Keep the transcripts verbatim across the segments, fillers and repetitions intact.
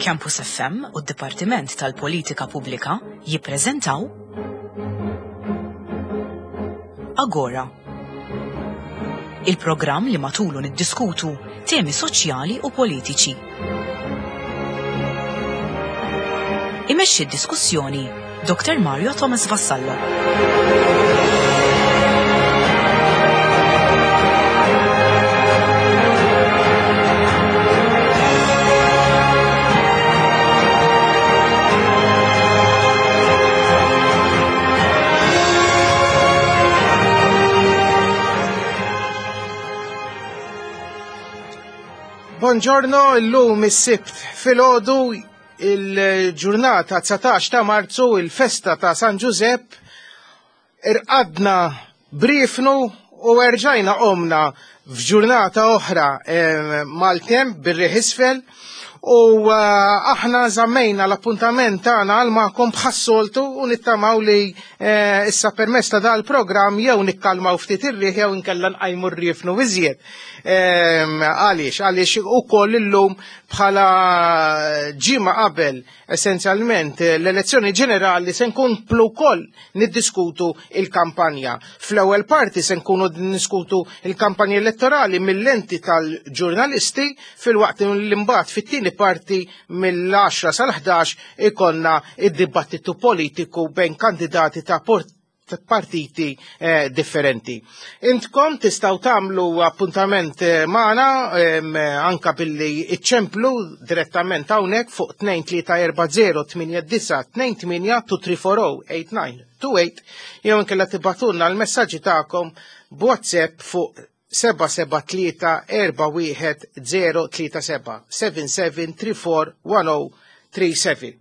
Campus F M u d-Dipartiment tal-Politika Pubblika jippreżentaw Agora. Il-programm li matulu niddiskutu temi soċjali u politiċi. Imexxi d-diskussjoni Doktor Mario Thomas Vassallo. Buongiorno, illum is-Sibt filgħodu, il-ġurnata dsatax ta' Marzu, il-festa ta' San Giuseppe, irqadna brifnu u erġajna qomna f'ġurnata oħra, eh, mal-temp bir-riħ isfel u, eh, aħna żammejna l-appuntament tagħna għal magħkom bħas-soltu u nittamaw li, eh, issa permezz ta' dal-programm jew nikkalmaw ftit ir-riħ jew inkella nqajmu r-riefnu iżjed. Ehm, għaliex? Għaliex ukoll illum bħala ġimgħa qabel essenzjalment l-elezzjoni ġenerali se nkomplu wkoll niddiskutu il-kampanja. Fl-ewwel parti se nkunu niddiskutu il-kampanja elettorali mill-lenti tal-ġurnalisti, filwaqt li mbagħad fit-tieni parti mill-għaxra sal-ħdax ikonna id-dibattitu politiku bejn kandidati ta' port-, partiti, eh, differenti. Intkom tistgħu tagħmlu appuntament, eh, magħna, em, anka billi iċċemplu direttament hawnhekk fuq tnejn tlieta erba' zero tmienja disa' tnejn tmienja two three four oh eight nine two eight jew inkella tibgħatulna l-messaġġi tagħkom b'WhatsApp fuq seba' seba' tlieta erba' wieħed zero tlieta seba' seven seven three four one oh three seven.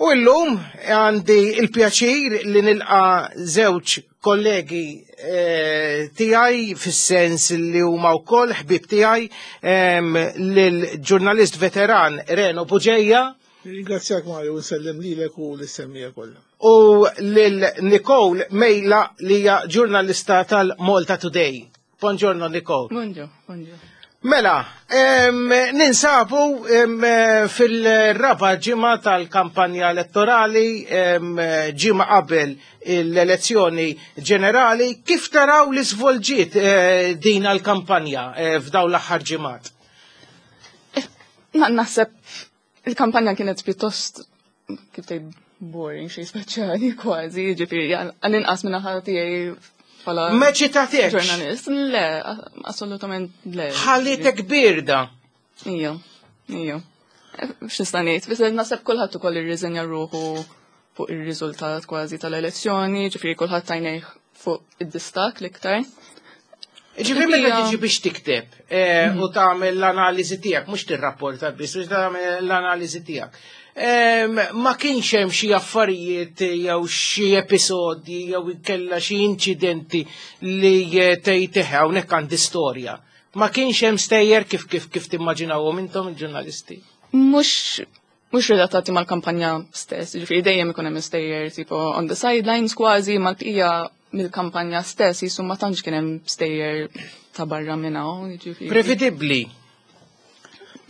U illum għandi il-pjaċir li nilqa żewġ kollegi, eh, tiegħi fis-sens li huma wkoll ħbieb tiegħi, em, lill-ġurnalist veteran Reno Bugeja. Ringrazzjak Mario, nsellem lilek u lis-semmija kollha. U lil Nicole Mejla li hija ġurnalista tal-Malta Today. Buongiorno Nicole. Buongiorno, buongiorno. Mela, em, ninsabu, em, fil-raba ġimgħa tal-kampanja elettorali, em, ġimgħa qabel l-elezzjoni ġenerali. Kif taraw li svolġiet, eh, din għall-kampanja, eh, f'dawn l-aħħar ġimgħat? Eh, na-, naħseb il-kampanja kienet pjuttost, kif tgħid, boring, xejn speċjali kważi, ġifieri għall-inqas minn naħa tiegħi bħala Ma ċitatekx? ġurnalist. Le, assolutament le. Ħallitek birda. Ija, ija. X'nista' ngħid, biss naħseb kulħadd ukoll irriżenja ruħu fuq ir-riżultat kważi tal-elezzjoni, ġifieri kulħadd tajnejh fuq id-distak l-iktar. Ġifieri meta Hija- tiġi biex tikteb, eh, u tagħmel l-analiżi tiegħek, mhux tirrapporta biss, biex tagħmel l-analiżi tiegħek. Em, ma kienx hemm xi affarijiet jew xi episodji jew inkella xi inċidenti li, eh, tgħid eħe hawnhekk għandi storja. Ma kienx hemm stejjer kif, kif, kif timmaġinawhom intom il-ġurnalisti? Mhux, mhux relatati mal-kampanja stess, ġifieri dejjem ikun hemm stejjer tipo on the sidelines kważi, mal-bqija mill-kampanja stess jisu ma tantx kien hemm stejjer ta' barra minn hawn, jiġifieri. Prevedibbli.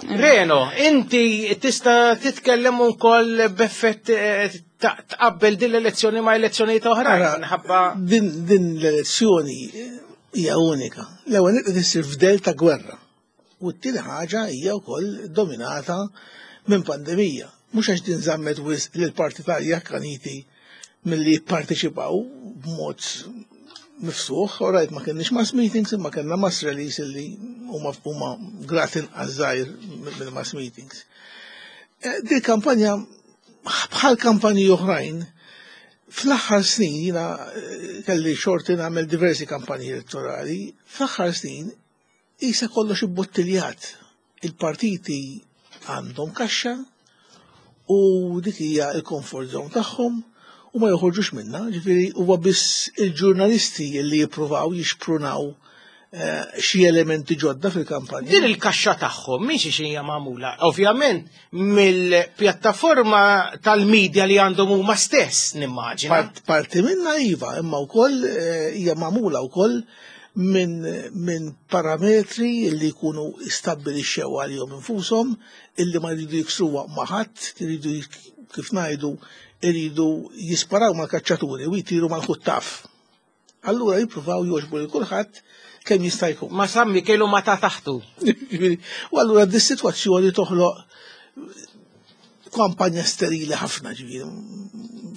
Reno, inti tista' titkellem ukoll b'effett, eh, ta-, tqabbel din l-elezzjoni ma' elezzjonijiet oħrajn, Ara, minħabba din, din l-elezzjoni hija unika. L-ewwel nett qed issir f'del ta' gwerra. U t-tieni ħaġa hija wkoll dominata minn pandemija. Mhux għax din żammet wisq lill-partitarji akkaniti milli jipparteċipaw b'mod miftuħ, u rajt ma kienx mass meetings, imma kellna mass rallies illi huma, huma grat inqas żgħir mill mass meetings. Eh, Din kampanja bħal kampanji oħrajn, fl-aħħar snin jiena, eh, kelli xorti nagħmel diversi kampanji elettorali, fl-aħħar snin isa kollox ibbottiljat. Il-partiti għandhom kaxxa u dik hija l-comfort zone tagħhom u ma joħorġux minna, ġifieri huwa biss il-ġurnalisti li jippruvaw jixprunaw xi elementi ġodda fil-kampanja. Din il-kaxxa tagħhom minn xi hija magħmula? Ovvjament mill-pjattaforma tal-medja li għandhom huma stess, nimmaġina. Parti minna iva, imma wkoll hija magħmula wkoll minn min parametri li jkunu stabbilixxew għalihom infushom, illi ma jridu jiksruha ma' ħadd, iridu, kif ngħidu, iridu jisparaw mal-kaċċaturi u jtiru mal-ħuttaf. Allura jippruvaw jogħġbu lil kulħadd kemm jista' jkun. Ma San Mikielu ma ta' taħtu. U allura dis-sitwazzjoni toħloq kampanja sterili ħafna, ġifieri,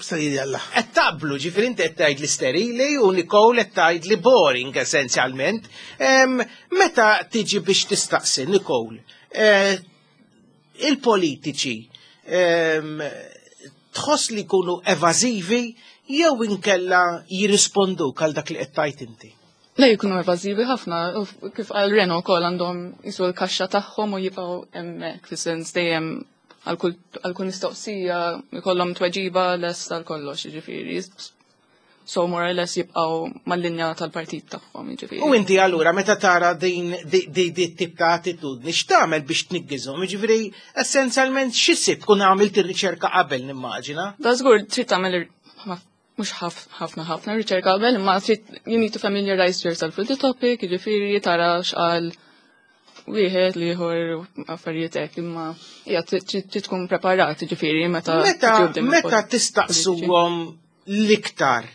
sterili għall Qed taqblu, ġifieri, inti qed tgħid li sterili u Nicole qed tgħid li boring essenzjalment. Meta tiġi biex tistaqsi, Nicole, eh, il-politiċi tħoss li jkunu evażivi jew inkella jirrisponduk għal dak li qed tgħid inti? Le, jkunu evażivi ħafna, u kif qal Reno wkoll, għandhom jisu l-kaxxa tagħhom u jibqgħu hemmhekk, fis-sens dejjem għal kull mistoqsija jkollhom tweġiba lest għal kollox, jiġifieri. So more or less jibqgħu mal-linja tal-partit tagħhom, jiġifieri. U inti allura meta tara din di tip ta' attitudni, x'tagħmel biex tniggiżhom? Jiġifieri, essenzjalment x'issib, tkun għamilt ir-riċerka qabel, nimmaġina? Da żgur, trid tagħmel mhux ħafna ħafna riċerka qabel, imma trid, you need to familiarize yourself with the topic, jiġifieri tara x'qal wieħed, l-ieħor, affarijiet hekk, imma hija trid tkun preparat, jiġifieri, meta Meta meta tistaqsuhom l-iktar,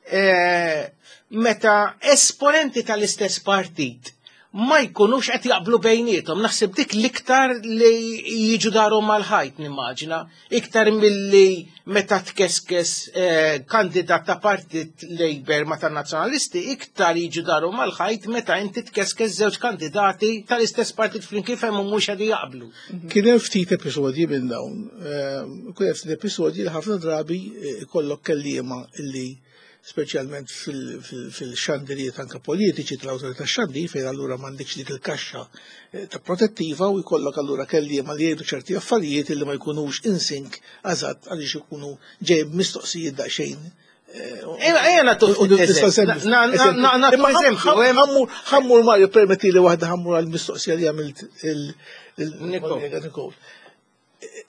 eh, meta esponenti tal-istess partit ma jkunux qed jaqblu bejniethom, naħseb dik l-iktar li jiġu darhom mal-ħajt, nimmaġina, iktar milli meta tkeskes eh, kandidat ta' partit Labour ma ta' nazzjonalisti, iktar jiġu darhom mal-ħajt meta inti tkeskes żewġ kandidati tal-istess partit flimkien fejn mhux qed jaqblu. Kien hemm ftit episodji minn dawn. Eh, kien hemm ftit episodji li ħafna drabi eh, ikollok kelliema illi, speċjalment fil-xandirijiet anka politiċi tal-awtorità xandir, fejn allura m'għandekx dik il-kaxxa eh, ta' protettiva u jkollok allura kelliema li jgħidu ċerti affarijiet li ma jkunux in sync eżatt għaliex ikunu ġej mistoqsijiet daqsxejn. Ejja nagħtu eżempju. Ħa mmur, Mario, permetti li waħda, ħa mmur għal-mistoqsija li għamilt il-kollega Nicole.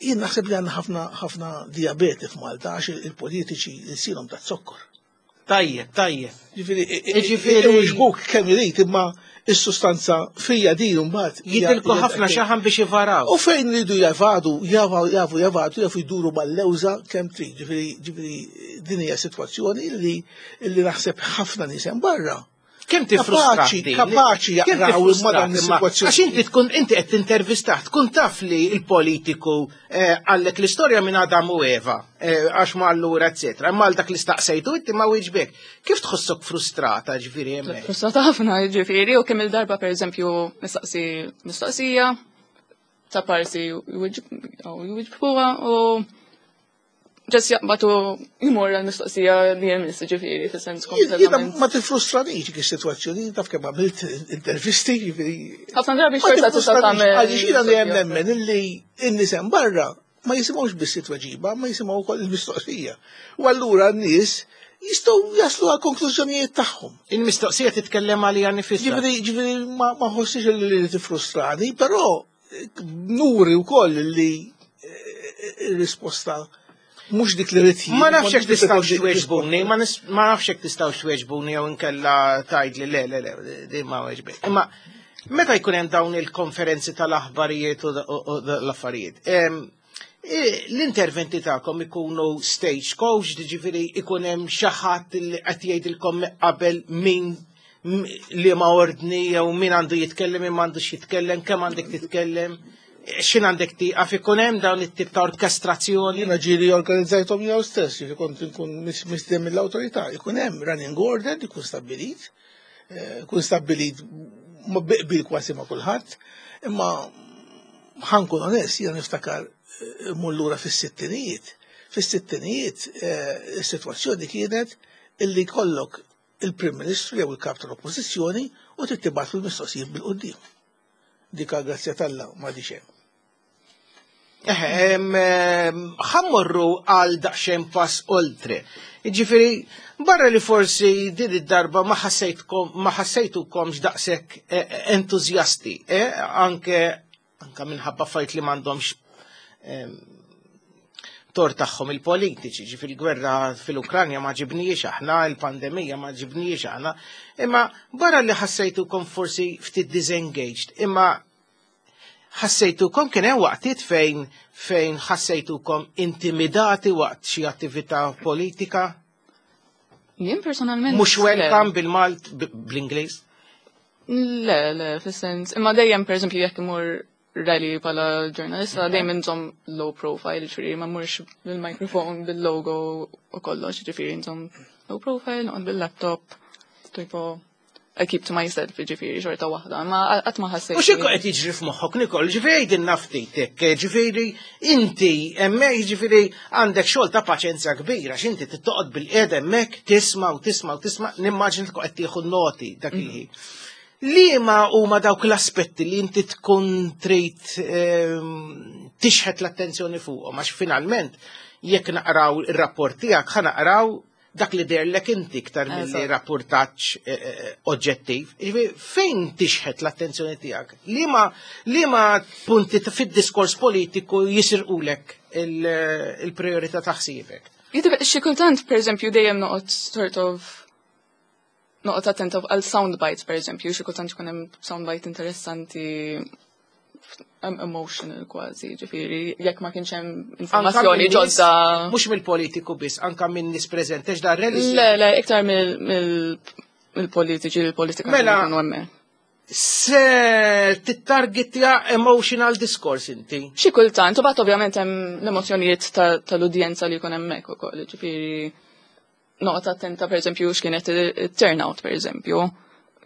Jien naħseb li għandna ħafna ħafna diabete f'Malta għax il-politiċi ilsienhom ta' zokkor. Tajjeb, tajjeb. Ġifieri, iġbuk kemm irid, imma is-sustanza fija din mbagħad. Jidilku ħafna xaħam biex jivaraw. U fejn ridu javadu, jafu jafu javadu, jafu jduru mal-lewża kemm trid. Ġifieri, ġifieri din hija sitwazzjoni li li naħseb ħafna nies hemm barra Kemm tifrustra? Kapaċi, kapaċi jaqraw imma dan is-sitwazzjoni. Għax inti tkun, inti qed tintervistah, tkun taf li l-politiku eh, għallek l-istorja minn Adam u Eva, eh, għax ma allura eccetera, imma għal dak li staqsejtu inti ma wieġbek. Kif tħossok frustrata, ġifieri, hemmhekk? Frustrata ħafna, ġifieri, u kemm il-darba, per eżempju, mistaqsi mistoqsija ta' parsi jwiġbuha u ġas jaqbatu jmur għal-mistoqsija li jmiss, ġifieri, fis-sens Jiena kompletament. ma tifrustranix dik is-sitwazzjoni, taf kemm għamilt intervisti, ġifieri. Ħafna drabi Ma xorta tista' tifrustranix, tagħmel. għaliex jiena dejjem nemmen illi n-nies hemm barra ma jisimgħux biss it-tweġiba, ma jisimgħu wkoll il-mistoqsija. U allura n-nies jistgħu jaslu għal konklużjonijiet tagħhom. Il-mistoqsija titkellem għalija nifisha. Ġifieri, ġifieri ma ma ħossix li tifrustrani, però eh, nuri wkoll li eh, il-risposta mhux dik li rrid jien. Ma nafx jekk dik li tistgħux pretendi tweġbuni, ma nis- ma nafx jekk tistgħux tweġbuni jew inkella tgħid li le, le, le, din ma weġbek. Imma meta jkun hemm dawn il-konferenzi tal-aħbarijiet u u- u l-affarijiet, em, i- l-interventi tagħkom ikunu stage coach, ġifieri ikun hemm xi ħadd li qed jgħidilkom qabel min m- li ma ordni jew min għandu jitkellem, min m'għandux jitkellem, kemm għandek titkellem, x'in għandek tieqaf, ikun hemm dawn it-tip ta' orkestrazzjoni? Jiena ġieli organizzajthom jew stess, jiġi kont nkun mis- mistieden mill-awtorità, ikun hemm running order, ikun stabbilit, eh, ikun stabbilit ma biqbil kważi ma' kulħadd, imma ħa nkun onest, jiena niftakar eh, mmur lura fis-sittinijiet. Fis-sittinijiet eh, is-sitwazzjoni kienet illi kollok il-Prim Ministru jew il-Kap tal-Oppożizzjoni u trid tibgħatlu l-mistoqsijiet bil-quddiem. Dika, grazzja t'Alla, ma hemm. Ħa mmorru għal daqsxejn pass oltre. Ġifieri, barra li forsi din id-darba ma ħassejtkom ma ħassejtukomx daqshekk eh, entużjasti, eh, anke anka minħabba fajt li m'għandhomx em, tort tagħhom il-politiċi, ġifieri gwerra fil-Ukranja ma ġibniex aħna, il-pandemija ma ġibniex aħna, imma barra li ħassejtukom forsi ftit disengaged, imma ħassejtukom kien hemm waqtiet fejn fejn ħassejtukom intimidati waqt xi attività politika? Jien personalment. Mhux le. welcome bil-Malt b- bl-Ingliż? Le, le, fis-sens. Imma dejjem, per eżempju, jekk imur rally bħala ġurnalista, dejjem inżomm low profile, ġifieri ma mmurx bil-mikrofon, bil-logo u kollox, ġifieri nżomm low profile, noqgħod bil-laptop, tipo, I keep to myself, ġifieri xorta waħda, ma qatt ma ħassejt. U x'ikun qed jiġri f'moħħok, Nicole, ġifieri għidilna ftit hekk, ġifieri inti hemmhekk ġifieri għandek xogħol ta' paċenzja kbira, x'inti tittoqgħod bil-qiegħda hemmhekk tisma' u tisma' u tisma', nimmaġin tkun qed tieħu noti dak il-ħin. Liema huma dawk l-aspetti li inti tkun trid ehm, tixħet l-attenzjoni fuqhom, għax finalment jekk naqraw ir-rapport tiegħek ħa naqraw dak li deherlek inti iktar milli Eżatt. rapportaġġ eh, eh, oġġettiv. Ġifieri, fejn tixħet l-attenzjoni tiegħek? Liema liema punti ta' fid-diskors politiku jisirqulek il- il-priorità ta' ħsiebek? Jidib, xi kultant, per eżempju, dejjem noqgħod sort of noqgħod attenta għal sound bites, per eżempju, xi kultant ikun hemm sound bite interessanti em- emotional kważi, ġifieri, jekk ma kienx hemm informazzjoni Anka minn nies- ġodda. Mhux mill-politiku biss, anka minn nies preżenti, għax da rally. Le, le, iktar mill- mill- mill-politiċi, il-politika Mela- li jkunu hemmhekk. Se tittargetja emotional discourse inti. Xi kultant, u bat ovvjament hemm l-emozzjonijiet ta- tal-udjenza li jkun hemmhekk ukoll, ġifieri noqgħod attenta pereżempju x'kienet il-turnout pereżempju.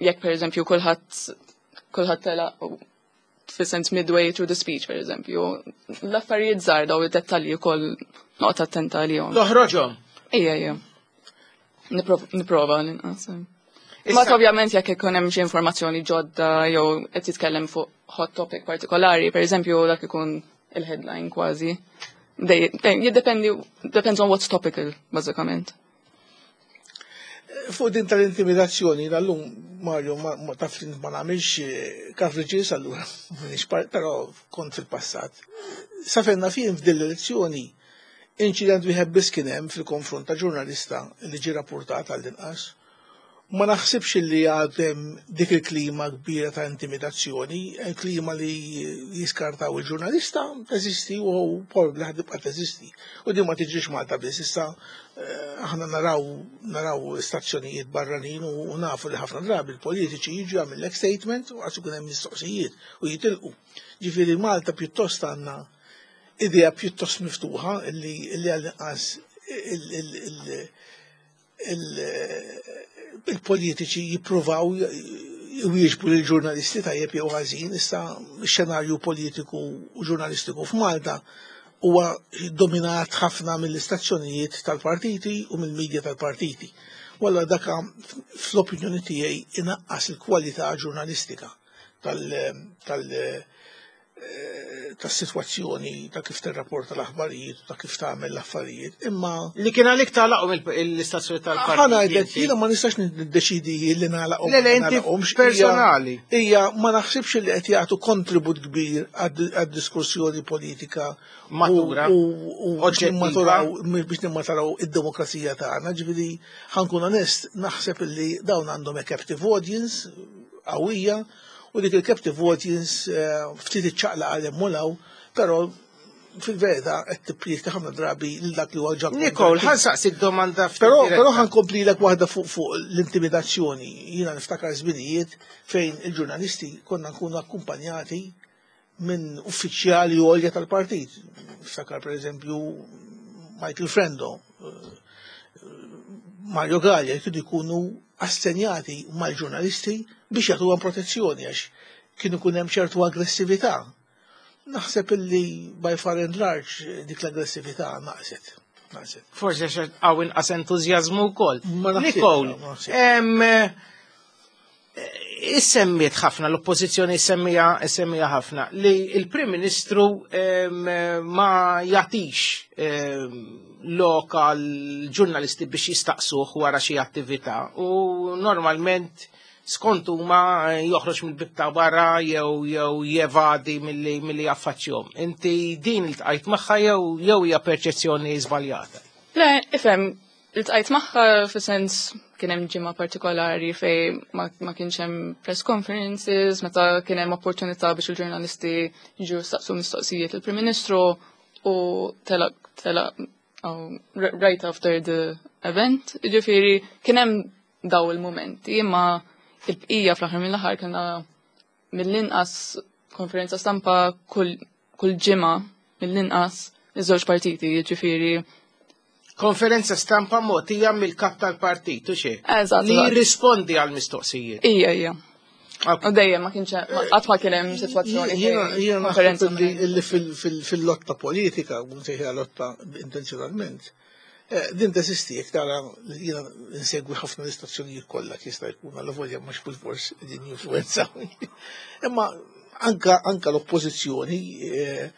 Jekk pereżempju kulħadd kulħadd telaq u fis-sens midway through the speech pereżempju. L-affarijiet żgħar daw id-dettalji wkoll noqgħod attenta għalihom. Toħroġhom. Ejja, ejja. Niprov- Niprova l-inqas. Ma Issa- ovvjament jekk ikun hemm xi informazzjoni ġodda jew qed jitkellem fuq hot topic partikolari, pereżempju dak ikun il-headline kważi. Dej- dej- Jiddependi, depends on what's topical, bażikament. Fuq din tal-intimidazzjoni, l-lum, Mario, ma, ma taf li ma nagħmilx eh, coverages, allura, m'iniex par- però kont fil-passat. Sa fejn naf jien f'din l-elezzjoni, inċident wieħed biss kien hemm fil-konfront ta' ġurnalista li ġie rapportat għall-inqas. Ma naħsibx li għadem dik il-klima kbira ta' intimidazzjoni, il-klima li jiskartaw il-ġurnalista teżisti u probabbli ħa tibqa' teżisti. U din ma tiġrix Malta biss, issa eh, aħna naraw naraw stazzjonijiet barranin u u nafu li ħafna drabi il-politiċi jiġu jagħmellek statement u għax ikun hemm mistoqsijiet u jitilqu. Ġifieri Malta pjuttost għandna idea pjuttost miftuħa illi illi għall-inqas il- il- il- il- il-politiċi jippruvaw jwieġbu lill-ġurnalisti tajjeb jew ħażin, issa x-xenarju politiku u ġurnalistiku f'Malta huwa dominat ħafna mill-istazzjonijiet tal-partiti u mill-medja tal-partiti. Walla daka fl-opinjoni tiegħi inaqqas il-kwalità ġurnalistika tal- tal- eh, tas-sitwazzjoni ta' kif tirrapporta l-aħbarijiet u ta' kif tagħmel l-affarijiet. Imma Li kien għalik tagħlaqhom l-istazzjoni tal-partit. ħa ngħidlek, jiena ma nistax niddeċidi li nagħlaqhom. Le, le, inti nagħlaqhomx. personali. Hija ma naħsibx li qed jagħtu kontribut kbir għad-diskussjoni politika Matura. u u biex Oġġettiva. nimmaturaw biex nimmaturaw id-demokrazija tagħna. Ġifieri ħa nkun onest, naħseb li dawn għandhom a captive audience qawwija u dik il-captive audience eh, ftit iċċaqlaq għal hemm u 'l hawn, però fil-verità qed tippriedka ħafna drabi lil dak li huwa ġa Nicole, ħa nsaqsik domanda ftit Però, diretta. però ħa nkomplilek waħda fuq fuq l-intimidazzjoni. Jiena niftakar żminijiet fejn il-ġurnalisti konna nkunu akkumpanjati minn uffiċjali għolja tal-partit. Niftakar per eżempju Michael Frendo, eh, Mario Gallia, kienu jkunu assenjati mal-ġurnalisti biex jagħtuhom protezzjoni għax kienu kun hemm ċertu aggressività. Naħseb illi by far and large dik l-aggressività naqset. Naqset. Forsi għax hawn inqas entużjażmu wkoll. Ma naħsibx, Nicole, ma naħsibx. em, eh, Issemmiet ħafna, l-oppożizzjoni semmija semmija ħafna, li il-Prim Ministru ma jagħtix lok għall-ġurnalisti biex jistaqsuh wara xi attività u normalment skont huma joħroġ mill-bieb ta' barra jew jew jevadi milli milli jaffaċċjahom. Inti din iltqajt magħha jew jew hija perċezzjoni żbaljata? Le, ifhem, iltqajt magħha fi sens kien hemm ġimgħa partikolari fej ma, ma kienx hemm press conferences, meta kien hemm opportunità biex il-ġurnalisti jiġu staqsu mistoqsijiet il-Prim Ministru u telaq telaq oh, right after the event. Ġifieri kien hemm daw il-momenti, imma il-bqija fl-aħħar mill-aħħar kellna mill-inqas konferenza stampa kull kull ġimgħa mill-inqas iż-żewġ partiti, ġifieri Konferenza stampa mogħtija mill-kap tal-partit, u xie? Eżatt. Li jirrispondi għal mistoqsijiet. Ija, ija. U dejjem ma kienx qatt ma kien hemm sitwazzjoni. Jiena naħseb li fil-lotta politika, u nsejħiha lotta intenzjonalment, eh, din teżisti jekk tara, jiena nsegwi ħafna l-istazzjonijiet kollha jista' jkun għal volja mhux bilfors din influenza. Imma anka anka l-oppożizzjoni eh,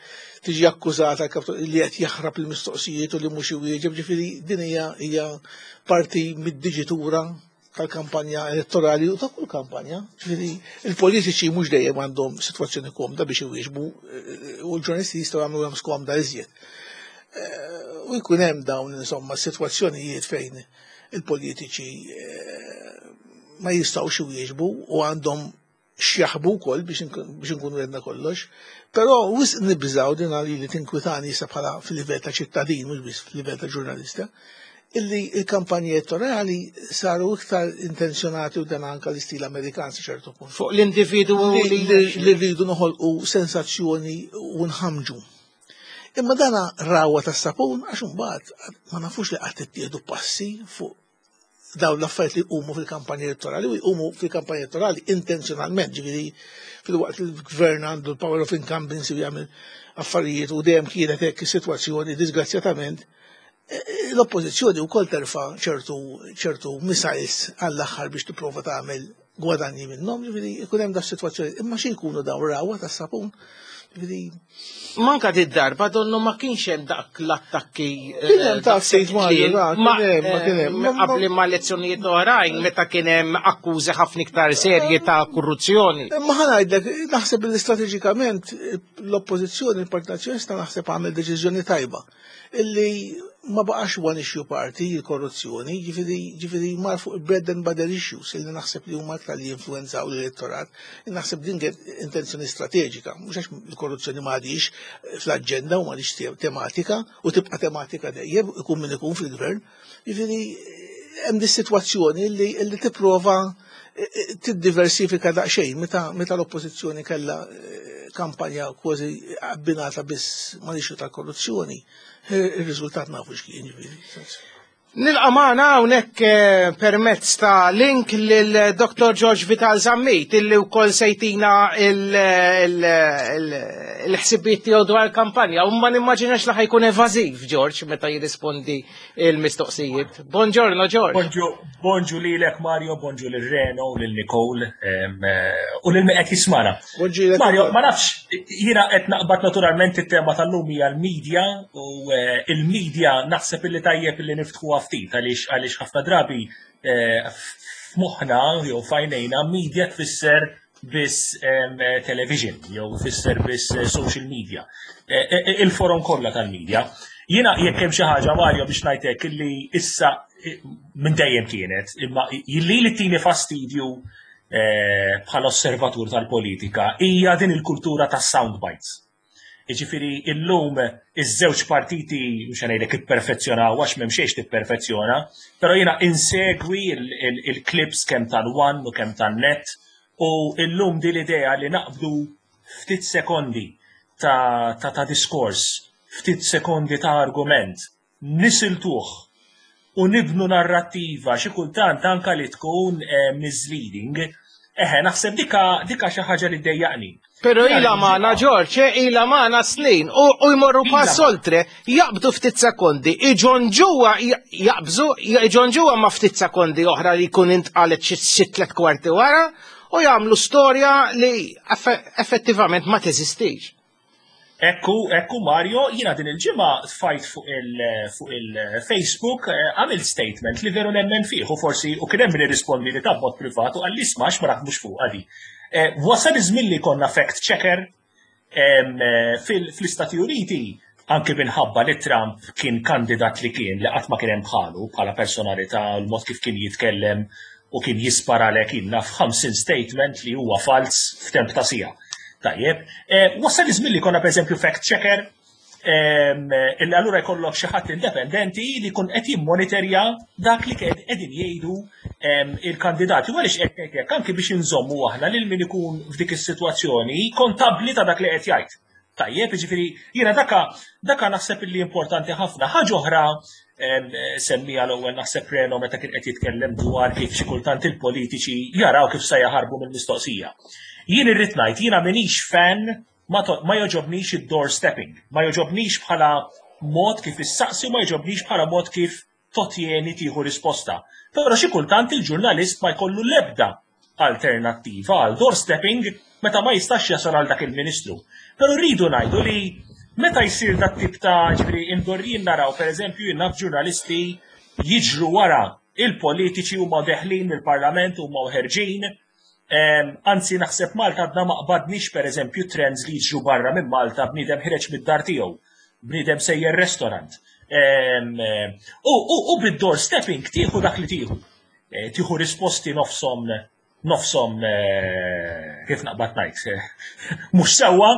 tiġi akkużata li qed jaħrab il-mistoqsijiet u li mhux iwieġeb, ġifieri din hija hija parti mid-diġitura tal-kampanja elettorali u ta' kull kampanja. Ġifieri il-politiċi mhux dejjem għandhom sitwazzjoni komda biex iwieġbu eh, u l-ġurnalisti jistgħu jagħmlu skomda iżjed. Eh, u jkun hemm dawn insomma sitwazzjonijiet fejn il-politiċi ma jistgħux iwieġbu u għandhom x'jaħbu wkoll biex nkunu għedna kollox, però wisq nibżaw din għali li tinkwitani issa bħala fil-livell ta' ċittadin, mhux biss fil-livell ta' ġurnalista, illi il-kampanji elettorali saru iktar intenzjonati u dan anka l-istil Amerikan sa ċertu punt. Fuq l-individu li li rridu noħolqu sensazzjoni u nħamġu. Imma dana rawa ta' sapun għax imbagħad ma nafux li qatt ittieħdu passi fuq dawn l-affarijiet li jqumu fil-kampanja elettorali u jqumu fil-kampanja elettorali intenzjonalment, ġifieri fil-waqt li l-gvern għandu l-power of incumbency u jagħmel affarijiet u dejjem kienet hekk is-sitwazzjoni, disgrazzjatament, l-oppożizzjoni wkoll terfa' ċertu ċertu missiles għall-aħħar biex tipprova tagħmel gwadanji minnhom, ġifieri ikun hemm da sitwazzjoni. Imma xi jkunu dawn rawa tas-sapun? Ġifieri Manka di darba donnu ma kienx hemm dak l-attakki. Kien hemm ta' sejt Mario, da, kien hemm, ma kien hemm. Qabli ma' elezzjonijiet oħrajn meta kien hemm akkużi ħafna iktar serji ta' korruzzjoni. Ma ħa ngħidlek, naħseb li strateġikament l-oppożizzjoni, il-Partit Nazzjonalista naħseb għamel deċiżjoni tajba. Illi ma baqax one issue party il-korruzzjoni, ġifieri ġifieri mar fuq bread and butter issues illi naħseb li huma aktar li jinfluenzaw l-elettorat. Naħseb din kienet intenzjoni strateġika, mhux għax il-korruzzjoni ma għadix fl-aġenda u ma għadix tematika u tibqa' tematika dejjem ikun min ikun fil-gvern. Ġifieri hemm dis sitwazzjoni li li tipprova tiddiversifika daqsxejn meta meta l-oppożizzjoni kellha kampanja kważi abbinata biss ma' issue tal-korruzzjoni. Il-riżultat nafu x'kien, ġifieri. Nilqa' magħna hawnhekk eh, permezz ta' link lil Doktor George Vital Zammit illi wkoll se jtina il-ħsibiet tiegħu dwar il-kampanja. U ma nimmaġinax li ħa jkun evażiv George meta jirrispondi il-mistoqsijiet. Buongiorno, George. Bonġu, bonġu lilek Mario, bonġu lil Reno, lil Nicole em, eh, u lil min qed jismana. Bonġu lilek. Mario, ma nafx, jiena qed naqbad naturalment it-tema tal-lum hija l-medja u eh, il-medja naħseb illi tajjeb illi niftħuha ftit għaliex għaliex ħafna drabi eh, f'moħħna jew f'għajnejna media tfisser biss em, eh, television jew tfisser biss eh, social media. Eh, eh, Il-forum kollha tal-media. Jiena jekk hemm xi ħaġa, Mario, biex ngħidlek illi issa eh, minn dejjem kienet, imma illi li tini fastidju eh, bħala osservatur tal-politika hija din il-kultura tas sound bites. Jiġifieri illum iż-żewġ partiti mhux ngħidlek ipperfezzjonaw għax m'hemm xejn tipperfezzjona, però jiena insegwi il-clips kemm tal-One u kemm tan-Net u illum din l-idea li naqbdu ftit sekondi ta', ta, ta diskors, ftit sekondi ta' argument, nisiltuh u nibnu narrattiva xi kultant anka li tkun eh, misleading, eħe, naħseb dika dika xi ħaġa li ddejjaqni. Pero ila magħna, George, eh, ila magħna snin u, u jmorru pass oltre, jaqbdu ftit sekondi, iġonġuwa jaqbżu, iġonġuwa ma ftit sekondi oħra li jkun intqalet xi xi tliet kwarti wara. u jagħmlu storja li effettivament ma teżistix. Ekku, ekku Mario, jiena din il-ġimgħa tfajt fuq il-Facebook għamilt statement li veru nemmen fih u forsi u kien hemm min irrispondi li ta' b'mod privat u qalli smax ma naħdmux fuq għadi. Wasal iż-żmien li konna fact checker fl-Istati Uniti, anke minħabba li Trump kien kandidat li kien li qatt ma kien hemm bħalu bħala personalità, l-mod kif kien jitkellem u kien jisparalek inna f'ħamsin statement li huwa fals f'temp ta' siegħa. Tajjeb, wasal iż-żmien li konna pereżempju fact checker, illi allura jkollok xi ħadd indipendenti li jkun qed jimmonitorja dak li qegħdin jgħidu il-kandidati. U għaliex qed ngħid hekk, anke biex inżommu aħna lil min ikun f'dik is-sitwazzjoni kontabbli ta' dak li qed jgħid. Tajjeb, jiġifieri jiena daka daka naħseb illi importanti ħafna. Ħaġa oħra semmija l-ewwel naħseb Reno meta kien qed jitkellem dwar kif xi kultant il-politiċi jaraw kif se jaħarbu mill-mistoqsija. Jien irrid ngħid, jiena m'iniex fan, ma jogħġobnix id-door stepping, ma jogħġobnix bħala mod kif issaqsi u ma jogħġobnix bħala mod kif totjeni tieħu risposta. Però xi kultant il-ġurnalist ma jkollu l-ebda alternattiva għal door stepping meta ma jistax jasal għal dak il-ministru. Però rridu ngħidu li meta jsir dat tip ta' ġifieri indorrin naraw pereżempju jien naf ġurnalisti jiġru wara il-politiċi huma deħlin mill-parlament huma ħerġin. Anzi naħseb Malta għadna ma qbadniex pereżempju trends li jiġru barra minn Malta, bniedem ħireġ mid-dar tiegħu, bniedem sejjer restaurant. U bid-door stepping tieħu dak li tieħu. Tieħu risposti nofshom nofshom kif naqbad ngħid, mhux sewwa,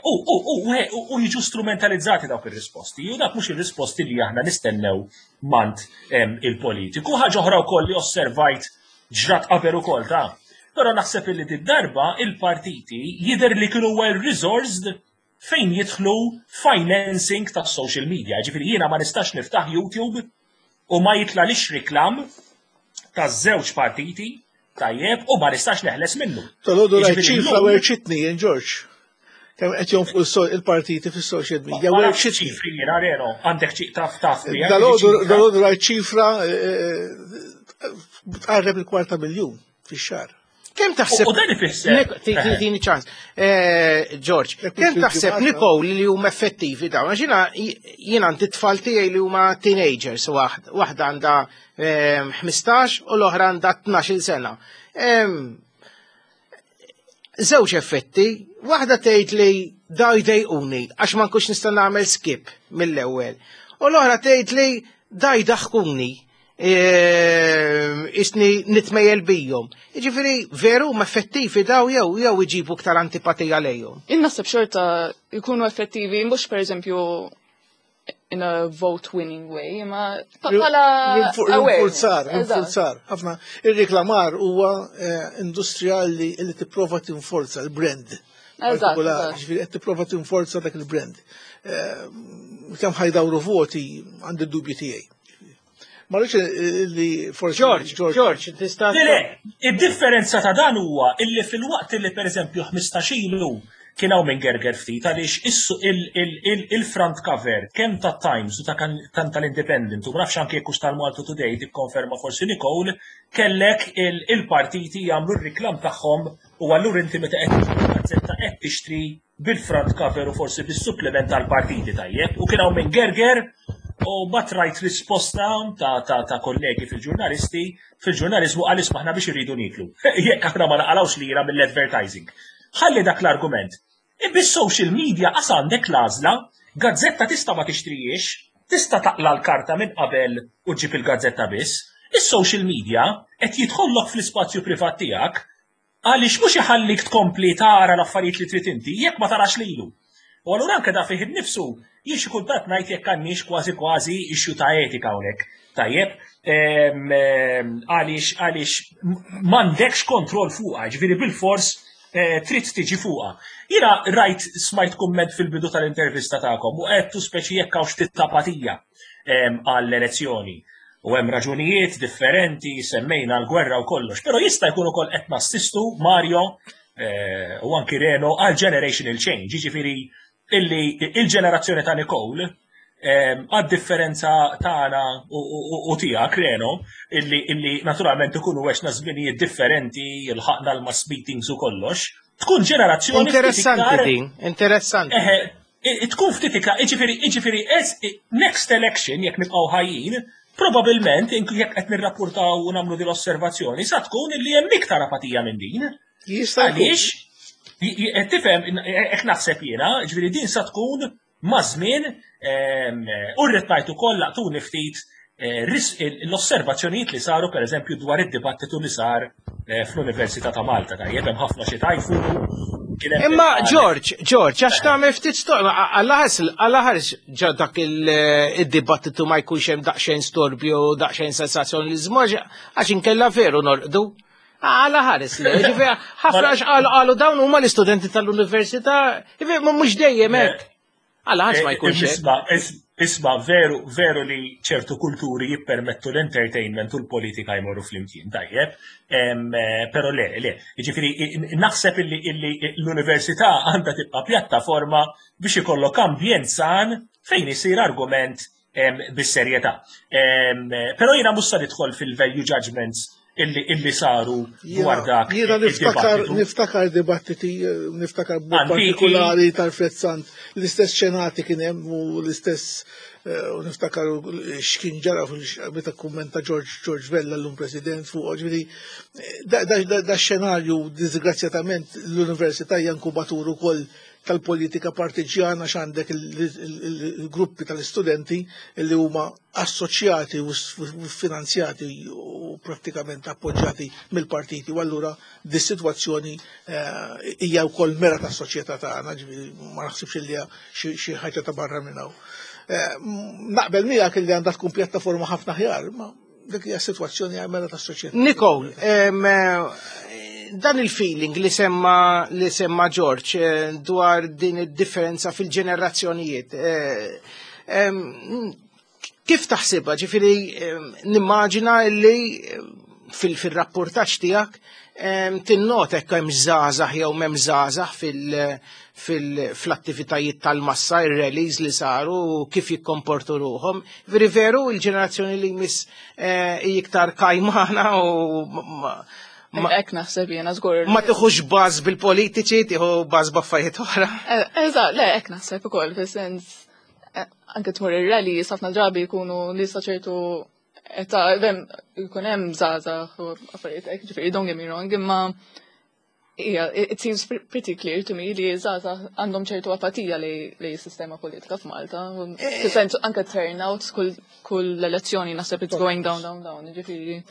u jiġu strumentalizzati dawk ir-risposti. U dak mhux ir-risposti li aħna nistennew mant il-politiku. Ħaġa oħra wkoll li osservajt ġrat qabel ukoll ta'. Però naħseb li d-darba il-partiti jidher li kienu well resourced fejn jidħlu financing ta' social media. Ġifieri jiena ma nistax niftaħ YouTube u ma jitlalix reklam ta' żewġ partiti, tajjeb, u ma nistax neħles minnu. Tolodu rajt ċifra werċitni, jien Ġorġ. Kemm qed jonfqu il-partiti fis-social media, werċitni. Ċifri jiena Reno, għandek ċi taf taf. Dalodu rajt ċifra tqarreb il-kwarta miljun fix-xahar. Kemm taħseb? U dan ifisser. Tini ċans. George, kemm taħseb Nicole li huma effettivi dawn? Għax jiena jien għandi tfal tiegħi li huma teenagers, waħda għandha ħmistax u l-oħra għandha tnax-il sena. Żewġ effetti, waħda tgħid li daw jdejquni għax ma nkunx nista' nagħmel skip mill-ewwel. U l-oħra tgħid li da jdaħkuni. Isni nitmejjel bijhom. Jiġifieri veru ma effettivi daw jew jew iġibu iktar antipatija lejhom. Innaħseb xorta jkunu effettivi, mhux pereżempju in a vote winning way, ma bħala rinforzar, rinforzar. Ħafna ir-reklamar huwa industrija li tipprova tinforza l-brand. Eżatt. Ġifieri qed tipprova tinforza dak il-brand. Kemm ħajdawru voti għandi d-dubju tiegħi. Ma rridx li forsi George, George, tista' Le, id-differenza ta' dan huwa illi fil-waqt li pereżempju ħmistax ilu kien hawn minn gerger ftit għaliex il-front cover kemm ta' Times u ta' tal-Independent u nafx anke jekk hux tal-Malta Today tikkonferma forsi Nicole, kellek il-partiti jagħmlu r-reklam tagħhom u allura inti meta qed gazzetta qed tixtri bil-front cover u forsi bis-supplement tal-partiti, tajjeb, u kien hawn minn gerger u bat rajt risposta ta', ta, ta' kollegi fil-ġurnalisti, fil-ġurnalizmu għal isma' aħna biex irridu niklu. Jekk aħna ma naqalawx lira mill-advertising. Ħalli dak l-argument. Bis-social media qas għandek l-għażla, gazzetta tista' ma tixtrijiex, tista' taqla l-karta minn qabel u ġib il-gazzetta biss. Is-social media qed jidħollok fl-ispazju privat tiegħek għaliex mhux iħallik tkompli tara l-affarijiet li trid inti jekk ma tarax lilu. U allura anke da fih innifsu jien xi kultant ngħid jekk għandniex kważi kważi issue ta' etika hawnhekk. Tajjeb, għaliex għaliex m'għandekx kontroll fuqha, ġifieri bil-fors trid tiġi fuqha. Jiena rajt smajt kumment fil-bidu tal-intervista tagħkom u għedtu speċi jekk hawn ftit apatija għall-elezzjoni. U hemm raġunijiet differenti, semmejna l-gwerra u kollox, però jista' jkun ukoll qed nassistu Mario u anki Reno għal generational change, jiġifieri illi il-ġenerazzjoni ta' Nicole Għad-differenza tagħna u tiegħek, Reno, illi illi naturalment ikunu għexna żminijiet differenti, ilħaqna l-mass meetings u kollox, tkun ġenerazzjoni Interessanti din, interessanti. Eħe, tkun ftit iktar, iġifieri, iġifieri, next election, jekk nibqgħu ħajjin, probabilment, jekk qed nirrapportaw u nagħmlu din l-osservazzjoni, sa tkun illi hemm iktar apatija minn din. Jista' Għaliex, tifhem, hekk naħseb jiena, ġifieri din sa tkun maż-żmien, u rrid ngħid ukoll laqtuni ftit eh, l-osservazzjonijiet li saru, pereżempju, dwar id-dibattitu li sar eh, fl-Università ta' Malta. Tajjeb, hemm ħafna xi tajfu. Imma George, George, għax tagħmel ftit storb, għall-aħħar ġa dak il-dibattitu ma jkunx hemm daqsxejn storbju, daqsxejn sensazzjonaliżmu, għax inkella veru norqdu. Għala ħares li, ġifieri, ħafna għax qalu dawn huma l-istudenti tal-università, ġifieri, mhux dejjem hekk. Għala ħares ma jkunx hekk. Isma, veru, veru li ċertu kulturi jippermettu l-entertainment u l-politika jmorru flimkien, tajjeb, pero le, le, ġifieri, naħseb illi l-università għandha tibqa' pjattaforma biex ikollok ambjent san fejn isir argument bis-serjetà. Però jiena mhux sa nidħol fil-value judgments illi, illi saru dwar dak. Jiena niftakar niftakar dibattiti, niftakar partikolari tal-Frezzant, l-istess xenati kien hemm u l-istess u niftakar x'kien ġara meta kummenta George George Vella, l-lum president, fuq, ġifieri da xenarju. Disgrazzjatament l-università hija inkubatur ukoll tal-politika partiġjana, x'għandek il-gruppi tal-istudenti li huma assoċjati u finanzjati u prattikament appoġġjati mill-partiti, u allura dis-sitwazzjoni hija wkoll mera tas-soċjetà tagħna, ġifieri ma naħsibx li hija xi ħaġa ta' barra minn hawn. Naqbel miegħek li għandha tkun pjattaforma ħafna ħjar, ma dik hija sitwazzjoni mera tas-soċjetà. Nicole, dan il-feeling li semma li semma George dwar din id-differenza fil-ġenerazzjonijiet, kif taħsibha? Ġifieri nimmaġina li fil-rapportaġġ tiegħek tinnota hekk hemm żgħażagħ jew m'hemm żgħażagħ fil-attivitajiet tal-massa, ir-rallies li saru, kif jikkomportu ruħhom. Veri veru il-ġenerazzjoni li jmiss iktar kajmana u Hekk naħseb jiena żgur. Ma tieħux baż bil-politiċi, tieħu baż b'affarijiet oħra. Eżatt, le, hekk naħseb ukoll, fis-sens anke tmur ir-rally, ħafna drabi jkunu nisa ċertu età, jkun hemm żgħażagħ u affarijiet hekk, ġifieri don't get me wrong, imma yeah, it seems pretty clear to me li żgħażagħ għandhom ċertu apatija li li sistema politika f'Malta. Fis-sens anke turnout kull kull elezzjoni naħseb it's going down, down, down, ġifieri.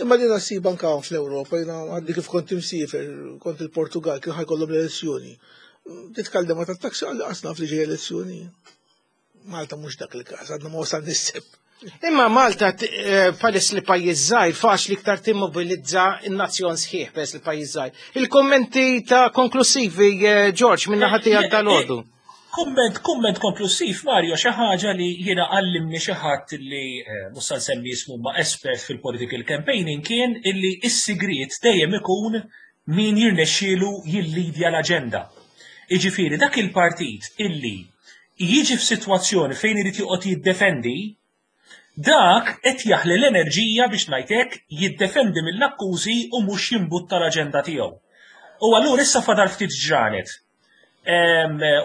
Imma din ssib anka fl-Ewropa, jiena għadni kif kont imsiefer, kont il-Portugal, kien ħa jkollhom l-elezzjoni. Titkellem ma tat-taxi, għalli qasna li ġej elezzjoni. Malta mhux dak il-każ, għadna ma wasal nisseb. Imma Malta, peress li pajjiż żgħir, faċli iktar timmobilizza n-nazzjon sħiħ peress li pajjiż żgħir. Il-kommenti ta' konklusivi, George, minn naħa tiegħek dal-għodu. Kumment, kumment konklusiv, Mario, xi ħaġa li jiena għallimni xi ħadd li mhux se nsemmi ismu ma espert fil-political campaigning kien illi s-sigriet dejjem ikun min jirnexxielu jillidja l-aġenda. Iġifieri dak il-partit illi jiġi f'sitwazzjoni fejn irid joqgħod jiddefendi, dak qed jaħli l-enerġija biex ngħidlek jiddefendi mill-akkużi u mhux jimbutta l-aġenda tiegħu. U allura issa fadal ftit ġranet.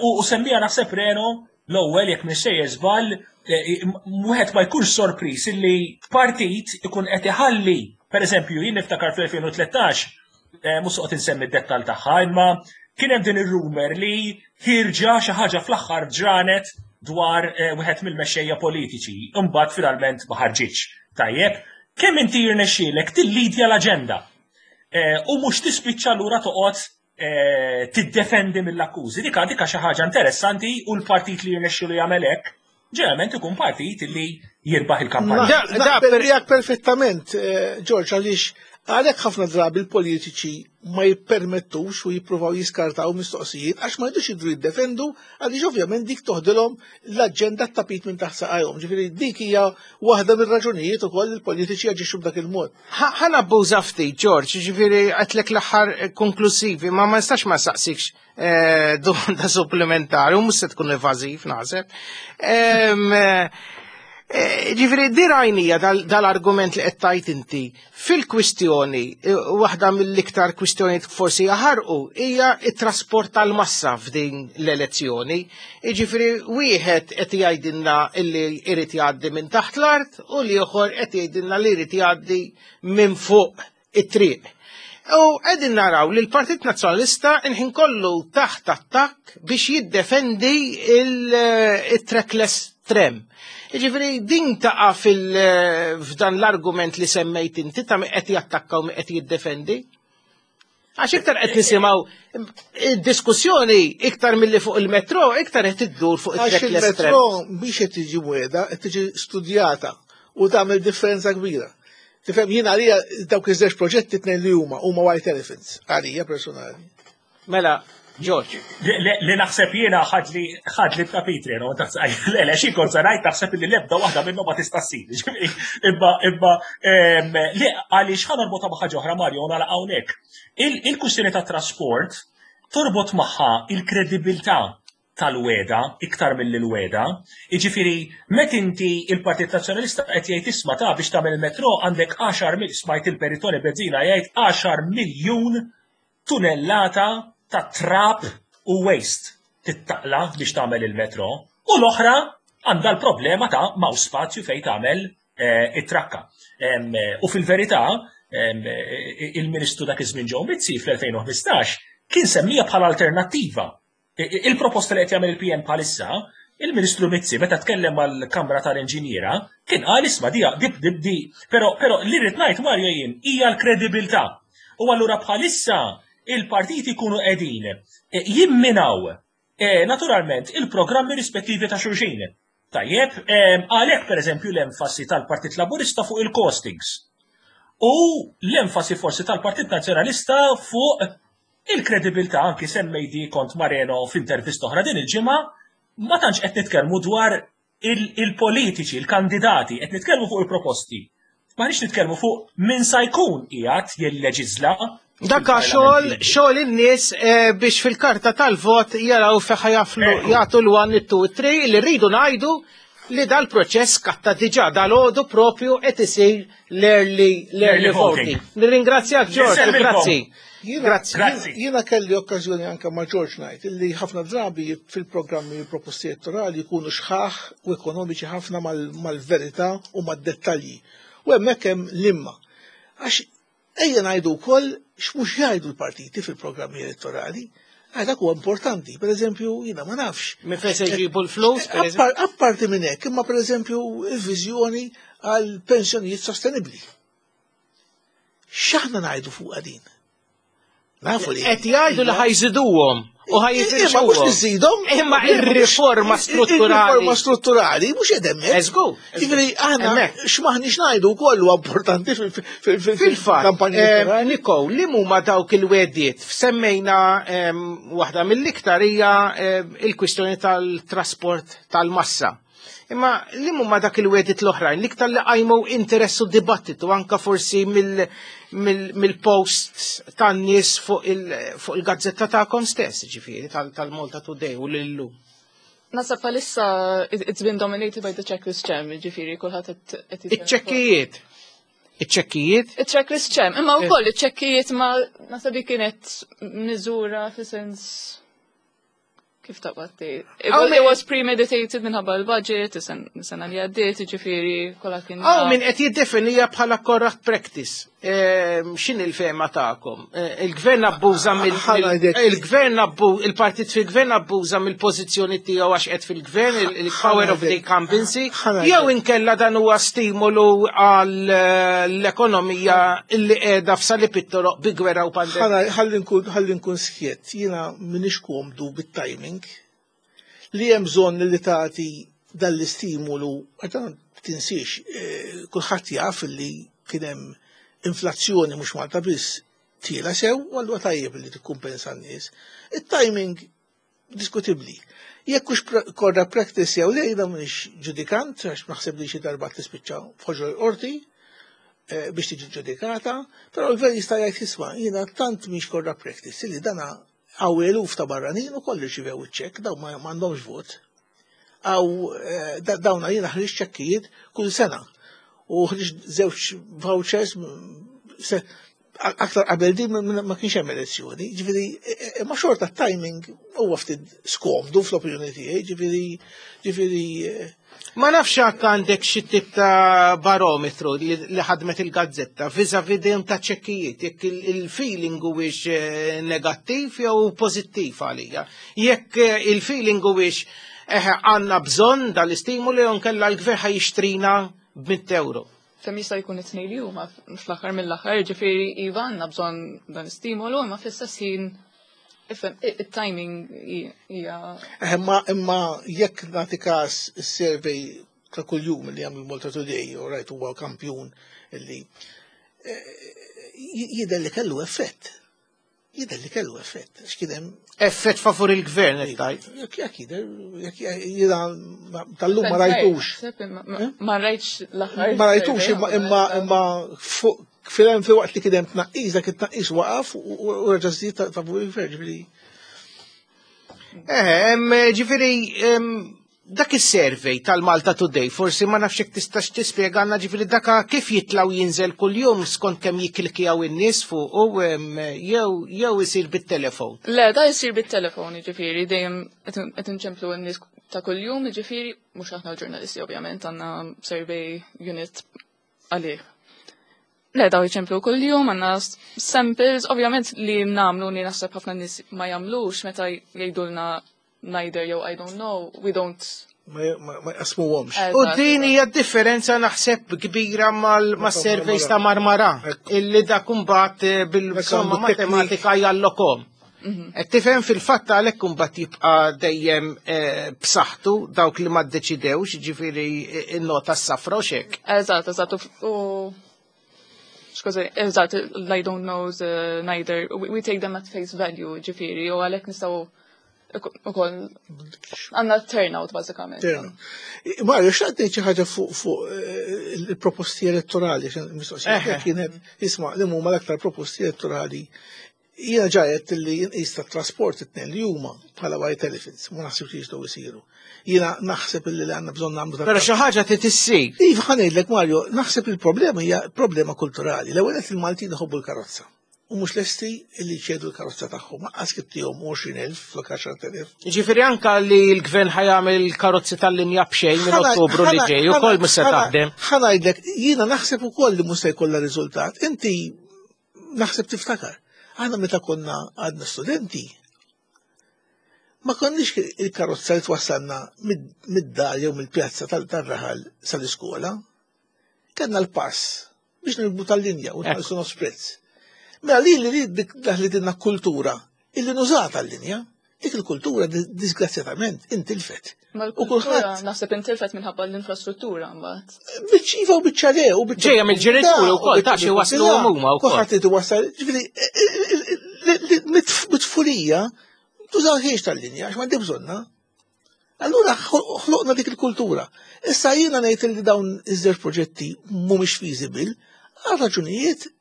U semmija naħseb Reno l-ewwel, jekk mhux żball, wieħed ma jkunx sorpriż illi partit ikun qed iħalli, pereżempju, jien niftakar fl-elfejn u tlettax, mhux soqgħod insemmi d-dettal tagħha, imma kien hemm din ir-rumor li ħirġa xi ħaġa fl-aħħar ġranet dwar wieħed mill-mexxejja politiċi, imbagħad finalment ma ħarġitx. Tajjeb, kemm inti jirnexxielek tillidja l-aġenda u mhux tispiċċa lura toqgħod tiddefendi mill-akkużi. Dika dika xi ħaġa interessanti u l-partit li jirnexxielu jagħmel hekk ġeneralment ikun partit li jirbaħ il-kampanja. Naqbel miegħek perfettament, George, għaliex Għalhekk ħafna drabi l-politiċi ma jippermettux u jippruvaw jiskartaw mistoqsijiet għax ma jridux jidhru jiddefendu, għaliex ovvjament dik toħdilhom l-aġenda, tapit minn taħt saqajhom. Ġifieri dik hija waħda mir-raġunijiet ukoll il-politiċi jaġixxu b'dak il-mod. Ħa nabbuża ftit, George, ġifieri għedtlek l-aħħar konklusivi, ma ma nistax ma saqsikx eh, domanda supplementari, u mhux se tkun evażiv naħseb. Eh, ġifieri, di rajnija dal-argument li qed tajt inti fil-kwistjoni, eh, waħda mill-iktar kwistjoni forsi jaħarqu hija it-trasport tal-massa f'din l-elezzjoni. Ġifieri, wieħed qed jgħidilna li jrid jgħaddi minn taħt l-art u l-ieħor qed jgħidilna li jrid jgħaddi minn fuq it-triq. U qegħdin naraw li l-Partit Nazzjonalista inħin kollu taħt attakk biex jiddefendi il-trackless tram. Ġifieri, din taqa' f'dan l-argument li semmejt inti ta' qed jattakka u qed jiddefendi. Għax iktar qed nisimgħu diskussjoni iktar milli fuq il-metro, iktar qed iddur fuq it-trackless tram. Il-metro biex qed tiġi mweda, qed tiġi studjata u tagħmel differenza kbira. Tifhem, jien għalija dawk iż-żewġ proġetti tnejn li huma huma white elephants, għalija personali. Mela, George. Li naħseb jiena ħadli ħadli tapit no, le, le, xi kont se ngħid, naħseb li l-ebda waħda minnhom ma tista' ssir. Imma imma li għaliex ħa norbotha ma' ħaġa oħra, Mario, nagħlaq hawnhekk. Il-kwistjoni ta' trasport torbot magħha il-kredibilità tal-wegħda iktar mill-wegħda. Jiġifieri, met inti il-Partit Nazzjonalista qed jgħid, "Isma' ta' biex tagħmel il-metro għandek għaxar mil", smajt il-Perit Toni Bezzina jgħid għaxar miljun tunellata ta' trap u waste tittaqla biex tagħmel il-metro, u l-oħra għandha l-problema ta' m'hawnx spazju fejn tagħmel eh, it-trakka. U fil-verità, il-Ministru dak iż-żmien Joe Mizzi fl-elfejn u ħmistax kien semmija bħala alternattiva. Il-proposta li qed jagħmel il-P N bħalissa, il-Ministru Mizzi meta tkellem mal-Kamra tal-Inġiniera kien qal, "Isma' di dib dib di", però però li rrid ngħid, Mario, jien hija l-kredibilità. U allura bħalissa il-partiti jkunu qegħdin eh, jimminaw eh, naturalment il-programmi rispettivi ta' xulxin. Tajjeb, għalhekk pereżempju l-enfasi tal-Partit Laburista fuq il-costings. U l-enfasi forsi tal-Partit Nazzjonalista fuq il-kredibilità, anki semmejt kont Mareno f'intervista oħra din il-ġimgħa, ma tantx qed nitkellmu dwar il-politiċi, il-kandidati, qed nitkellmu fuq il-proposti. Ma nix nitkellmu fuq min sa jkun qiegħed jilleġizla. Dakka xogħol xogħol in-nies eh, biex fil-karta tal-vot jaraw fejn jaflu jagħtu l-one, it-two, it-three, li rridu ngħidu li dal-proċess katta diġà dal-għodu propju qed isir l-early l-early voting. Nirringrazzjak, George, grazzi. Grazzi. Jiena kelli okkażjoni anke ma' George ngħid illi ħafna drabi fil-programmi proposti elettorali jkunu xħaħ u ekonomiċi ħafna mal-verità u mad-dettalji. U hemmhekk hemm l-imma. Għax ejja ngħidu wkoll x'mhux jgħidu l-partiti fil-programmi elettorali. Għax dak huwa importanti. Per eżempju, jiena ma nafx. Minn fejn se jġibu l-flus? Apparti minn hekk, imma per eżempju il-viżjoni għal pensjonijiet sostenibbli. X'aħna ngħidu fuq din? Nafu li. Qed jgħidu li ħa jżiduhom u ħa Imma mhux niżidhom. Imma ir-riforma strutturali. Ir-riforma strutturali mhux qed hemmhekk. Eżgu. Jiġifieri aħna x'maħniex ngħidu wkoll huwa importanti fil-fatt. Niko, li huma dawk il-wegħdiet? Semmejna waħda mill-iktar hija il-kwistjoni tal-trasport tal-massa. Imma li huma dak il-wegħdiet l-oħrajn, l-iktar li qajmu interess u dibattitu anka forsi mill-posts tan-nies fuq il-gazzetta tagħkom stess, ġifieri tal-Malta Today u l-Illum? Naħseb bħalissa it's been dominated by the trackless tram, ġifieri kulħadd qed Iċ-ċekkijiet. Iċ-ċekkijiet? Iċ-trackless tram, imma wkoll iċ-ċekkijiet ma naħseb kienet miżura fi sens kif taqbad tgħid. It was, it was premeditated minħabba l-budget, is-sena li għaddiet, ġifieri kollha kien. Hawn min qed jiddefinija bħala corrupt practice. Ehm, x'inhi l-fehma tagħkom? Eh, il-gvern abbuża mill il-gvern abbu il-partit fil-gvern abbuża mill-pożizzjoni tiegħu għax qed fil-gvern, il-power of the incumbency, jew inkella dan huwa stimolu għall-ekonomija illi qiegħda f'salib it-toroq bi gwerra u pandemija? Ħalli nkun skjett, jiena m'iniex komdu bit-timing li hemm bżonn li tagħti dal-istimolu, għax tinsiex, eh, kulħadd jaf li kien hemm Inflazzjoni mhux Malta biss tiela sew, u allura tajjeb li tikkumpensa n-nies. Il-timing diskutibbli. Jekk hux corrupt practice jew le, jiena m'iniex ġudikant, għax naħseb li xi darba tispiċċa f'ħoġor qorti eh, biex tiġi ġudikata, però l-gvern jista' jgħid, "Isma', jiena tant mhix corrupt practice li dana hawn eluf ta' barranin ukoll irċivew iċ-ċekk, dawn ma m'għandhomx vot. Aw eh, dawna jiena ħriġt ċekkijiet kull sena u ħriġt żewġ vouchers aktar qabel din ma kienx hemm elezzjoni, ġifieri e, e, ma xorta timing huwa ftit skomdu fl-opinjoni tiegħi, ġifieri ġifieri e, Ma nafx hekk għandek xi tip ta' barometru li ħadmet il-gazzetta vis-à-vis ta' ċekkijiet, jekk il-feeling huwiex eh, negattiv jew pożittiv għalija. Jekk eh, il-feeling huwiex eħe għandna bżonn dal-istimuli jew nkella l-gvern ħa jixtrina b'mitt euro. Kemm jista' jkun it-tnejn li huma fl-aħħar mill-aħħar, ġifieri iva għandna bżonn dan istimolu, imma fl-istess ħin ifhem it-timing hija. Eh, imma imma jekk nagħti każ is-survey ta' kuljum li jagħmel Malta Today, u rajt huwa kampjun illi eh, jidher li kellu effett. Jidher li kellu effett. X'kien hemm Effett favur il-gvern, qed Jekk jekk jidher, jekk jiena tal-lum ma rajtux. Eh? Ma rajtx l-aħħar. Ma rajtux imma imma imma fuq fil fi waqt li kien hemm tnaqqis, dak it-tnaqqis waqaf u reġa' żdied favur il-gvern, ġifieri. Eh, ġifieri dak is-survey tal-Malta Today, forsi ma nafx jekk tistax tispjegana, ġifieri daka kif jitlaw jinżel kuljum skont kemm jikklikjaw in-nies fuq u jew jew isir bit-telefon. Le, da jsir bit-telefon, ġifieri dejjem qed inċemplu n-nies ta' kuljum, ġifieri mhux aħna l-ġurnalisti ovvjament, għandna survey unit għalih. Le, daw jċemplu kuljum, għandna samples, ovvjament li nagħmlu li naħseb ħafna nies ma jagħmlux meta jgħidulna neither jew I don't know, we don't Ma jqasmuhomx. U din hija differenza naħseb kbira mal-surveys ta' Marmara, illi dak imbagħad eh, bil-somma matematika jallokom. Mhm. Qed tifhem, fil-fatt għalhekk imbagħad jibqa' dejjem eh, b'saħħtu dawk li ma ddeċidewx, ġifieri eh, in-nota s-safra u xek. Eżatt, eżatt, u skużi, eżatt, I don't know the neither, we, we take them at face value, ġifieri, u għalhekk nistgħu ukoll għandna turnout bażikament. Turnout. Mario, xtaqt ngħid xi ħaġa fuq fuq eh, il-proposti elettorali, mistoqsija kienet, isma', li huma l-aktar proposti elettorali. Jiena ġajet li nqis ta' trasport it-tnejn li huma bħala white elephants, ma naħsibx li jistgħu jsiru. Jiena naħseb li għandna bżonn nagħmlu Però xi ħaġa trid issir. Iva, ħa ngħidlek, Mario, naħseb il-problema hija problema kulturali. L-ewwel qed il-Maltin iħobbu l-karozza u mhux lesti li ċedu l-karozza tagħhom. Lanqas kittihom għoxrin elf flok għaxart elef. Ġifieri anka li l-gvern ħa jagħmel karozzi tal-linja b'xejn minn Ottubru li ġej ukoll mhux se taħdem. Ħa ngħidlek, jiena naħseb ukoll li mhux se jkollha riżultat. Inti naħseb tiftakar. Aħna meta konna għadna studenti, ma konniex il-karozza li twassalna mid-dar jew mill-pjazza tal-raħal sal-iskola. Kellna l-pass biex nirkbu tal-linja u nħallsu nofs prezz. Mela li li li dinna kultura illi nużata l-linja, dik il-kultura disgrazzjatament intilfet. Ma l-kultura naħseb intilfet minħabba l-infrastruttura mbagħad. Biċċiva u biċċa le u biċċa. Ġejja mill-ġenituri wkoll ta' xi waslu huma wkoll. Kulħadd irid iwassal, ġifieri mit-tfulija tużawhiex tal-linja għax m'għandi bżonna. Allura ħloqna dik il-kultura. Issa jiena ngħid li dawn iż-żewġ proġetti mhumiex feasible għal raġunijiet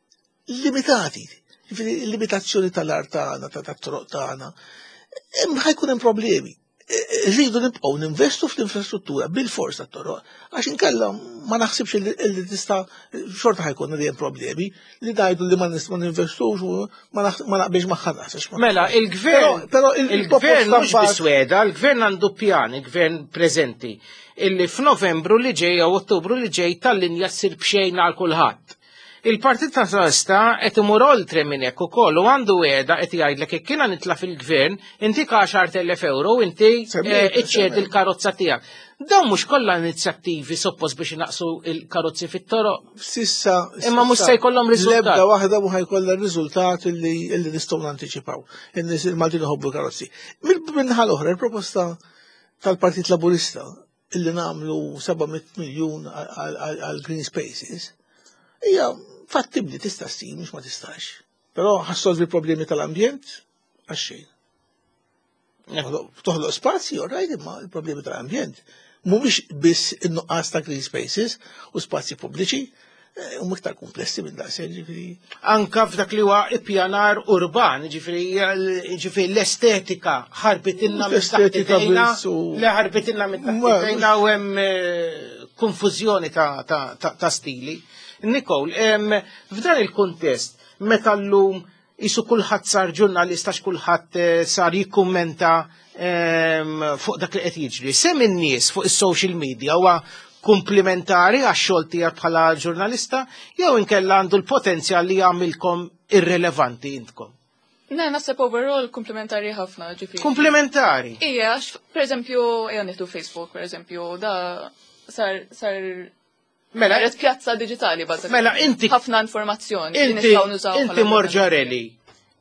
limitati. Ġifieri limitazzjoni tal-art tagħna, tat-toroq tagħna. Hemm ħa jkun hemm problemi. Rridu nibqgħu ninvestu fl-infrastruttura bil-fors tat-toroq, għax inkella ma naħsibx li tista' xorta ħa jkun hemm problemi li ngħidu li ma ma ninvestux u ma naqbilx magħha naħseb. Mela, il-gvern, però il-gvern mhux bisweda, il-gvern għandu pjan, il-gvern preżenti, illi f'Novembru li ġej jew Ottubru li ġej tal-linja ssir b'xejn għal kulħadd. Il-Partit Nazzjonalista qed imur oltre minn hekk ukoll u għandu wegħda, qed jgħidlek jekk kiena nitla' fil-gvern intik għaxart elef euro inti iċċedi l-karozza tiegħek. Dawn mhux kollha inizjattivi suppost biex inaqsu il-karozzi fit-toroq. Sissa. Imma mhux se jkollhom riżultat. L-ebda waħda mhu ħa jkollha riżultat illi illi nistgħu nantiċipaw. In-nies il-Maltin iħobbu karozzi. Min-naħa l-oħra, il-proposta tal-Partit Laburista illi nagħmlu seba' mitt miljun għal green spaces hija Fattibli tista' ssir, mhux ma tistax. Però ħa ssolvi problemi tal-ambjent għax xejn. Toħloq spazji, all right, imma il-problemi tal-ambjent mhumiex biss in-nuqqas ta' green spaces u spazji pubbliċi, eh, huma iktar komplessi minn daqshekk, ġifieri. Anka f'dak li huwa ippjanar urban, ġifieri ġifieri l-estetika ħarbitilna minn taħt L-estetika idejna, biss u- li ħarbitilna minn taħt Ma- idejna u hemm eh, konfużjoni ta', ta, ta, ta' stili. Nicole, em, f'dan il-kuntest, meta llum isu kulħadd sar ġurnalista għax kulħadd eh, sar jikkummenta em, fuq dak li qed jiġri. Sehem in-nies fuq is-social media huwa komplementari għax-xogħol tiegħek bħala ġurnalista jew inkella għandu l-potenzjal li jagħmilkom irrelevanti intkom. Ne, naħseb overall komplementari ħafna, ġifieri. Komplementari. Ija, għax, per eżempju, ejja nieħdu Facebook, per eżempju, da sar sar Mela, saret pjazza digitali bażikament. Mela, inti- ħafna informazzjoni li inti, nistgħu nużaw inti bħala Morġarelli,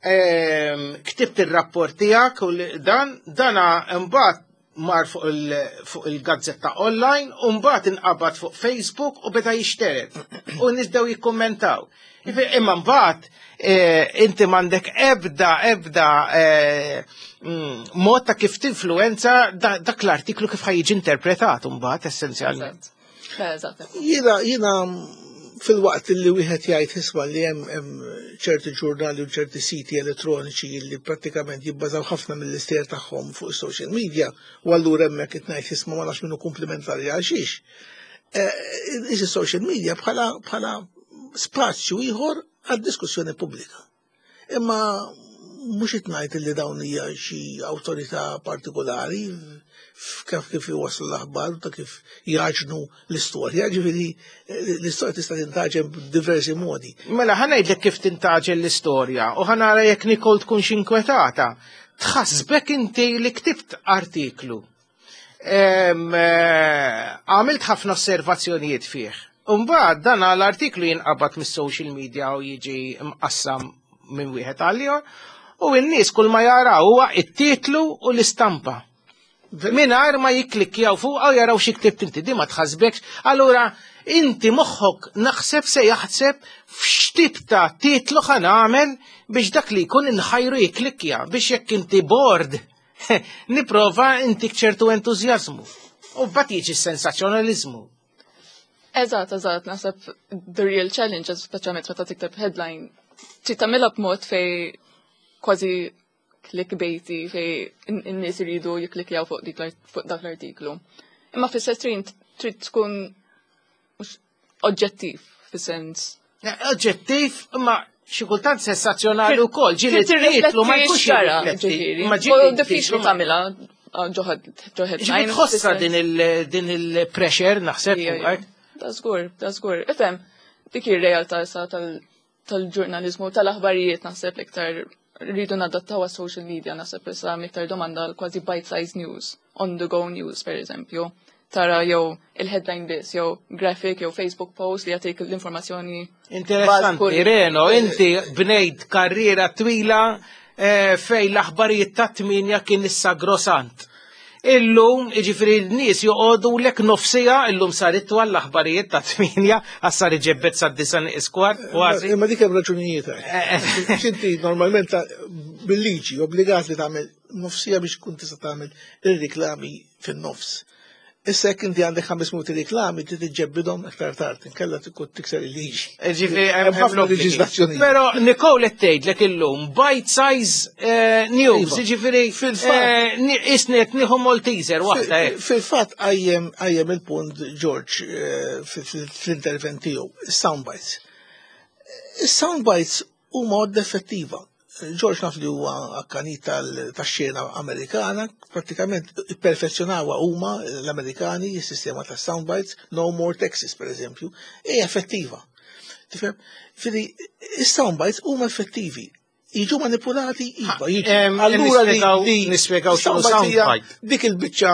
ehm, ktibt il-rapport tiegħek u li- dan, dana mbagħad mar fuq il- fuq il-gazzetta online u mbagħad inqabad fuq Facebook u beda jixteret u nies bdew jikkommentaw. Ifi- Imma mbagħad eh, inti m'għandek ebda ebda eh, mm, mod ta' kif tinfluenza da- dak l-artiklu kif ħa jiġi interpretat mbagħad essenzjalment. Eżatt. Le, eżatt. Jiena jiena fil-waqt li wieħed jgħid isma' li hemm hemm ċerti ġurnali u ċerti siti elettroniċi li prattikament jibbażaw ħafna mill-istejjer tagħhom fuq social media u allura hemmhekk qed ngħid isma' ma nafx minnu komplementari għal xiex. Eh, Is social media bħala bħala spazju ieħor għad-diskussjoni pubblika. Imma mhux qed ngħid li dawn hija xi awtorità partikolari kif kif iwasslu l-aħbar u ta' kif jaġnu l-istorja, ġifieri l-istorja tista' tintaġen b'diversi modi. Mela, ħa ngħidlek kif tintaġen l-istorja u ħa nara jekk Nicole tkunx inkwetata. Tħassbek inti li ktibt artiklu. Em, eh, Għamilt ħafna osservazzjonijiet fih. Umbagħad dan l-artiklu jinqabad mis-social media u jiġi mqassam minn wieħed għal ieħor u n-nies kull ma jaraw huwa it-titlu u l-istampa. Mingħajr ma jikklikkjaw fuq u jaraw xi ktibt inti, di ma tħassbekx. Allura inti moħħok naħseb se jaħseb f'x'tip ta' titlu ħa nagħmel biex dak li jkun inħajru jikklikkja biex jekk inti bored niprova intik ċertu entużjażmu. U mbagħad jiġi s-sensazzjonalizmu. Eżatt, eżatt, naħseb the real challenge, speċjalment meta tikteb headline, trid tagħmilha b'mod fej kważi clickbaity fej in-nies iridu jikklikjaw fuq dik l- fuq dak l-artiklu. Imma fis-setrin trid tkun mhux oġġettiv fis-sens. Oġġettiv, imma xi kultant sensazzjonali wkoll, ġieli Trid titlu ma jkunx xara, jirrifletti. ġifieri. Imma U ġieli diffiċli titlu ma- tagħmilha ah, ġo ġo Ġifieri headline. tħossa din il- din il-pressure naħseb Ija, fuqek. ija. Da żgur, da żgur. Ifhem, dik ir-realtà issa tal- tal-ġurnalizmu, tal-aħbarijiet naħseb l-iktar rridu nadattaw għas social media naħseb issa iktar domanda għal kważi bite-size news, on the go news per eżempju. Tara jew il-headline biss, jew graphic, jew Facebook post li jagħtik l-informazzjoni. Interessanti, Baz- Reno, inti bnejt karriera twila eh, fej l-aħbarijiet ta' tminja kien issa grosant. Illum, iġifiri n-nies joqogħdu lek nofsija, illum sar itwal l-aħbarijiet ta' tminja, għax sar iġebbet sa' disa iskwar, kważi. Imma dik hemm raġunijiet. Għax Inti normalment ta- bil-liġi obbligat li tagħmel nofsija biex kun tista' tagħmel ir-riklami fin-nofs. Issa jekk inti għandek ħames minuti riklami trid iġġebbidhom aktar tard, inkella tkun tikser il-liġi. Ġifiri, Hemm ħafna leġiżlazzjonijiet. Pero Nicole qed tgħidlek illum bite size eh, news, Iva. ġifiri, Fil-fatt. eh, ni- isni qed nieħu Malteser waħda hekk. Fil-fatt għajjem għajjem il-punt George eh, fil- fil- fl-intervent tiegħu, soundbites. Is-soundbites huma għodda effettiva. George naf li huwa akkanit tal- tax-xena Amerikana, prattikament perfezzjonawha huma l-Amerikani, is-sistema ta' soundbites, No More Taxes per eżempju, hija effettiva. Tifhem? Fili, is-soundbites huma effettivi. Jiġu manipulati, iva, jiġu. Em, Allura li- nispjegaw- li nispjegaw x'inhu soundbite hija soundbite. Dik il-biċċa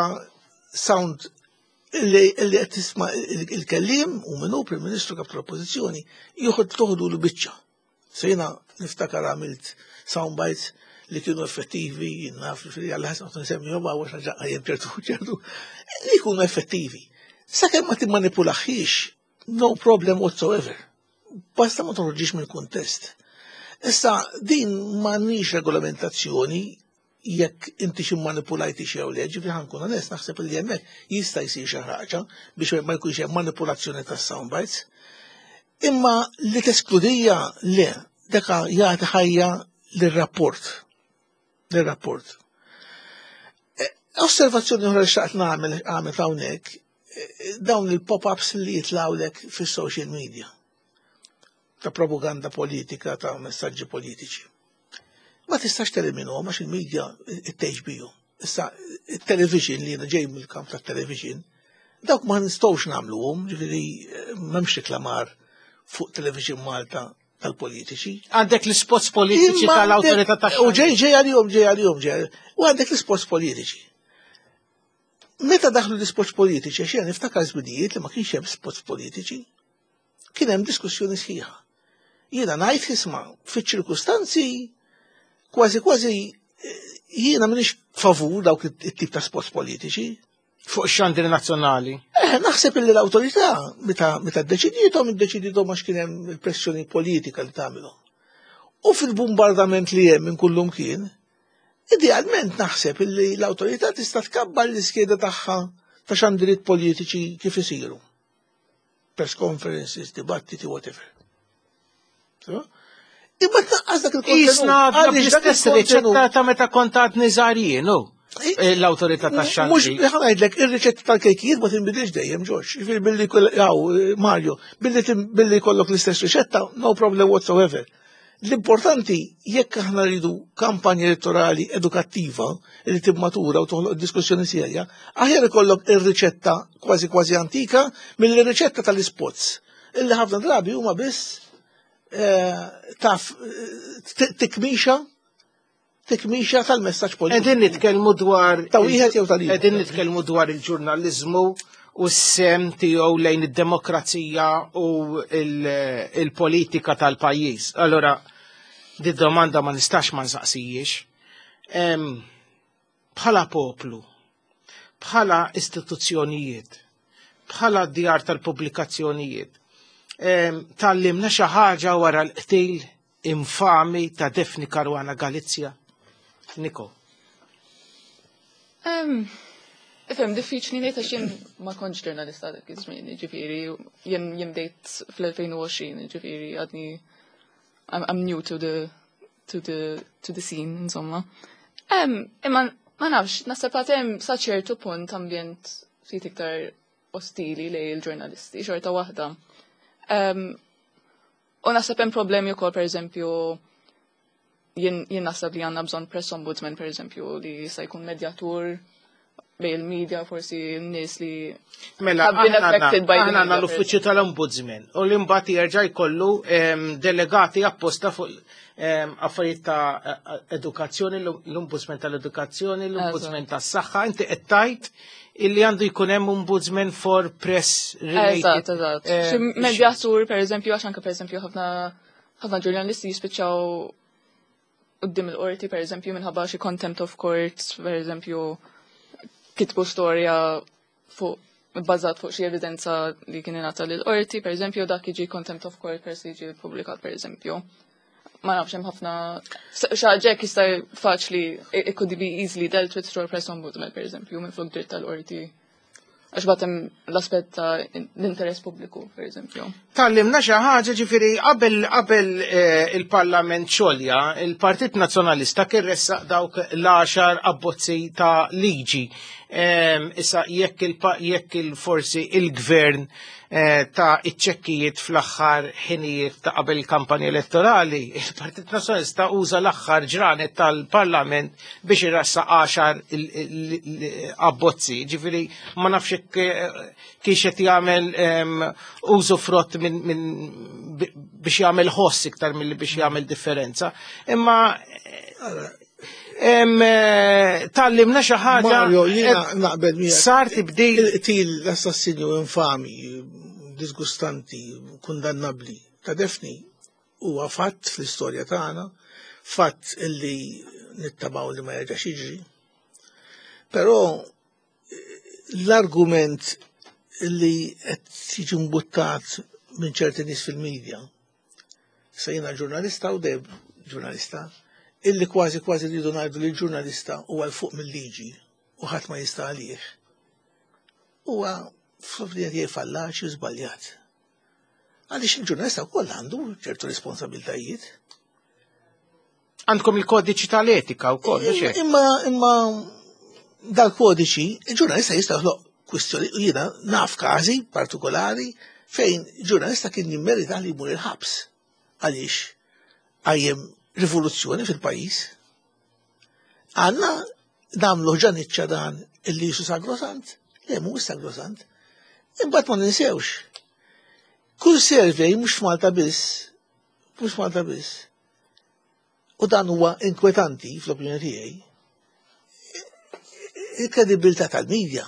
sound li li qed tisma' il- il-kellim u minnu Prim Ministru kap tal-Oppożizzjoni joħod toħdu l-biċċa. Se jiena niftakar għamilt soundbites li kienu effettivi, naf li għalla ħasna nsemmi għax ħaġa għajem ċertu ċertu, li jkunu effettivi. Sakemm ma timmanipulaħiex, no problem whatsoever. Basta ma toħroġix mill-kuntest. Issa, din m'għandniex regolamentazzjoni jekk inti xi manipulajti xi jew le, ġifieri ħa nkun onest, naħseb li hemmhekk jista' jsir xi ħaġa biex ma jkunx hemm manipulazzjoni tas-soundbites. Imma li teskludija le, deka jagħti ħajja lir-rapport. Lir-rapport. E, osservazzjoni oħra li xtaqt nagħmel għamel hawnhekk, e, dawn il-pop-ups li jitlawlek fis-social media ta' propaganda politika, ta' messaġġi politiċi. Ma tistax teliminuhom għax il-media tgħix bihom. Issa, il-television li jiena ġej mill-kamp tat-television, dawk ma nistgħux nagħmluhom, ġifieri m'hemmx reklamar fuq Television Malta tal-politiċi. Għandek l-spots politiċi Imma tal-autorità għandek- U ġej ġej għalihom, ġej għalihom, ġej. U għandek l-spots politiċi. Meta daħlu l-spots politiċi, għax jiena niftakar żminijiet li ma kienx hemm spots politiċi, kien hemm diskussjoni sħiħa. Jiena ngħid, isma', fiċ-ċirkustanzi kważi kważi eh, jiena m'iniex favur dawk it-tip ta' spots politiċi. Fuq xandir nazzjonali. Eh, naħseb illi l-awtorità meta meta ddeċidietom, iddeċidietom għax kien hemm il-pressjoni politika li tagħmilhom. U fil-bombardament li hemm minn kullum kien, idealment naħseb illi l-awtorità tista' tkabbar l-iskeda tagħha ta' xandiriet politiċi kif isiru. Press conferences, dibattiti, whatever. So? Imma tnaqqas dak il-kontenut. Isna Għaliex dak bl-istess il-kontenut- riċetta ta' meta kont għadni żgħir jien, u l-autorità ta' Mux, xandir. ħa ngħidlek, ir-riċetta tal-kejkijiet ma tinbidilx dejjem, Ġorġ. Ġifieri billi koll- jaw, Mario, billi tim- billi kollok l-istess riċetta, no problem whatsoever. L-importanti, jekk aħna rridu kampanja elettorali edukattiva li timmatura u toħloq diskussjoni serja, aħjar ikollok ir-riċetta kważi kważi antika mill-riċetta tal-ispots. Illi ħafna drabi huma biss eh, taf eh, tikmixa tikmixa tal-messaġġ politiku. Qegħdin nitkellmu dwar Ta' wieħed jew tal-ieħor. Qegħdin nitkellmu dwar il-ġurnaliżmu u s-sehem tiegħu lejn id-demokrazija u il- il-politika tal-pajjiż. Allora, di domanda ma nistax ma nsaqsijiex. Em, Bħala poplu, bħala istituzzjonijiet, bħala djar tal-pubblikazzjonijiet, em, tgħallimna xi ħaġa wara l-qtil infami ta' Daphne Caruana Galizia? Niko. Um, Ifhem, diffiċli ngħid għax jien ma kontx ġurnalista dak iż-żmien, ġifieri jien jien bdejt fl-elfejn u għoxrin, ġifieri għadni I'm, I'm new to the to the to the scene, insomma. Um, imma ma nafx, naħseb għad hemm sa ċertu punt ambjent ftit iktar ostili lejn il-ġurnalisti, xorta waħda. Um, u naħseb hemm problemi wkoll, pereżempju, jien jien naħseb li għandna bżonn press ombudsman, pereżempju, li jista' jkun medjatur bejn il-media, forsi n-nies li Mela, have been aħna affected by the aħna għandna media. L-uffiċċju tal-Ombudsman u li mbagħad jerġa' jkollu em, delegati apposta fuq em, affarijiet ta' edukazzjoni, l-Ombudsman tal-edukazzjoni, l-Ombudsman tas-saħħa, inti qed tgħid illi għandu jkun hemm ombudsman for press related. Eżatt, eżatt. em, Xi medjatur, per eżempju, għax anke per eżempju ħafna ħafna ġurnalisti jispiċċaw quddiem il-qorti, per eżempju, minħabba xi contempt of court, per eżempju, kitbu storja fuq bbażat fuq xi evidenza li kien ingħata lill-qorti, per eżempju, dak jiġi contempt of court per se jiġi ppubblikat, per eżempju. Ma nafx, hemm ħafna xi ħaġa jista' faċli it could be easily dealt with through a press ombudsman, per eżempju, minn flok dritt tal-qorti. Għax batem l-aspett ta' l-interess pubbliku, per eżempju. Tgħallimna xi ħaġa, ġifieri qabel qabel eh, il-Parlament xolja, il-Partit Nazzjonalista kien ressaq dawk l-għaxar abbozzi ta' liġi. Em, Issa jekk il jekk il-forsi il-gvern eh, ta' iċ-ċekkijiet fl-aħħar ħinijiet ta' qabel il-kampanja elettorali, il-Partit Nazzjonalista uża l-aħħar ġranet tal-Parlament biex iressaq għaxar il- il- il- abbozzi. Ġifieri ma nafx jekk eh, kiex qed jagħmel em, użu frott minn min, bi- biex jagħmel ħoss iktar milli biex jagħmel differenza. Imma em, eh, tgħallimna xi ħaġa. Mario, jiena eh, naqbel miegħek. Sar tibdil. Il-qtil, l-assassinju infami, disgustanti, kundannabli ta' Daphne huwa fatt fl-istorja tagħna, fatt illi nittamaw li ma jerġax jiġri. Però eh, l-argument illi qed jiġi mbuttat minn ċerti nies fil-medja Issa jiena ġurnalista u dejjem ġurnalista, illi kważi kważi rridu ngħidu li l-ġurnalista huwa 'l fuq mill-liġi u ħadd ma jista' għalih. Huwa fl-opinjoni tiegħi fallaċi u żbaljat. Għaliex il-ġurnalista wkoll għandu ċertu responsabiltajiet. Għandkom il-kodiċi tal-etika wkoll, mhux hekk? Imma imma dal-kodiċi, il-ġurnalista jista' joħloq kwistjoni, u jiena naf każi partikolari fejn ġurnalista kien jimmerita li jmur il-ħabs għaliex qajjem rivoluzzjoni fil-pajjiż. Għandna nagħmlu ġaniċċa dan illi jisu sagrosant, le mhuwiex sagrosant. Imbagħad ma ninsewx. Kull survey mhux f'Malta biss, mhux f'Malta biss. U dan huwa inkwetanti fl-opinjoni tiegħi. Il-kredibilità tal-medja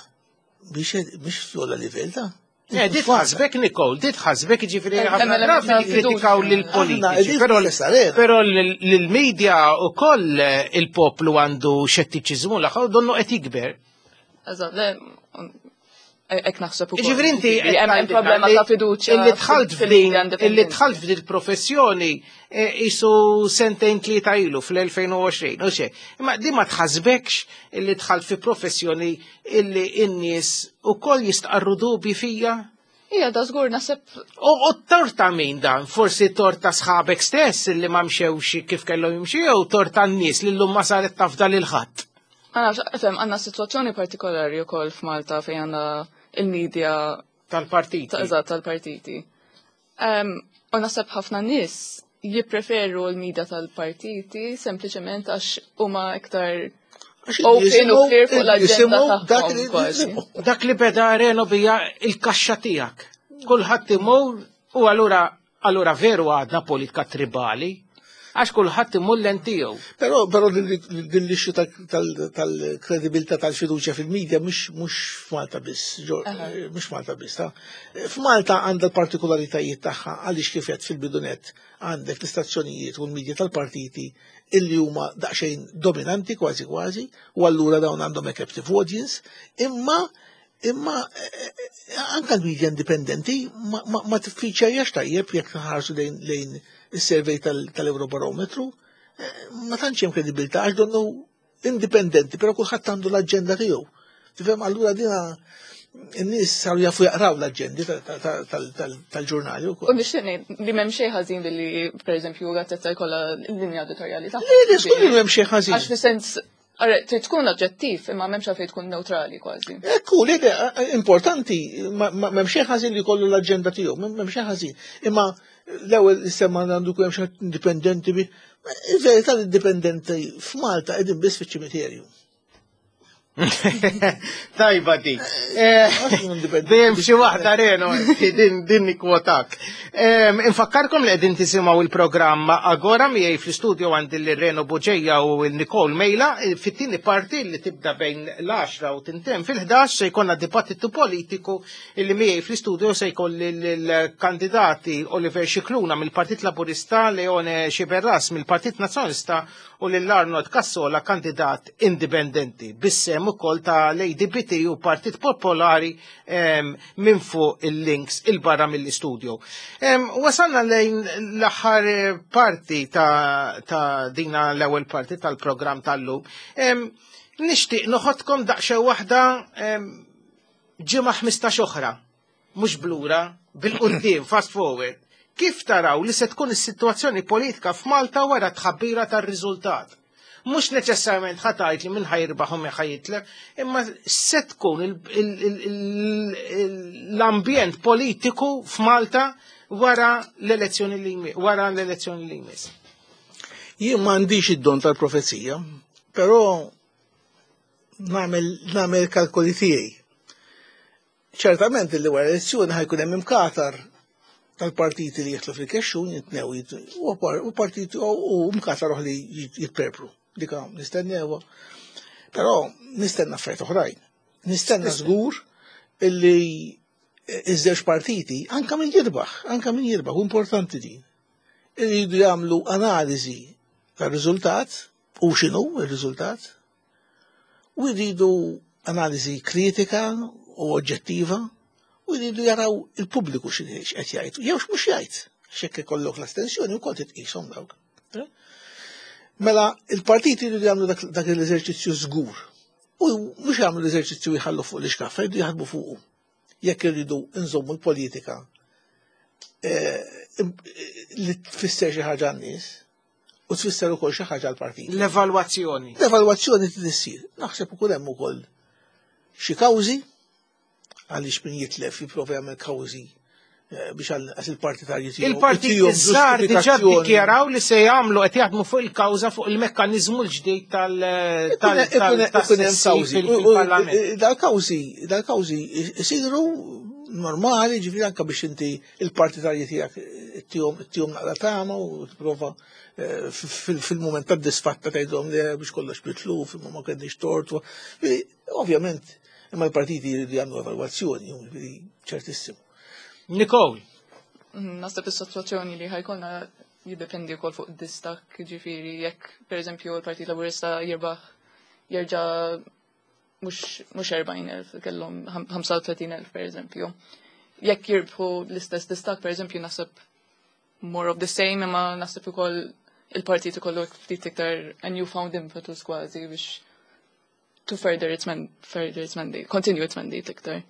biex biex f'ogħla livell ta' Eh, Di tħasbek, Nicole, di tħasbek, ġifieri Hemm ħafna element drabi ta' jikkritikaw fiduċja. lill-politiċi, Aħna, però qegħdin arena. però l-media u koll il-poplu għandu xettiċiżmu l donnu qed jikber. Eżatt, le, hekk naħseb ukoll. Ġifieri inti Ġifieri, hemm hemm problema ta' fiduċja. Illi dħalt f'din, fil-media illi independenti. dħalt f'din il-professjoni eh, isu sentejn tlieta ilu fl-elfejn u għoxrin, u xe. Imma di ma tħasbekx illi dħalt fi professjoni illi n-nies ukoll jistqarru dubi fija? Ija, da żgur naħseb U u torta min dan? Forsi torta sħabek stess illi ma mxewx kif kellhom jimxu jew torta n-nies li llum ma saret tafda lil ħadd. Għana, fem, għandna situazzjoni partikolari u koll f'Malta fejn għandna il-media tal-partiti. ta' eżatt tal-partiti. Um, u naħseb ħafna nies jippreferu l-media tal-partiti sempliċement għax huma iktar Għax open u clear fuq l-agenda jisimgħu dak tagħhom li kważi. jisimgħu. Dak li beda Reno bija il-kaxxa tiegħek. Kulħadd imur u allura allura veru għadna politika tribali għax kulħadd imur l tiegħu. Però però din din l-issue tal-kredibilità tal-fiduċja fil-medja mhux mhux f'Malta biss, ġo- mhux Malta biss, ta' F'Malta għandha l-partikolaritajiet tagħha għaliex kif qed fil-bidunet għandek l-istazzjonijiet u l-medja tal-partiti illi huma daqsxejn dominanti kważi kważi u allura dawn għandhom a captive audience, imma imma eh, eh, anka l-medja indipendenti ma, ma, ma tiffiċċjax tajjeb jekk nħarsu lejn lejn is-survey tal-Eurobarometru, eh, ma tantx hemm kredibilità għax donnu indipendenti, però kulħadd għandu l-aġenda tiegħu. Tifhem, allura dina n-nies saru jafu jaqraw l-aġendi tal-ġurnali U wkoll. nixtieq ngħid li m'hemm xejn ħażin billi pereżempju gazzetta jkollha l-linja editorjali tagħha. Le, le, żgur li m'hemm xejn ħażin. Għax fis-sens, Ara, trid tkun oġġettiv, imma m'hemmx għalfejn tkun neutrali kważi. Ekku, le, le, importanti, ma- ma- m'hemm xejn ħażin li jkollu l-aġenda tiegħu, m'hemm xejn ħażin. Imma l-ewwel semma għandu jkun hemm xi ħadd indipendenti bi. Il-verità l-indipendenti f'Malta qegħdin biss fiċ-ċimiterju. Tajba di. Eh, indipendenti. Dejjem xi waħda Reno, din din nikkwotak. Em, Infakkarkom li qegħdin tisimgħu il-programm Agora. Miegħi fl-istudio għandi lil Reno Bugeja u l-Nicole Mejla. Fit-tieni parti li tibda bejn l-għaxra u tintemm fil-ħdax se jkollna dibattitu politiku illi miegħi fl-istudio se jkolli l-kandidati Oliver Scicluna mill-Partit Laburista, Leone Sciberras mill-Partit Nazzjonalista u lil Arnold Cassola, kandidat indipendenti. Bis-sehem ukoll ta' l-A D B T u Partit Popolari em, minn fuq il-links il-barra mill-istudio. Em, Wasalna lejn l-aħħar eh, parti ta', ta' dina l-ewwel parti tal-programm tal-lum. Em, Nixtieq noħodkom daqsxejn waħda em, ġimgħa ħmistax oħra, mhux b'lura, bil-quddiem, fast forward. Kif taraw li se tkun is-sitwazzjoni politika f'Malta wara tħabbira tar-riżultat? Mhux neċessarjament ħa tgħid li min ħa jirbaħ u min ħa jitlef, imma se tkun il- il- il- il- l-ambjent politiku f'Malta wara l-elezzjoni li jmi- wara l-elezzjoni li jmiss. Jien m'għandix id-don tal-profezija, però nagħmel nagħmel kalkoli tiegħi. Ċertament li wara l-elezzjoni ħa jkun hemm imkatar tal-partiti li jidħlu fil-kexxun jitnew jit- u par- u partiti u u mkatar oħra li jit- jitperpru. Dika nistennewha. Però nistenna affarijiet oħrajn. Nistenna żgur illi iż-żewġ partiti, anka min jirbaħ, anka min jirbaħ, u importanti din, iridu jagħmlu analiżi tar-riżultat u x'inhu ir-riżultat u jridu analiżi kritika u oġġettiva u jridu jaraw il-pubbliku x'inhi qed jgħid jew x'mhux jgħid. Xekk ikollok l-astensjoni wkoll titqishom dawk. Mela il-partiti jridu jagħmlu dak l-eżerċizzju żgur. U mhux jagħmlu l-eżerċizzju jħallu fuq l-iskaffa, jridu jaħdmu fuqu. Jekk irridu nżommu l-politika li tfisser xi ħaġa għan-nies u tfisser ukoll xi ħaġa għall-partit. L-evalwazzjoni. L-evalwazzjoni trid issir. Naħseb ukoll hemm ukoll xi kawżi għaliex min jitlef jipprova jagħmel kawżi biex għal il-partitarji tiegħu. Il-partit iż-żgħar diġà ddikjaraw li se jagħmlu qed jaħdmu fuq il-kawża fuq il-mekkaniżmu l-ġdid tal-kawżi fil-Parlament. Dal-kawżi, dal-kawżi isiru normali, ġifieri anke biex inti il-partitarji tiegħek tihom naqra tama u tipprova fil-mument tad-disfatta tgħidhom li biex kollox mitluf, imma ma kenniex tort. Ovvjament, imma l-partiti jridu jagħmlu evalwazzjoni, ġifieri ċertissimu. Nicole. Naħseb is-sitwazzjoni li ħajkolna jiddependi wkoll fuq distakk, ġifieri jekk pereżempju l-Partit Laburista jirbaħ jerġa' mhux erbgħin elf, kellhom ħamsa u tletin elf pereżempju. Jekk jirbħu l-istess distakk pereżempju naħseb more of the same, imma naħseb ukoll il-partit ikollu ftit iktar a newfound impetus kważi biex to further its man, further its mandate, continue its mandate iktar.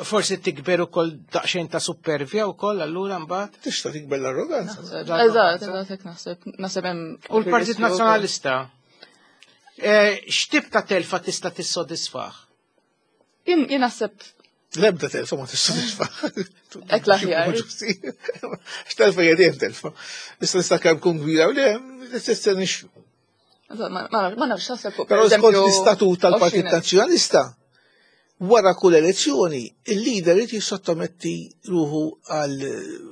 Forsi tikber ukoll daqsxejn ta' supervja wkoll allura mbagħad. Tista' tikber l-arroganza. Eżatt, eżatt hekk naħseb. Naħseb hemm. U l-Partit Nazzjonalista x'tip ta' telfa tista' tissodisfah? Jien naħseb l-ebda telfa ma tissodisfah. Hekk l-aħjar. X'telfa hija dejjem telfa. Issa nista' kemm tkun kbira u le, tista' nixxu. Ma nafx naħseb fuq. Però skont l-istatut tal-Partit Nazzjonalista, wara kull elezzjoni, il-leader irid jissottometti ruħu għal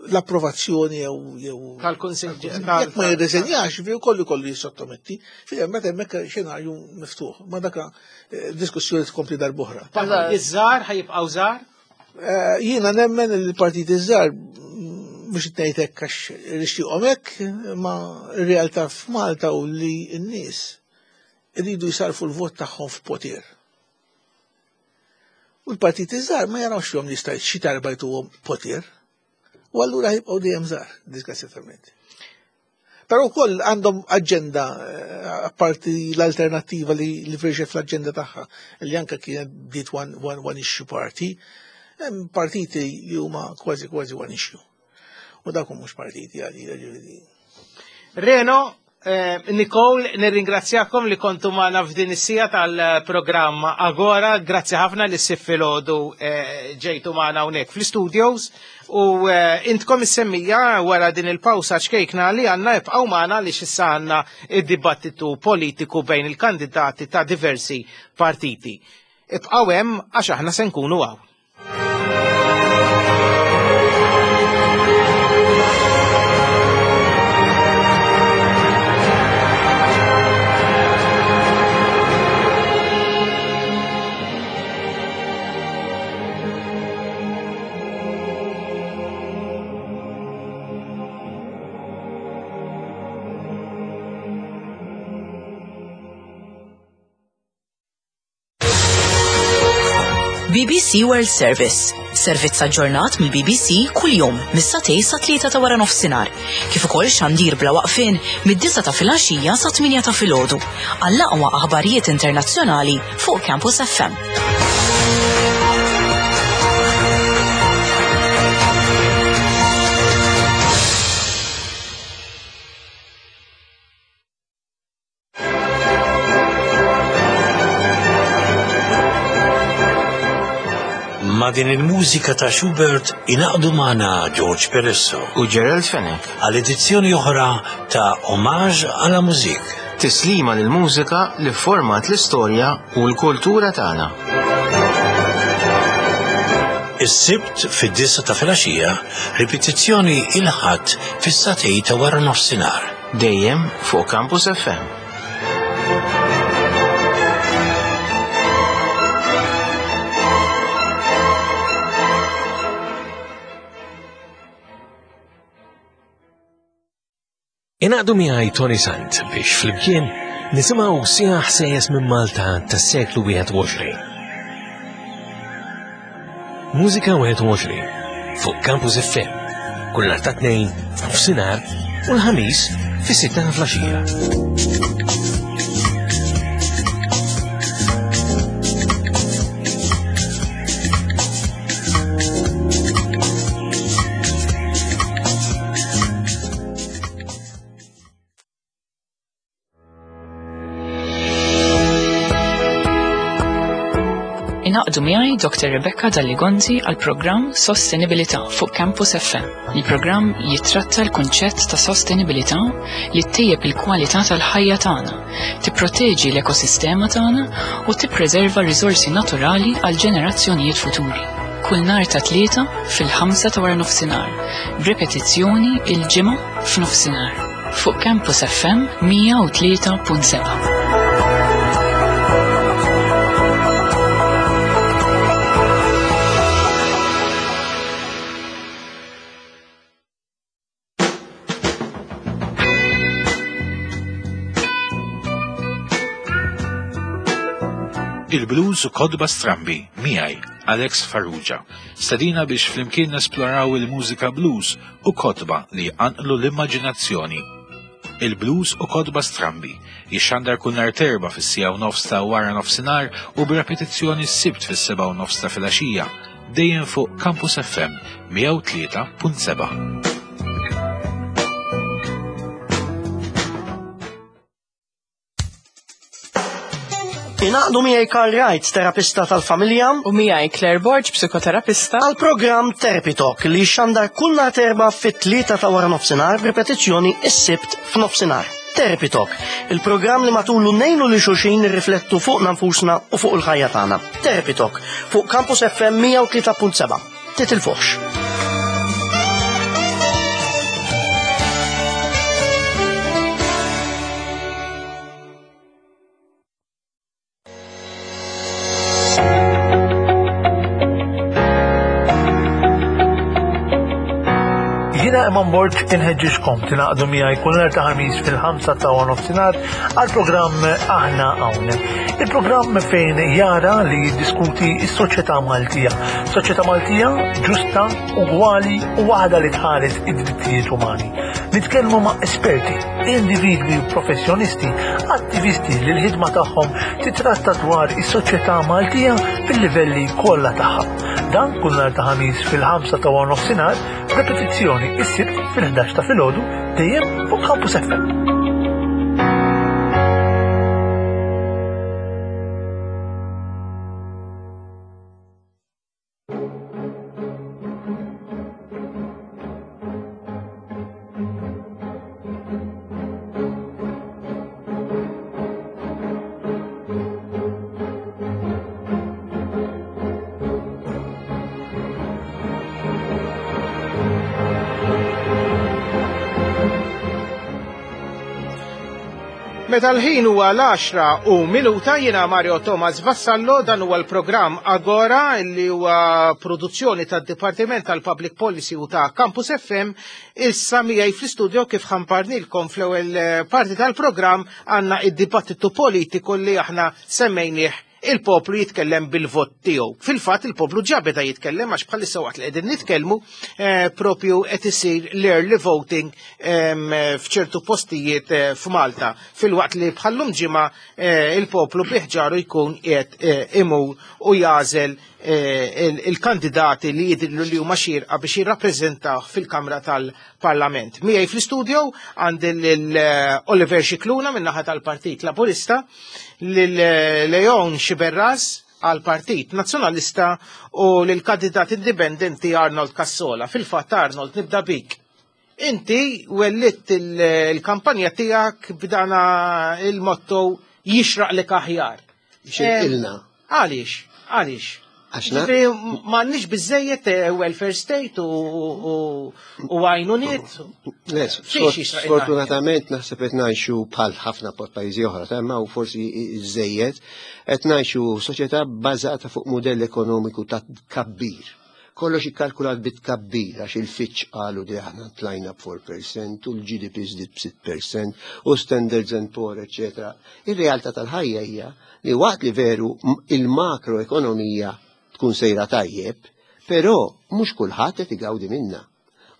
l-approvazzjoni jew jew tal-Kunsill. Jekk ma jirreżenjax, fi kollu kollu jissottometti. Fi hemm hemmhekk xenarju miftuħ. Ma daka diskussjoni tkompli darb'oħra. Iż-żgħar ħajibqgħu żgħar? Jiena nemmen il-partit iż-żgħar biex ngħid hekk għax nixtieqhom hekk, ma r-realtà f'Malta u li n-nies iridu jsarfu l-vot tagħhom f'poter. U l-partiti żgħar ma jarawx fihom li jista' xi darba jtuhom poter. U allura jibqgħu dejjem żgħar, disgrazzjatament. Però wkoll għandhom aġenda apparti l-alternattiva li li firxet fl-aġenda tagħha, li anke kienet bdiet one, one, one issue party, hemm partiti li huma kważi kważi one issue. U dak mhux partiti għalija ġifieri. Reno, Eh, Nicole, nirringrazzjakom li kontu magħna f'din is-sija tal-programm Agora. Grazzi ħafna li ssib filgħodu eh, ġejtu magħna hawnhekk fl-studios u eh, intkom is-semmija wara din il-pawsa ċkejkna li għandna ibqgħu magħna li x'issa għandna id-dibattitu politiku bejn il-kandidati ta' diversi partiti. Ibqgħu hemm għax aħna se nkunu hawn. B B C World Service. Servizz aġġornat mill-B B C kuljum mis-satej sa tlieta ta' wara nofsinhar, kif ukoll xandir bla waqfien mid-disa ta' filgħaxija sa tminja ta' filgħodu għall-aqwa aħbarijiet internazzjonali fuq Campus F M. Ma din il-mużika ta' Schubert inaqdu magħna George Peresso u Gerald Fenech għal edizzjoni oħra ta' Homage à la Musique. Tislima lil mużika li format l-istorja u l-kultura tagħna. Is-Sibt fid-disa ta' filgħaxija, ripetizzjoni il-Ħadd fis-satej ta' wara nofsinhar. Dejjem fuq Campus F M. Inaqdu miegħi Tony Sant biex flimkien nisimgħu siegħa ħsejjes minn Malta tas-seklu wieħed u għoxrin. Mużika wieħed u għoxrin fuq Campus F M Kull nhar ta' tnejn f'nofsinhar u l-ħamis fis-sitta ta' filgħaxija. Ingħaqdu miegħi Doctor Rebecca Dalli-Gonzi għal programm Sostenibilità fuq Campus F M. Il-programm jitratta l-kunċett ta' sostenibilità li ttejjeb il-kwalità tal-ħajja tagħna, tipproteġi l-ekosistema tagħna u tippreserva riżorsi naturali għal ġenerazzjonijiet futuri. Kull nhar ta' tlieta fil-ħamsa ta' wara nofsinhar, b'repetizzjoni il-ġimgħa f'nofsinhar fuq Campus F M mija u tlieta punt seba'. Il-blues u kodba strambi, miegħi, Alex Farrugia. Stedina biex flimkien nesploraw il-mużika blues u kodba li jqanqlu l-immaġinazzjoni. Il-blues u kodba strambi jixxandar kull nhar terba fis-sija u nofs ta' wara nofsinhar u b'repetizzjoni s-sibt fis-seba' u nofs ta' filgħaxija, dejjem fuq Campus F M mija u tlieta punt seba'. Ingħaqdu miegħi Karl Wright, terapista tal-familja, u miegħi Claire Borg, psikoterapista, għal programm Therapy Talk li jxandar kull nhar terba fit-tlieta ta' wara nofsinhar b'ripetizzjoni s-sibt f'nofsinhar. Therapy Talk, il-programm li matulu ngħinu li xulxin nirriflettu fuq nfusna u fuq il-ħajja tagħna. Therapy Talk fuq Campus F M mija u tlieta punt seba'. Titilfuħx. Jiena Eman Borg inħeġġiġkom tingħaqdu miegħi kull nhar ta' ħamis fil-ħamsa ta' nofsinhar għall-programm Aħna Hawn. Il-programm fejn jara li jiddiskuti s-soċjetà Maltija. Soċjetà Maltija ġusta, ugwali u waħda li tħares id-drittijiet umani. Nitkellmu ma' esperti, individwi u professjonisti, attivisti li l-ħidma tagħhom titratta dwar is-soċjetà Maltija fil-livelli kollha tagħha. Dan kull nhar ta' ħamis fil-ħamsa ta' nofsinhar, repetizzjoni is-sibt fil-ħdax ta' filgħodu dejjem fuq Campus F M. Meta l-ħin huwa l-għaxra u minuta jiena Mario Thomas Vassallo, dan huwa l-programm Agora li huwa produzzjoni tad-Dipartiment tal-Public Policy u ta' Campus F M. Issa miegħi fl-istudio kif ħamparnilkom fl-ewwel parti tal-programm għandna id-dibattitu politiku li aħna semmejnieh il-poplu jitkellem bil-vot tiegħu. Fil-fatt il-poplu ġa beda jitkellem għax bħalissa waqt li qegħdin nitkellmu, eh, propju qed isir l-early voting, ehm, f'ċertu postijiet, eh, f'Malta. Fil-waqt li bħallum ġimgħa, eh, il-poplu biħġaru jkun qiegħed, eh, imur u jażel, eh, il-, il-kandidati li jidhru li huma xierqa biex jirrappreżentaw fil-Kamra tal-Parlament. Miegħi fl-istudio għandi lil, eh, Oliver Scicluna min-naħa tal-Partit Laburista, lil, eh, Leon Sciberras għal-Partit Nazzjonalista u lil-kandidat indipendenti Arnold Cassola. Fil-fatt Arnold, nibda bik. Inti wellitt il-, il-kampanja tiegħek b'dana il-motto jixraq lek aħjar. Jixraq ilna. Eh, għaliex? Għaliex? Għax na- Ġifieri, m'għandniex biżejjed, eh, welfare state u, u, u għajnuniet? Le, Fiex sfort- jixraq ilna? sfortunatament naħseb qed ngħixu bħal ħafna pajjiżi oħra, ta' imma u forsi żejjed, qed ngħixu soċjetà bbażata fuq mudell ekonomiku ta' tkabbir. Kollox ikkalkulat bit-tkabbir għax il-Fitch qalu li aħna tlajna b'four percent u l-G D P żdied b'sitt percent u Standards and Poor, eċċetera. Ir-realtà tal-ħajja hija li waqt li veru m-, il-makroekonomija tkun sejra tajjeb, però mhux kulħadd qed igawdi minnha.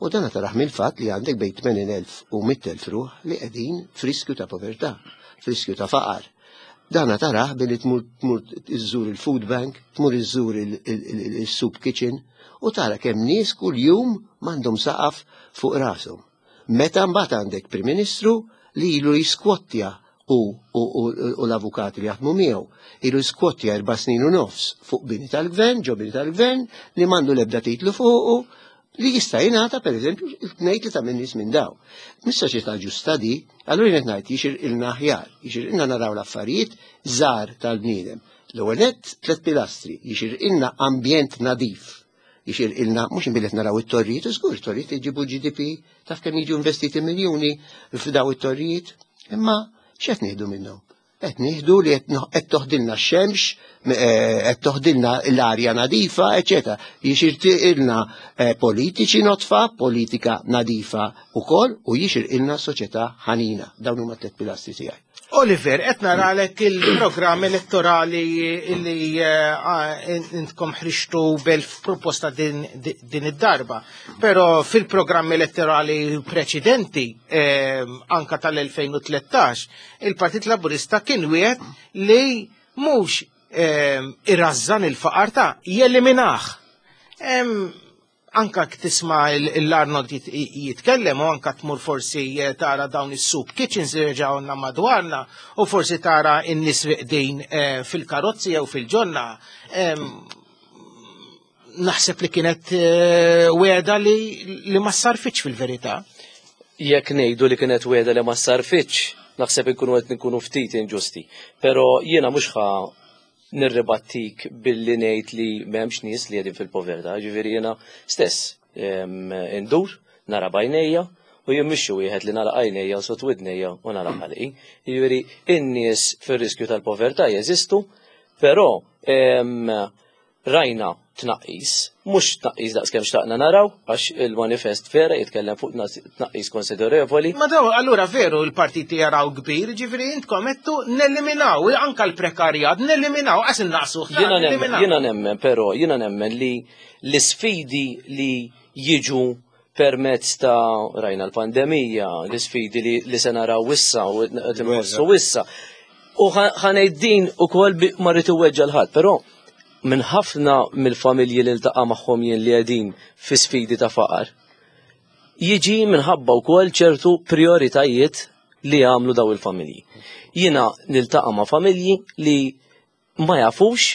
U dan taraħ mill-fatt li għandek bejn tmenin elf u mitt elf ruħ li qegħdin f'riskju ta' povertà, f'riskju ta' faqar. Dana taraħ billi tmur tmur iżżur il-food bank, tmur iżżur il-soup kitchen u tara kemm nies kuljum m'għandhom saqaf fuq rashom. Meta mbagħad għandek Prim Ministru li ilu jiskwottja u, u, u, u l-avukati li jaħdmu miegħu, ilu jiskwottja erba' snin u nofs fuq bini tal-gvern, ġo bini tal-gvern, li m'għandu l-ebda titlu fuqu, li jista' jingħata pereżempju tnejn tlieta minn nies minn daw. Mhix soċjetà ġusta di, allura jien qed ngħid jixirqilna aħjar, jixirqilna naraw l-affarijiet żgħar tal-bniedem. L-ewwel nett tliet pilastri, jixirqilna ambjent nadif. Jixirqilna mhux inbilli qed naraw it-torrijiet, u żgur it-torrijiet jġibu G D P, taf kemm jiġu investiti miljuni f'daw it-torrijiet, imma x'qed nieħdu minnhom? Qed nieħdu li qed noħ-, qed toħdilna x-xemx, eh, qed toħdilna l-arja nadifa, eċetera. Jixirqilna, eh, politiċi notfa, politika nadifa wkoll, u jixirqilna soċjetà ħanina. Dawn huma tliet pilastri tiegħi. Oliver, qed naralek il-programm elettorali li, eh, intkom ħriġtu b'elf proposta din, din id-darba, però fil-programm elettorali preċedenti, eh, anka tal-elfejn u tlettax, il-Partit Laburista kien wieħed li mhux, eh, irrażżan il-faqar ta' jeliminah. Em, anka tisma' il-, l-Arnold jit-, jitkellem u anka tmur forsi, eh, tara dawn is-soup kitchens li reġgħu madwarna u forsi tara n-nies riqdin, eh, fil-karozzi jew fil-ġonna. Em, naħseb li kienet, eh, wegħda li, li ma sarfitx fil-verità. Jekk ngħidu li kienet wegħda li ma sarfitx, naħseb inkunu qed nkunu ftit inġusti. Però jiena mhux ħa nirribattik billi ngħid li m'hemmx nies li qegħdin fil-povertà, ġifieri jiena stess, em, indur, nara b'għajnejja u jien mhux xi wieħed li nara għajnejja u sot widnejja u nara ħalqi. Ġifieri in-nies fir-riskju tal-povertà jeżistu, però, em, rajna tnaqqis, mhux tnaqqis daqskemm xtaqna naraw, għax il-manifest vera jitkellem fuq tnas-, tnaqqis konsiderevoli. Ma daw, allura veru l-partiti jaraw kbir, ġifieri intkom qedtu neliminaw anka l-prekarjat, neliminaw, għas innaqsu, ħa, Jiena nemmen, neliminaw. jiena nemmen, però, jiena nemmen li l-isfidi li jiġu permezz ta' rajna l-pandemija, l-isfidi li, li se naraw issa u qed inħossu issa. U ħa-, ħa ngħid din ukoll bi-, ma rrid iweġġa' l-ħadd, però minn ħafna mill-familji li ltaqa' magħhom jien li qegħdin fi sfidi ta' faqar, jiġi minħabba wkoll ċertu prioritajiet li jagħmlu daw il-familji. Jiena niltaqa' ma' familji li ma jafux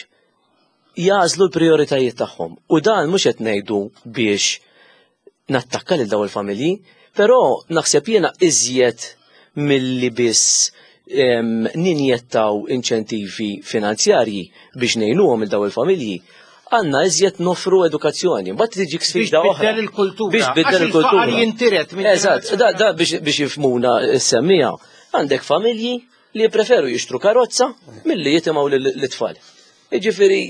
jagħżlu l-prioritajiet tagħhom. U dan mhux qed ngħidu biex nattakka lil daw il-familji, però naħseb jiena iżjed milli biss, em, ninjettaw inċentivi finanzjarji biex ngħinuhom il daw il-familji, għandna iżjed nofru edukazzjoni. Mbagħad tiġi sfida Biex oħra. tbiddel il-kultura. Biex tbiddel Għax il-faqar il-kultura. jintiret minn Eżatt, ġenerazzjoni da, da biex, biex jifhmuna s-semmija. Għandek familji li jippreferu jixtru karozza milli jitimgħu lil-tfal. Jiġifieri,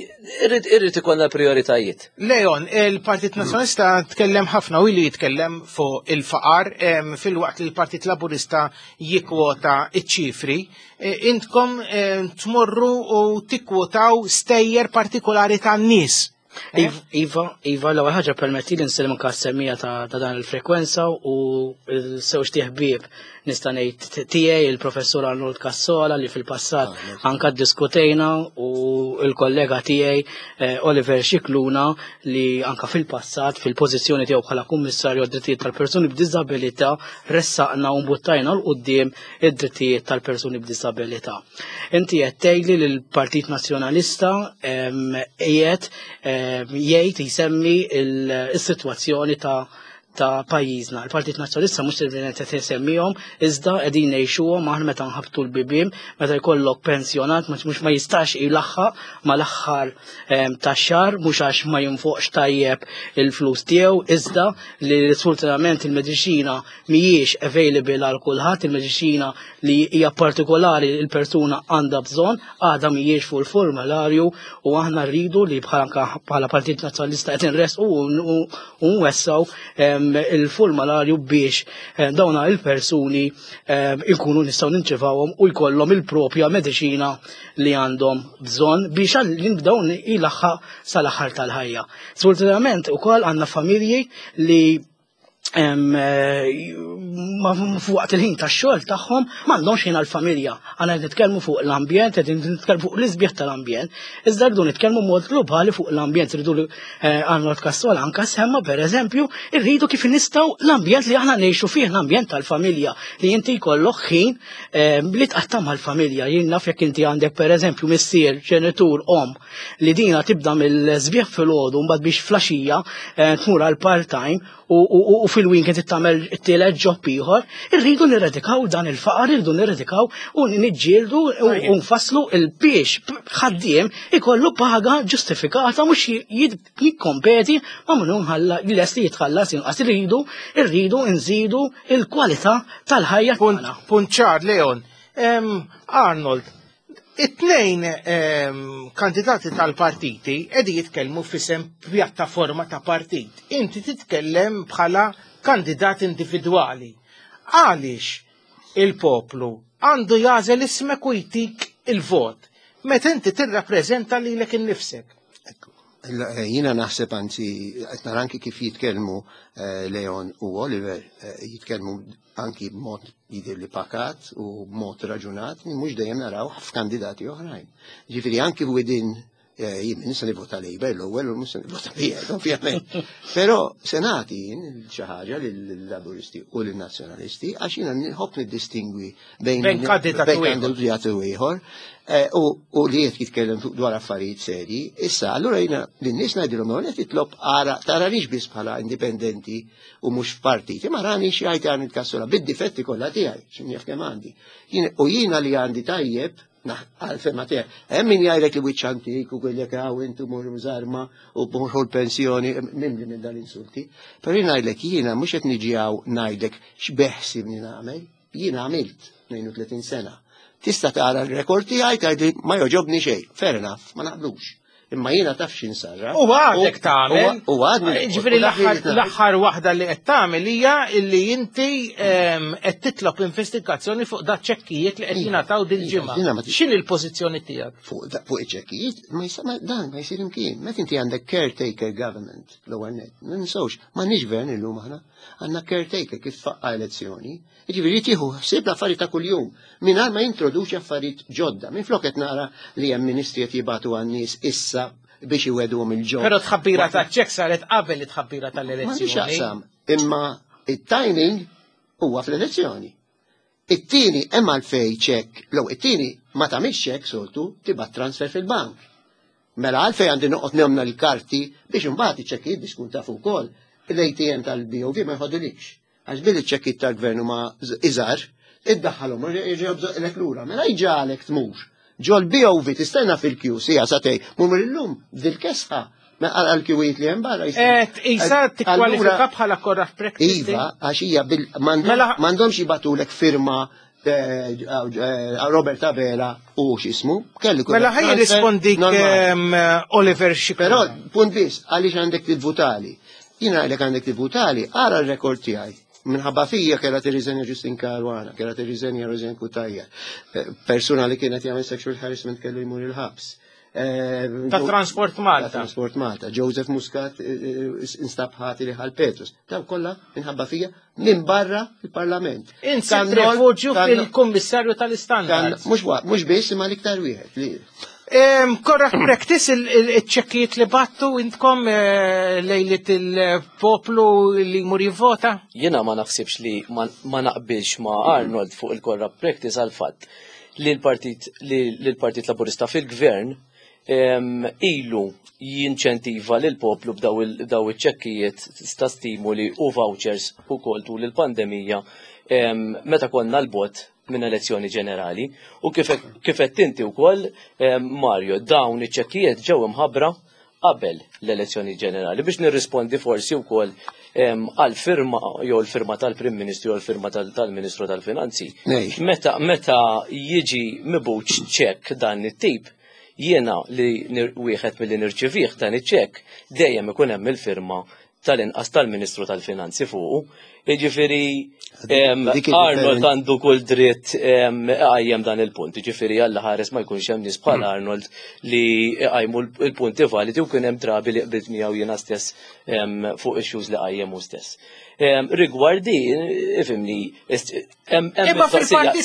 irrid, irrid ikollna prioritajiet. Leon, il-Partit Nazzjonalista tkellem ħafna u ilu jitkellem fuq il-faqar, em, fil-waqt li l-Partit Laburista jikkwota iċ-ċifri. E, intkom, em, tmorru u tikkwotaw stejjer partikolari tan-nies. Iv-, Iva, Iva, l-ewwel ħaġa permetti li nsellem anke s-semmija ta', ta' dan il-frekwenza u l-sewġ ħbieb nista' ngħid tiegħi il-professur Arnold Cassola li fil-passat Ah, anke ddiskutejna u l-kollega tiegħi, eh, Oliver Scicluna li anke fil-passat fil-pożizzjoni tiegħu bħala kummissarju għad-drittijiet tal-persuni b'diżabilità ressaqna u mbuttajna 'l quddiem id-drittijiet tal-persuni b'diżabilità. Inti qed tgħidli li l-Partit Nazzjonalista, em, qiegħed, em, jgħid jsemmi il-, is-sitwazzjoni ta' ta' pajjiżna. Il-Partit Nazzjonalista mhux sempliċement qed isemmihom, iżda qegħdin ngħixuhom aħna meta nħabtu l-bibien, meta jkollok pensjonat mhux ma jistax ilaħħaq mal-aħħar, em, tax-xahar, mhux għax ma jinfoqx tajjeb il-flus tiegħu, iżda li sfortunatament il-mediċina mhijiex available għal kulħadd, il-mediċina li hija partikolari il-persuna għandha bżonn, għadha mhijiex fuq il-formularju u aħna rridu li bħala, bħala Partit Nazzjonalista qed inresqu u, u, u nwessaw, em, il-formularju biex, eh, dawna il-persuni, eh, ikunu nistgħu ninċevawhom u jkollhom il-propja mediċina li għandhom bżonn biex għal dawn ilaħħaq sal-aħħar tal-ħajja. Sfortunatament ukoll għandna familji li Waqt il-ħin tax-xogħol tagħhom m'għandhomx ħin għall-familja. Għandna qed nitkellmu fuq l-ambjent, qed nitkellmu fuq l-isbieħ tal-ambjent, iżda rridu nitkellmu mod globali fuq l-ambjent, rridu Arnold Cassola anka semma pereżempju, irridu kif nistgħu l-ambjent li aħna ngħixu fih, l-ambjent tal-familja, li inti jkollok ħin li tqatta' mal-familja. Jien naf jekk inti għandek pereżempju missier, ġenitur, om, li dina tibda mill-sbieħ filgħodu mbagħad biex flaxija tmur għal part-time u fil-weekend tagħmel it-tielet job ieħor, irridu nirredikaw dan il-faqar, irridu nirredikaw u niġġieldu u nfasslu il-biex ħaddiem ikollu paga ġustifikata mhux jikkompeti ma' min hu lest li jitħallas inqas. Irridu irridu nżidu il-kwalità tal-ħajja tagħna. Punt ċar, Leon. Arnold, it-tnejn kandidati tal-partiti qegħdin jitkellmu f'isem pjattaforma ta' partit. Inti titkellem bħala kandidat individwali. Għaliex il-poplu għandu jagħżel ismek u jtik il-vot meta inti tirrappreżenta lilek innifsek? Jiena naħseb, anzi, qed nara anki kif jitkellmu Leon u Oliver, jitkellmu anki b'mod jidher li pakat u b'mod raġunat, mhux dejjem naraw f'kandidati oħrajn. Ġifieri anki within jien nista' nivvota Labour l-ewwel u mhux se nivvota P N, ovvjament. Però se nagħti jien xi ħaġa lill-Laburisti u lin-Nazzjonalisti għax jiena nħobb niddistingwi bejn Bejn kandidat u ieħor. Kandidat u ieħor u li qed jitkellem dwar affarijiet serji. Issa, allura jiena lin-nies ngħidilhom qed titlob ara taranix biss bħala indipendenti u mhux f'partit, imma rani xi jgħid għan il-Cassola bid-difetti kollha tiegħi, x'inhi kemm għandi. U jiena li għandi tajjeb għal-fema tiegħek. Hemm min jgħidlek li wiċċ antik u jgħidlek hawn intu mur żarma u morħu l-pensjoni, mimli minn dal-insulti. Però jien ngħidlek jiena mhux qed niġi hawn ngħidlek x'beħsibni nagħmel, jiena għamilt tnejn u tletin sena. Tista' tara l-rekord tiegħi, tgħidli ma jogħġobni xejn, fair enough, ma naqblux. Imma jiena taf x'insarra. U għadek tagħmel. U għadni. Ġifieri l-aħħar waħda li qed tagħmel hija illi inti qed titlob investigazzjoni fuq da ċekkijiet li qed jingħataw dil-ġimgħa. X'inhi l-pożizzjoni tiegħek? Fuq iċ-ċekkijiet, ma dan ma jsir imkien. Meta inti għandek caretaker government l-ewwel net, ninsewx, m'għandniex gvern illum aħna, għandna caretaker kif faqqa elezzjoni. Ġifieri tieħu ħsieb l-affarijiet ta' kuljum mingħajr ma jintroduċi affarijiet ġodda. Minflok qed nara li hemm ministri qed jibatu għan-nies issa biex iwegħduhom il-ġod. Però tħabbira ta' ċek saret qabel it-tħabbira tal-elezzjoni. Imma it-timing huwa fl-elezzjoni. It-tieni hemm għalfej ċek, l it-tieni ma tagħmilx ċek soltu, tibgħat transfer fil-bank. Mela għalfej għandi noqgħod nemna l-karti biex imbagħad iċ-ċekkijiet biex tkun taf ukoll l-A T M tal-B O V ma jħodulikx. Għax billi ċekkijiet tal-gvern huma iżgħar, iddaħħalhom jerġgħu lura. Mela jġagħlek tmur ġol B O V tistenna fil-kju sija satej, mumur illum dil-kesħa għal-kjuwiet li hemm barra. Isa tikkwalifika bħala corrupt practice. Iva, għax hija m'għandhomx jibatulek firma eh, eh, Robert Abela u x'ismu, kelli Mela ħaj jirrispondik Oliver Scicluna. Però, punt biss, għaliex għandek tivvutali. Jiena għalek għandek tivvutali, ara r-rekord tiegħi. Minħabba fija kella tirriżenja Justyne Caruana, kella tirriżenja Rosianne Cutajar. Eh, persuna li kienet jagħmel sexual harassment kellu jmur il-ħabs. Eh, Ta' Transport Malta. Ta' Transport Malta. Joseph Muscat eh, instab ħati li ħal Petrus. Daw kollha minħabba fija minn barra il-Parlament. Insib refugju fil-Kummissarju tal-Standards. Mhux biss, imma l-iktar wieħed. Corrupt practice il-ċekkijiet li battu intkom eh, lejlit il-poplu li jmur jivvota? Jiena ma naħsibx li ma naqbilx ma Arnold fuq il-corrupt practice għal fatt li l-Partit li l-Partit Laburista fil-Gvern ilu jinċentiva lil poplu b'daw iċ-ċekkijiet ta' stimuli u vouchers u kol tul il-pandemija meta konna l-bot minn elezzjoni ġenerali u kif qed inti wkoll, Mario, dawn iċ-ċekkijiet ġew imħabbra qabel l-elezzjoni ġenerali biex nirrispondi forsi wkoll għal firma jew l-firma tal-Prim Ministru jew l-firma tal-Ministru tal-Finanzi. Meta meta jiġi mibgħut ċekk dan it-tip, jiena li wieħed milli nirċivih dan iċ-ċekk, dejjem ikun hemm il-firma tal-inqas tal-Ministru tal-Finanzi fuqu. Jiġifieri Arnold għandu kull dritt iqajjem dan il-punt. Jiġifieri Alla ħares ma jkunx hemm nies bħal Arnold li iqajmu l-punti validi u kien hemm drabi li qbilt miegħu jiena stess fuq issues li qajjem hu stess. Rigward di, ifhimni,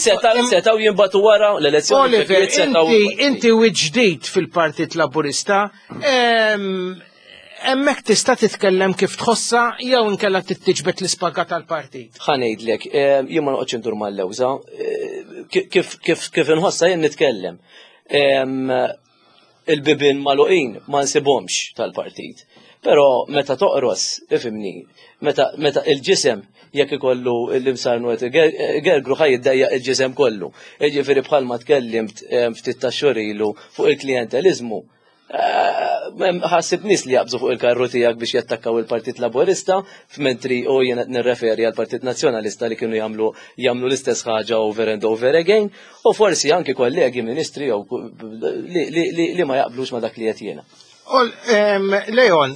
setgħu jinbagħtu wara l-elezzjoni. Oliver, inti u ġdid fil-Partit Laburista, hemmhekk tista' titkellem kif tħossa jew inkella tittiġbed l-ispaga tal-partit. Ħa ngħidlek, jien ma noqgħodx indur mal-lewża, kif kif kif inħossa jien nitkellem. Il-bibien magħluqin ma nsibhomx tal-partit. Però meta toqros, ifhimni, meta meta il-ġisem jekk ikollu l-imsarnu qed gergru ħa jiddejjaq il-ġisem kollu. Jiġifieri bħalma tkellimt ftit ta' xhur ilu fuq il-klientelizmu, ħassib nies li jaqbżu fuq il-karru tiegħek biex jattakkaw il-Partit Laburista, f'mentri u jien qed nirreferi għall-Partit Nazzjonalista li kienu jagħmlu jagħmlu l-istess ħaġa over and over again, u forsi anki kollegi ministri jew li ma jaqblux ma dak li qed jiena. Leon,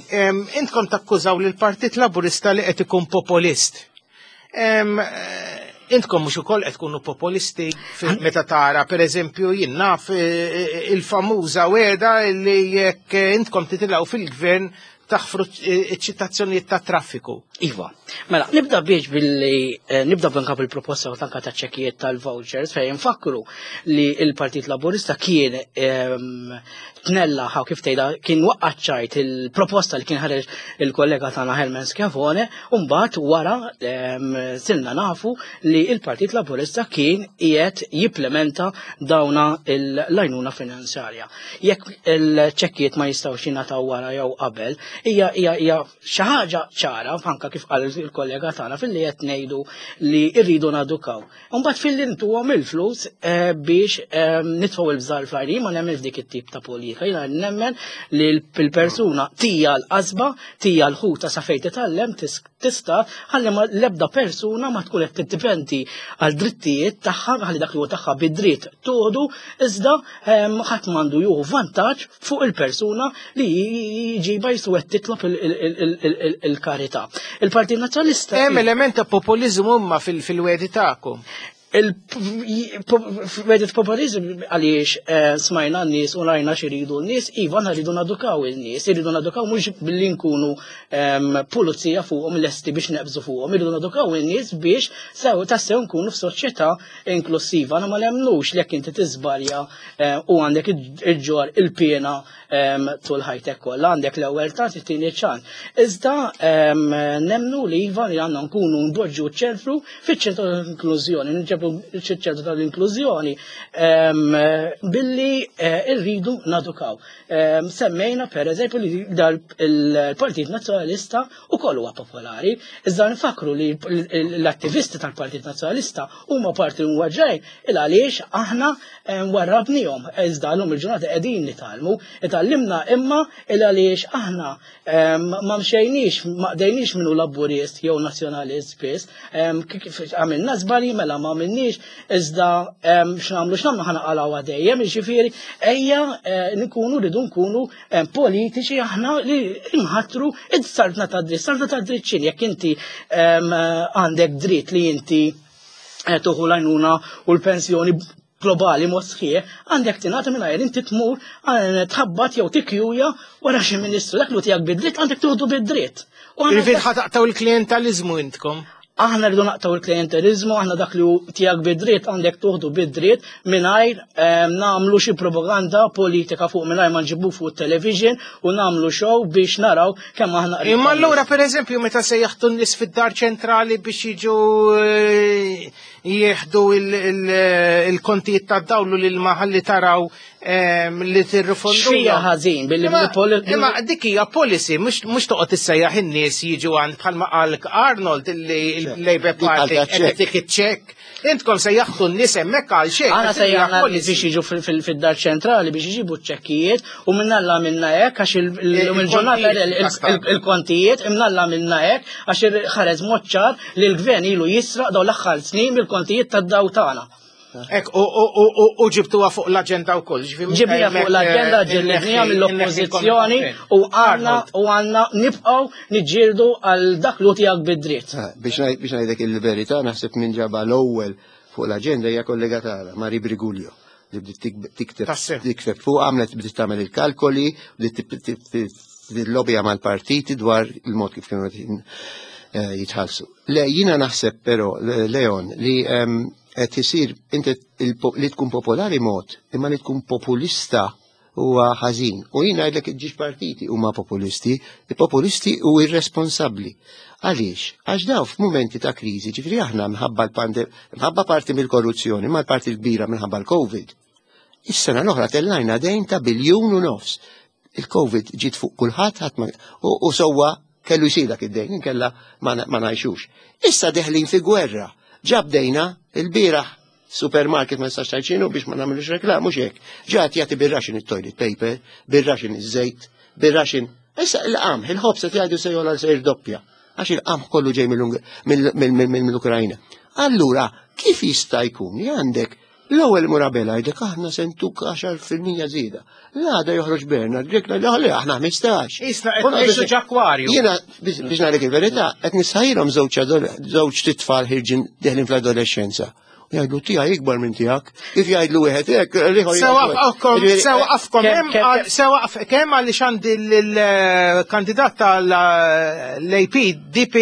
intkom takkużaw lill-Partit Laburista li qed ikun populist. Intkom mhux ukoll qed tkunu populisti meta tara, pereżempju, jien naf il-famuża wegħda li jekk intkom titilgħu fil-gvern taħfru ċ-ċitazzjonijiet ta' traffiku. Iva, mela, nibda biex billi nibda b'anka bil-proposta u tanka ta' ċekkijiet tal-vouchers fejn nfakru li l-Partit Laburista kien tnella ħaw kif tgħidha kien waqqaċċajt il-proposta li kien ħareġ il-kollega tagħna Herman Schiavone, u mbagħad wara sirna nafu li l-Partit Laburista kien qiegħed jipplementa dawna l-għajnuna finanzjarja. Jekk il-ċekkijiet ma jistgħux jingħataw wara jew qabel, hija hija hija xi ħaġa ċara anka kif qal il-kollega tagħna filli qed ngħidu li rridu nadukaw. Imbagħad filli ntuhom il-flus biex nitfgħu il-bżar fl-għajnejn, ma nemmen f'dik it-tip ta' politika. Jiena nemmen li l-persuna tija l-qasba, tija l-ħuta sa fejn titgħallem tista' ħalli l-ebda persuna ma tkun qed tiddipendi għal drittijiet tagħha, ħalli dak li huwa tagħha bid-dritt toħdu, iżda ħadd m'għandu jieħu vantaġġ fuq il-persuna li jġiba jisu qed titlob il-karità. Il-Partit Nazzjonalista. Hemm element ta' populiżmu imma fil-wedi tagħkom. Il-wedet populizm għaliex smajna n-nies u rajna x'iridu n-nies, iva rridu nadukaw in-nies, irridu nadukaw mhux billi nkunu pulizija fuqhom lesti biex neqbżu fuqhom, irridu nadukaw in-nies biex sew tassew nkunu f'soċjetà inklusiva. Aħna ma nemmnux li jekk inti tiżbalja u għandek iġġor il-piena tul ħajtek kollha, għandek l-ewwel ċans, it-tieni ċans. Iżda nemnu li iva li għandna nkunu npoġġu ċ-ċentru fiċ-ċentru tal-inklużjoni, nġebu ċ-ċentru tal-inklużjoni billi rridu nadukaw. Semmejna per eżempju li il-Partit Nazzjonalista ukoll huwa popolari, iżda nfakru li l-attivisti tal-Partit Nazzjonalista huma parti mwaġġejn il għaliex aħna warrabnihom, iżda llum il-ġurnata qegħdin nitgħallmu, itgħallimna imma il għaliex aħna ma mxejniex, ma qdejniex minnu Laburist jew Nazzjonalist biss, għamilna żbalji mela ma għamilniex, iżda x'nagħmlu x'nagħmlu ħa naqalgħu dejjem, jiġifieri ejja nkunu rridu nkunu politiċi aħna li nħattru id-saltna tad-dritt. Saltna tad-dritt x'inhi? Jekk inti għandek dritt li inti tuħu l-għajnuna u l-pensjoni globali mod sħiħ, għandek tingħata mingħajr inti tmur tħabbat jew tikkjuja wara xi ministru, dak li tiegħek bid-dritt għandek tuħdu bid-dritt. Jiġifieri ħa taqtgħu il-klienteliżmu intkom? Aħna rridu naqtgħu il-klientelizmu, aħna dak li tiegħek bid-dritt għandek tuħdu bid-dritt mingħajr nagħmlu xi propaganda politika fuq, mingħajr ma nġibu fuq television u nagħmlu show biex naraw kemm aħna. Imma allura pereżempju meta sejjaħtu n-nies fid-dar ċentrali biex jiġu jieħdu il-kontijiet tad-dawlu lil maħalli taraw li tirrifondu. Xija ħażin billi Imma dik hija policy, mhux toqgħod issejjaħ in-nies jiġu għand bħalma qal Arnold illi il-Labour Party qed tik iċ-ċekk. Intkom sejjaħtu n-nies hemmhekk għal xejn. Aħna sejjaħna n-nies biex jiġu fid-dar ċentrali biex iġibu ċ-ċekkijiet u minnalla minna hekk għax il-ġurnata il-kontijiet imnalla minna hekk għax ħareġ mod ċar li l-gvern ilu jisraq dawn l-aħħar snin mill-kontijiet tad-daw tagħna. Ek, u ġibtuha fuq l-agenda u koll. Ġibnija fuq l-agenda, ġillednija mill-oppozizjoni u għanna u għanna nibqaw niġġieldu għal dak li tiegħek bid-dritt. Biex ngħidlek il-verità, naħseb minn ġaba l-ewwel fuq l-agenda hija kollega tagħna, Mari Briguglio, li bdiet tikteb fuq, għamlet bdiet tagħmel il-kalkoli, bdiet tillobija mal-partiti dwar il-mod kif kienu jitħallsu. Le, jiena naħseb però, Leon, li qed isir inti li tkun popolari mod, imma li tkun populista huwa ħażin. U jien ngħidlek iġġiex partiti huma populisti, populisti u irresponsabbli. Għaliex? Għax daw f'mumenti ta' kriżi, ġifieri aħna minħabba l-pandemija, minħabba parti mill-korruzzjoni, ma l-parti l-kbira minħabba l-Covid. Is-sena l-oħra tellajna dejn ta' biljun u nofs. Il-Covid ġiet fuq kulħadd ħadd u sewwa kellu jsir dak id-dejn, inkella ma ngħixux. Issa deħlin fi gwerra. Ġabdejna il-bieraħ supermarket ma nistax tgħid biex ma nagħmlux reklam, mhux hekk. Ġat jagħti bir-raxin it-toilet paper, bir-raxin iż-żejt, bir-raxin. Issa il-qamħ, il-ħobż qed jgħidu se jogħla se jirdoppja għax il-qamħ kollu ġej mill-Ukrajna. Allura, kif jista' jkun li għandek l-ewwel Murabella jgħidlek aħna sentuk għaxar fil-mija żieda. L-għada joħroġ Bernard Grech le aħna ħmistax. Isna qed ngħixu ġakwarju. Jiena biex ngħidlek il-verità qed nisħajlhom żewġ titfal ħirġin deħlin fl-adolescenza. U jgħidlu tiegħi ikbar minn tiegħek. Kif jgħidlu wieħed hekk, l-ieħor Sewaqfkom, sewaqfkom hemm sewaqf kemm għaliex għandi l-kandidat tal-A P D P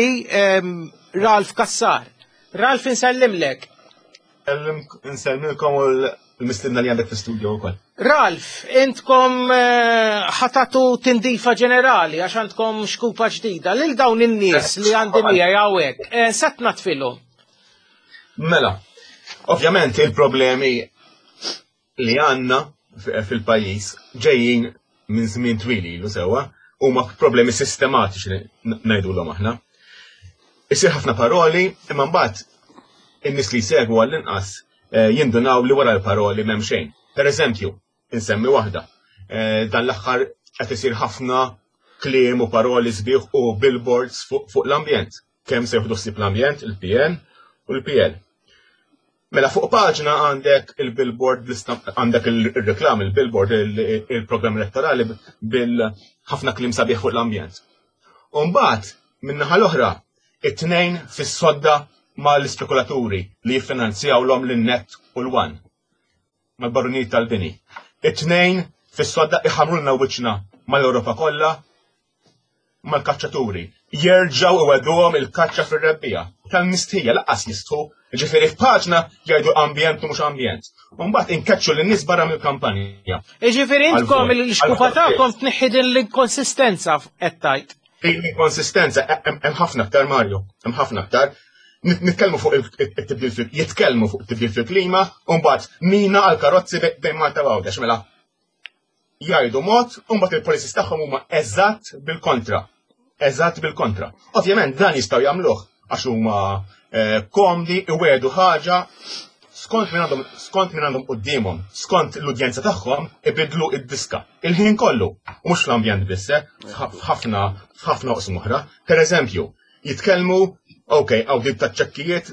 Ralph Cassar. Ralph, insellimlek. Insellmilkom u l-mistiedna li għandek fi-studio wkoll. Ralph, intkom ħatatu tindifa ġenerali għax għandkom xkupa ġdida. Lil dawn in-nies li għandi miegħi hawnhekk, set natfilhom. Mela, ovvjament il-problemi li għandna fil-pajjiż ġejjin minn żmien twil ilu sewwa, huma problemi sistematiċi li ngħidulhom aħna. Isir ħafna paroli, imma mbagħad in-nies li jsegwu għall-inqas jindunaw li wara l-paroli m'hemm xejn. Per eżempju, insemmi waħda, dan l-aħħar qed isir ħafna kliem u paroli sbieħ u billboards fuq l-ambjent. Kemm se jieħdu ħsieb l-ambjent, il-P N u l-P L. Mela fuq paġna għandek il-billboard, għandek il-reklam, il-billboard, il-programm elettorali bil-ħafna kliem sabiħ fuq l-ambjent. U mbagħad, min-naħa l-oħra, it-tnejn fis-sodda mal-ispekulaturi li jiffinanzjaw l-om l-net u l-one, mal-barunijiet tal-bini. It-tnejn fis-sodda iħamrulna wiċċna mal-Ewropa kollha, mal-kaċċaturi. Jerġgħu iwegħduhom il-kaċċa fir-rebbija. Tal-mistħija lanqas jistħu, ġifieri f'paġna jgħidu ambjent u mhux ambjent. U mbagħad inkeċċu lin-nies barra mill-kampanja. Jiġifieri intkom il-xkupa tagħkom tneħħi din l-inkonsistenza qed tgħid. Din l-inkonsistenza hemm ħafna aktar, Mario, hemm ħafna aktar. Nitkellmu fuq it-tibdil fil-, jitkellmu fuq it-tibdil fil-klima, u mbagħad mina għal karozzi bejn Malta u Għawdex, mela jgħidu mod, u mbagħad il-policies tagħhom huma eżatt bil-kontra. Eżatt bil-kontra. Ovvjament dan jistgħu jagħmluh għax huma komdi, iwedu ħaġa skont min għandhom, skont min għandhom quddiemhom, skont l-udjenza tagħhom ibidlu id-diska. Il-ħin kollu, u mhux fl-ambjent biss, f'ħafna, f'ħafna oqsma oħra. Per eżempju, jitkellmu, ok, għaw dib ta' ċekkijiet,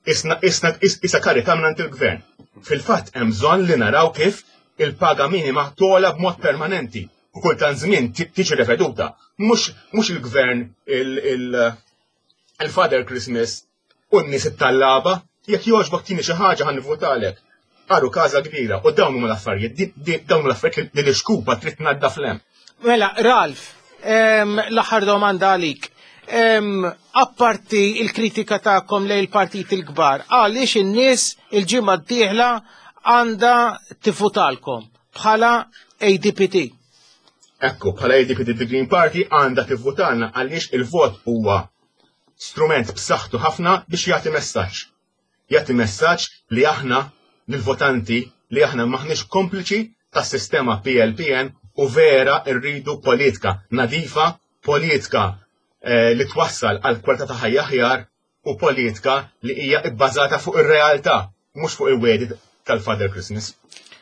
isna, isna, isa karità minn il-gvern. Fil-fatt hemm bżonn li naraw kif il-paga minima tola b'mod permanenti u kultant żmien tiġi reveduta. Mhux, mhux il-gvern il-Father Christmas u n-nies it-tallaba, jekk jogħġbok tini xi ħaġa ħa nivvutalek. Qaru każa kbira u dawn huma l-affarijiet, dawn huma l-affarijiet li l-ixkupa trid tnaddaf l-hemm. Mela, Ralph, l-aħħar domanda għalik. Apparti il-kritika tagħkom lejn il-partit il-kbar, għaliex in-nies il-ġimgħa d-dieħla għandha tivvutalkom bħala A D P T? Ekku, bħala A D P T The Green Party għandha tivvutalna għaliex il-vot huwa strument b'saħħtu ħafna biex jagħti messaġġ. Jagħti messaġġ li aħna lill-votanti li aħna maħniex kompliċi tas-sistema P L P N u vera rridu politika nadifa, politika li twassal għal kwalità ta' ħajja aħjar u politika li hija bbażata fuq ir-realtà, mhux fuq il-wedi tal-Father Christmas.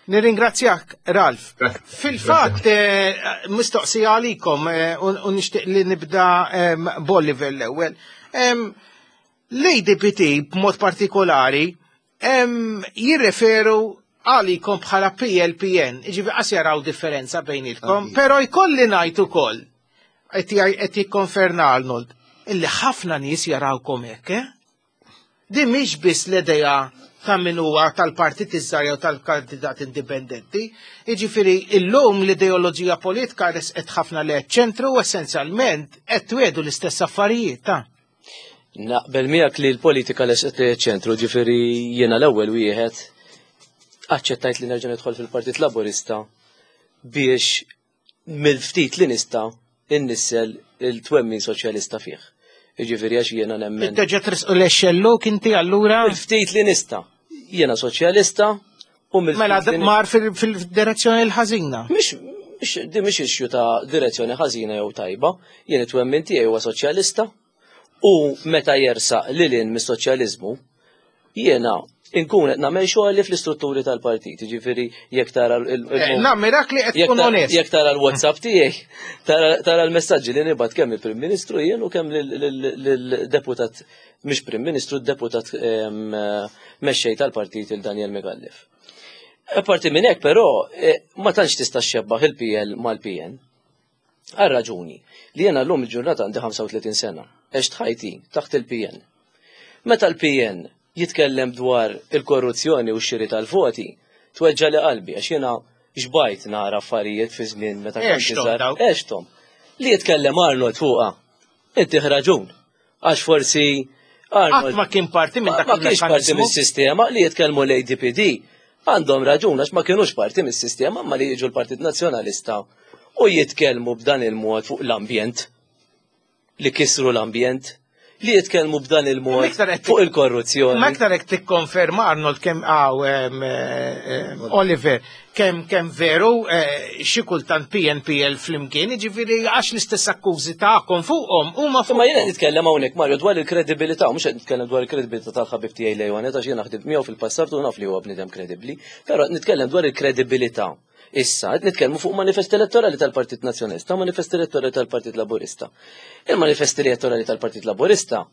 Nirringrazzjak, Ralph. Grazie. Fil-fatt, eh, mistoqsija għalikom, eh, u nixtieq li nibda, ehm, b'Oliver l-ewwel. Ehm, L-A D P T b'mod partikolari Jirreferu għalikom bħala P L P N, ġifieri qas jaraw differenza bejnietkom, pero jkolli ngħid ukoll, qed jikkonferma Arnold, illi ħafna nies jarawkom hekk, eh? Din mhix biss l-idea ta' min huwa tal-partit iż-żgħar jew tal-kandidat indipendenti. Jiġifieri illum l-ideoloġija politika resqet ħafna lejn ċentru u essenzjalment qed twiegħdu l-istess affarijiet ta' Naqbel miegħek li l-politika resqet lejn ċentru, ġifieri jiena l-ewwel wieħed aċċettajt li nerġa' nidħol fil-Partit Laburista biex mill-ftit li nista' innissel il-twemmin soċjalista fih. Jiġifieri għax jiena nemmen. Terġa' trisqu l-xelluk inti allura? Mill-ftit li nista'. Jiena soċjalista u mill Mela mar fil-direzzjoni l-ħażina. Mhix di mhix issue ta' direzzjoni ħażina jew tajba, jien it-twemmin tiegħi huwa soċjalista u meta jersaq lil hinn mis-soċjaliżmu jiena inkun qed nagħmel xogħol fl-istrutturi tal-partit, jiġifieri jekk tara l eh, Nammirak li qed tkun onest. Jekk tara l-WhatsApp tiegħi, tara l-messaġġi li nibgħat kemm il-Prim Ministru jien u kemm lill-deputat, mhix Prim Ministru, deputat mexxej tal-partit, il Daniel Micallef. Apparti minn hekk però eh, ma tantx tista' xebbaħ il-P L mal-P N. Għal raġuni li jiena llum il-ġurnata għandi ħamsa u tletin sena, għext ħajti taħt il-P N. Meta l-P N jitkellem dwar il-korruzzjoni u x-xiri tal-voti, tweġġagħli qalbi għax jiena xbajt nara affarijiet fi żmien meta kont iżgħar. Għexthom. Li jitkellem Arnold fuqha. Inti raġun. Għax forsi Arnold ma kien parti minn dak. Ma kienx parti mis-sistema. Li jitkellmu l-A D P D għandhom raġun għax ma kienux parti mis-sistema, ma li jiġu l-Partit Nazzjonalista u jitkellmu b'dan il-mod fuq l-ambjent, li kisru l-ambjent, li jitkellmu b'dan il-mod fuq il-korruzzjoni. Ma iktar hekk tikkonferma, Arnold, kemm għaw Oliver, kemm kemm veru eh, xi kultant P N P L flimkien, jiġifieri għax l-istess akkużi tagħkom fuqhom huma fuq. Ma jiena nitkellem hawnhekk, Mario, dwar il-kredibilità, mhux qed nitkellem dwar il-kredibilità tal-ħabib tiegħi Leon, għax jiena ħdimt miegħu fil-passat u naf li huwa bniedem kredibbli, però nitkellem dwar il-kredibilità. Issa, qed nitkellmu fuq manifest elettorali tal-Partit Nazzjonalista, manifest elettorali tal-Partit Laburista. Il-manifest elettorali tal-Partit Laburista,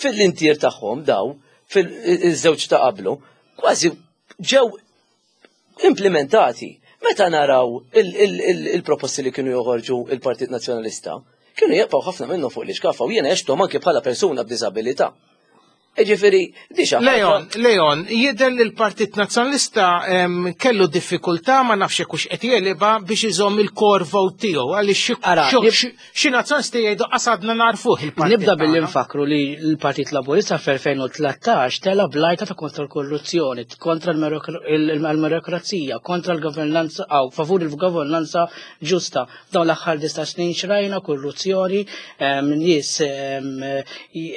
fil-intier tagħhom daw, fil-żewġ ta' qablu, kważi ġew implementati. Meta naraw il-proposti li kienu joħorġu il-Partit Nazzjonalista, kienu jibqgħu ħafna minnhom fuq l-iskaffa u jiena għexthom anke bħala persuna b'diżabilità. Ġifieri, di xi Leon, Leon, jidher li l-Partit Nazzjonalista em, kellu diffikultà, ma nafx hekk hux qed jegħlibha, biex iżomm il-core vote tiegħu għaliex xi- Ara, xi- nib- xi- xi nazzjonalisti jgħidu qasadna narfuh il-partit. Nibda billi tagħna. nfakru li l-Partit Laburista fl-elfejn u tlettax tela bl-għajta ta' kontra l-korruzzjoni, kontra l-meritokrazija, kontra l-governanza, aw favur il-governanza ġusta. Dawn l-aħħar disa' snin xrajna korruzzjoni, em, nies em, j-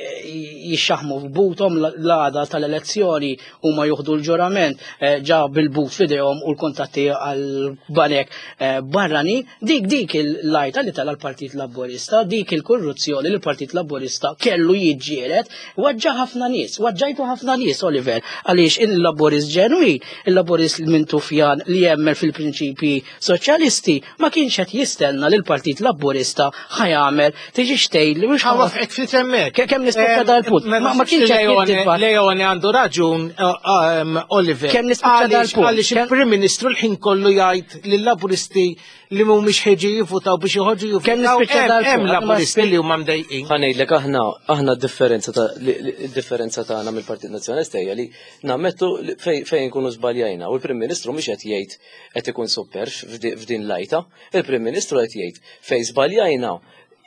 jixxaħmu f'buthom l-għada tal-elezzjoni, huma juħdu l-ġurament eh, ġa bil-but f'idejhom u l-kontatti għal-banek eh, barrani, dik dik il-għajta li tela l-Partit Laburista, dik il-korruzzjoni li l-Partit Laburista kellu jiġġieled, weġġa' ħafna nies, weġġajtu ħafna nies, Oliver, għaliex il-Laburist ġenwin, il-Laburist Mintufjan li jemmen fil-prinċipi soċjalisti, ma kienx qed jistenna li l-Partit Laburista ħa jagħmel tiġi xtejn li mhux Ħa nwaqqfek ftit hemmhekk. Kemm nispiċċa dal-punt. Ma Ma ma kienx qed Leone, jittifa- Leone għandu raġun, uh, um, Oliver. Kemm nispiċċa Għaliex- dal-punt? Għaliex il-Prim Ministru l-ħin kollu jgħid lill-Laburisti li mhumiex ħeġi jivvutaw biex joħorġu Kemm jivvutaw. nispiċċa Hemm dal-punt? hemm Ma Laburisti spi- li huma mdejqin. Ħa ngħidlek, aħna aħna d-differenza ta' li- li- d-differenza tagħna mill-Partit Nazzjonalista hija li nammettu li fej fejn nkunu żbaljajna u l-Prim Ministru mhux qed jgħid qed ikun super f'di- f'din l-għajta, il-Prim Ministru qed jgħid fejn żbaljajna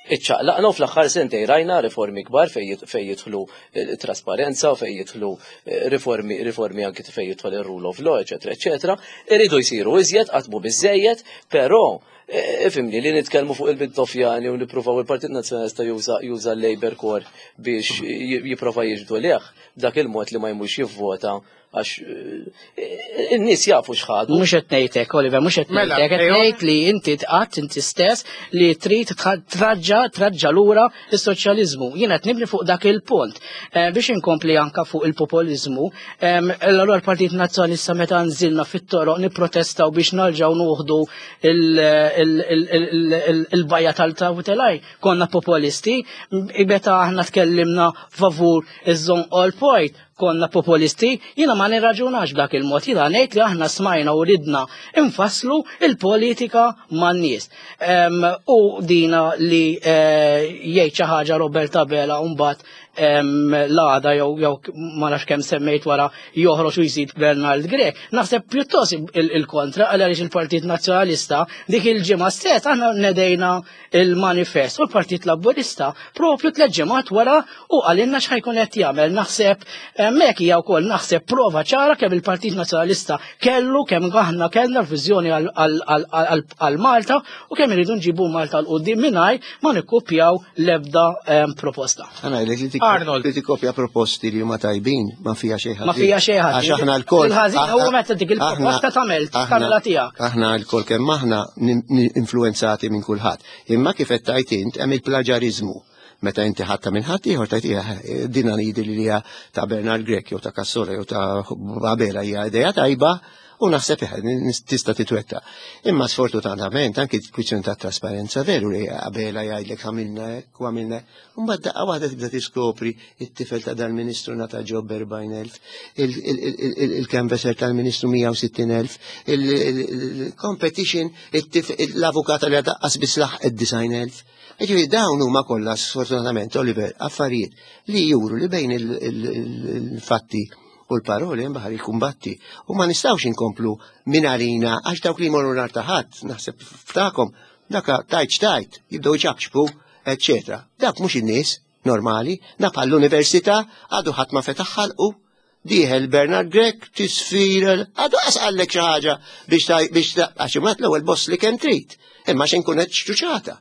iċċaqlaqna u fl-aħħar sentej rajna riformi kbar fej jit- fej jidħlu eh, trasparenza, fej jidħlu eh, riformi riformi anki fej jidħol ir-rule of law, eċetera, eċetera. Iridu jsiru iżjed, qatt mhu biżejjed, però eh, ifhimni li nitkellmu fuq il-Mintofjani u nippruvaw il-Partit Nazzjonalista juża juża l-Labor Corps biex j- jipprova jiġbdu lejh b'dak il-mod li ma jmux jivvota għax eh, in-nies jafu x'ħadu. Mhux qed ngħidlek, Oliver, mhux qed Mela, ngħidlek, qed Leon? ngħid li inti tqatt inti stess li trid tħa- traġġa traġġa lura is-soċjaliżmu. Jiena qed nibni fuq dak il-punt. Eh, Biex inkompli anka fuq il-populizmu, em, allura l-Partit Nazzjonalista meta nżilna fit-toroq nipprotestaw biex nerġgħu nieħdu il- il- il- il- il- il-bajja tal-Tawtelaj, konna populisti, meta aħna tkellimna favur iż-Żonqor Port, konna populisti, jiena ma nirraġunax b'dak il-mod, jiena ngħid li aħna smajna u ridna infasslu il-politika man-nies. U dina li eh, jgħid xi ħaġa Robert Abela u mbagħad l-għada jew jew ma nafx kemm semmejt wara joħroġ u jżid Bernard Grech. Naħseb pjuttost il-kontra, għaliex il-Partit Nazzjonalista dik il-ġimgħa stess aħna nedejna il-manifest u l-Partit Laburista propju tliet ġimgħat wara u qalilna x'ħa jkun qed jagħmel. Naħseb hemmhekk hija wkoll naħseb prova ċara kemm il-Partit Nazzjonalista kellu, kemm aħna kellna l-viżjoni għal Malta u kemm iridu nġibu Malta 'l quddiem mingħajr ma nikkupjaw l-ebda proposta. Arnold. Li tikkopja proposti li huma tajbin ma fija xejn. Ma fija xejn. Għax aħna lkoll. Il-ħażin huwa meta dik il-proposta tagħmel tagħmilha tiegħek. Aħna lkoll kemm aħna influenzati minn kulħadd. Imma kif qed tajt int hemm il-plaġariżmu. Meta inti ħatta minn ħadd ieħor tajt din ngħidi li hija ta' Bernard Grech jew ta' Cassola jew ta' Abela hija idea tajba u naħseb tista' titwetta. Imma sfortunatament anki kwistjoni ta' trasparenza, veru li Abela jgħidlek għamilna hekk u għamilna hekk. Mbagħad daqqa waħda tibda tiskopri it-tifel ta' dal-ministru ngħata job erbgħin elf, il-canvasser tal-ministru mija u sittin elf, il-competition, l-avukata li għadaqqas biss laħqet disgħin elf. Ġifieri dawn huma kollha sfortunatament, Oliver, affarijiet li juru li bejn il-fatti u l-paroli hemm baħar il-kumbatti. U ma nistgħux inkomplu minn għalina għax dawk li jmorru nhar ta' ħadd, naħseb ftakom, daka tajt x'tajt, jibdew iċabċbu, eċċetera. Dak mhux in-nies normali, naf l-università għadu ħadd ma fetaħ ħalqu, dieħel Bernard Grech tisfira, għadu qas qallek xi ħaġa biex taj, biex ta, għax imbagħad l-ewwel boss li kemm trid, imma xejn kun qed xċuċata.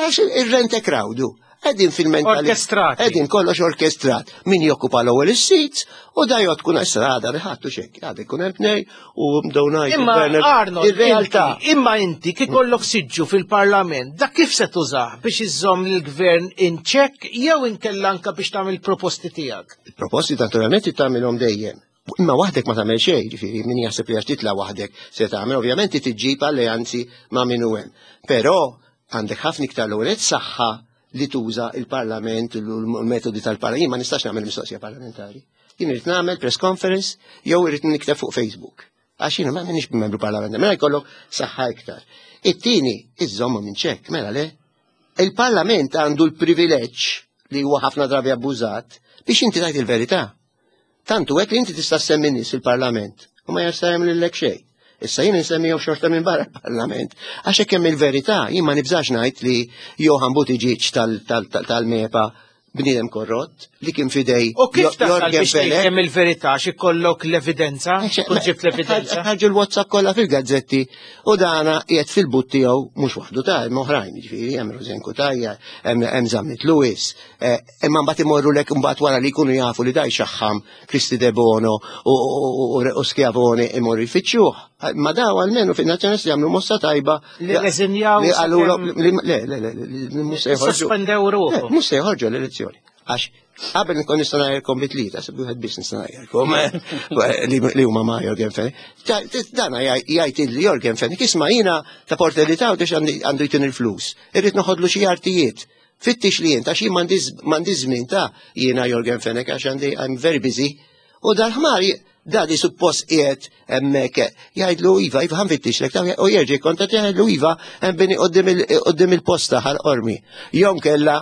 Għax ir-rent a crowd. Qegħdin fil-mentalità. Orkestrati. Qegħdin kollox orkestrat. Min jokkupa l-ewwel is-seats u da jgħod kun issa għada li ħadtu xejn. Għada jkun hemm tnej u bdew ngħidu Imma Bernard, Arnold, ir-realtà. inti, imma inti kif ikollok siġġu fil-Parlament, dak kif se tużah biex iżżomm lill-gvern in check jew inkella anka biex tagħmel proposti tiegħek? Il-proposti naturalment tagħmilhom dejjem. Imma waħdek ma tagħmel xejn, ġifieri min jaħseb li għax titla' waħdek se tagħmel, ovvjament tiġġib alleanzi ma' min hu hemm. Però għandek ħafna iktar l-ewwel saħħa li tuża il-Parlament u l-metodi tal-Parlament. Jien ma nistax nagħmel mistoqsija parlamentari. Jien irid nagħmel press conference jew irid nikteb fuq Facebook. Għax jiena ma minix membru parlamentari, mela jkollok saħħa iktar. It-tieni, iżommu minn ċekk, mela le. Il-Parlament għandu l-privileġġ li huwa ħafna drabi abbużat biex inti tajt il-verità. Tantu hekk li inti tista' ssemmi nies fil-Parlament u ma jista' jagħmel lilek xejn. Issa jien insemmihom xorta minn barra l-Parlament. Għax hekk hemm il-verità, jien ma nibżax ngħid li Johann Buttigieg tal-MEPA bniedem korrott li kien fidej U kif Jo- tasal Yorgen biex tgħid Fenech. hemm il-verità xi kollok l-evidenza? Tkun ġibt l-evidenza? Ħarġu l-WhatsApp kollha fil-gazzetti u dana qiegħed fil-but tiegħu mhux waħdu ta' hemm oħrajn, jiġifieri hemm Rosianne Cutajar, hemm hemm Zammit Lewis, eh, imma mbagħad imorru lek mbagħad wara li jkunu jafu li da jxaħħam Kristi Debono u- u u- u Schiavone imorru jfittxuh. Ma daw almenu fin-Nazzjonalisti jagħmlu mossa tajba Li reżinjaw li qalulhom sakemm- li le le le li mhux se joħorġu. Sospendew ruħhom. Le, mhux se joħorġu l-elezzjoni. Għax qabel nkun nista' ngħajrkom bi tlieta, se wieħed biss nista' ngħajrkom li li huma ma' Yorgen Fenech. Ta- t- Dana jgħid il Yorgen Fenech, isma' jiena ta' Portelli ta' għax għandu jtin il-flus. Irrid noħodlu xi artijiet. Fittix li jien, għax jien m'għandi żmien ta' jiena Yorgen Fenech għax għandi I'm very busy. U dal-ħmar da li suppost qiegħed hemmhekk jgħidlu iva, iva ħa nfittixlek, ta' u jerġa' jkontat jgħidlu iva hemm bini qudiem il-posta Ħal Qormi. Jew kella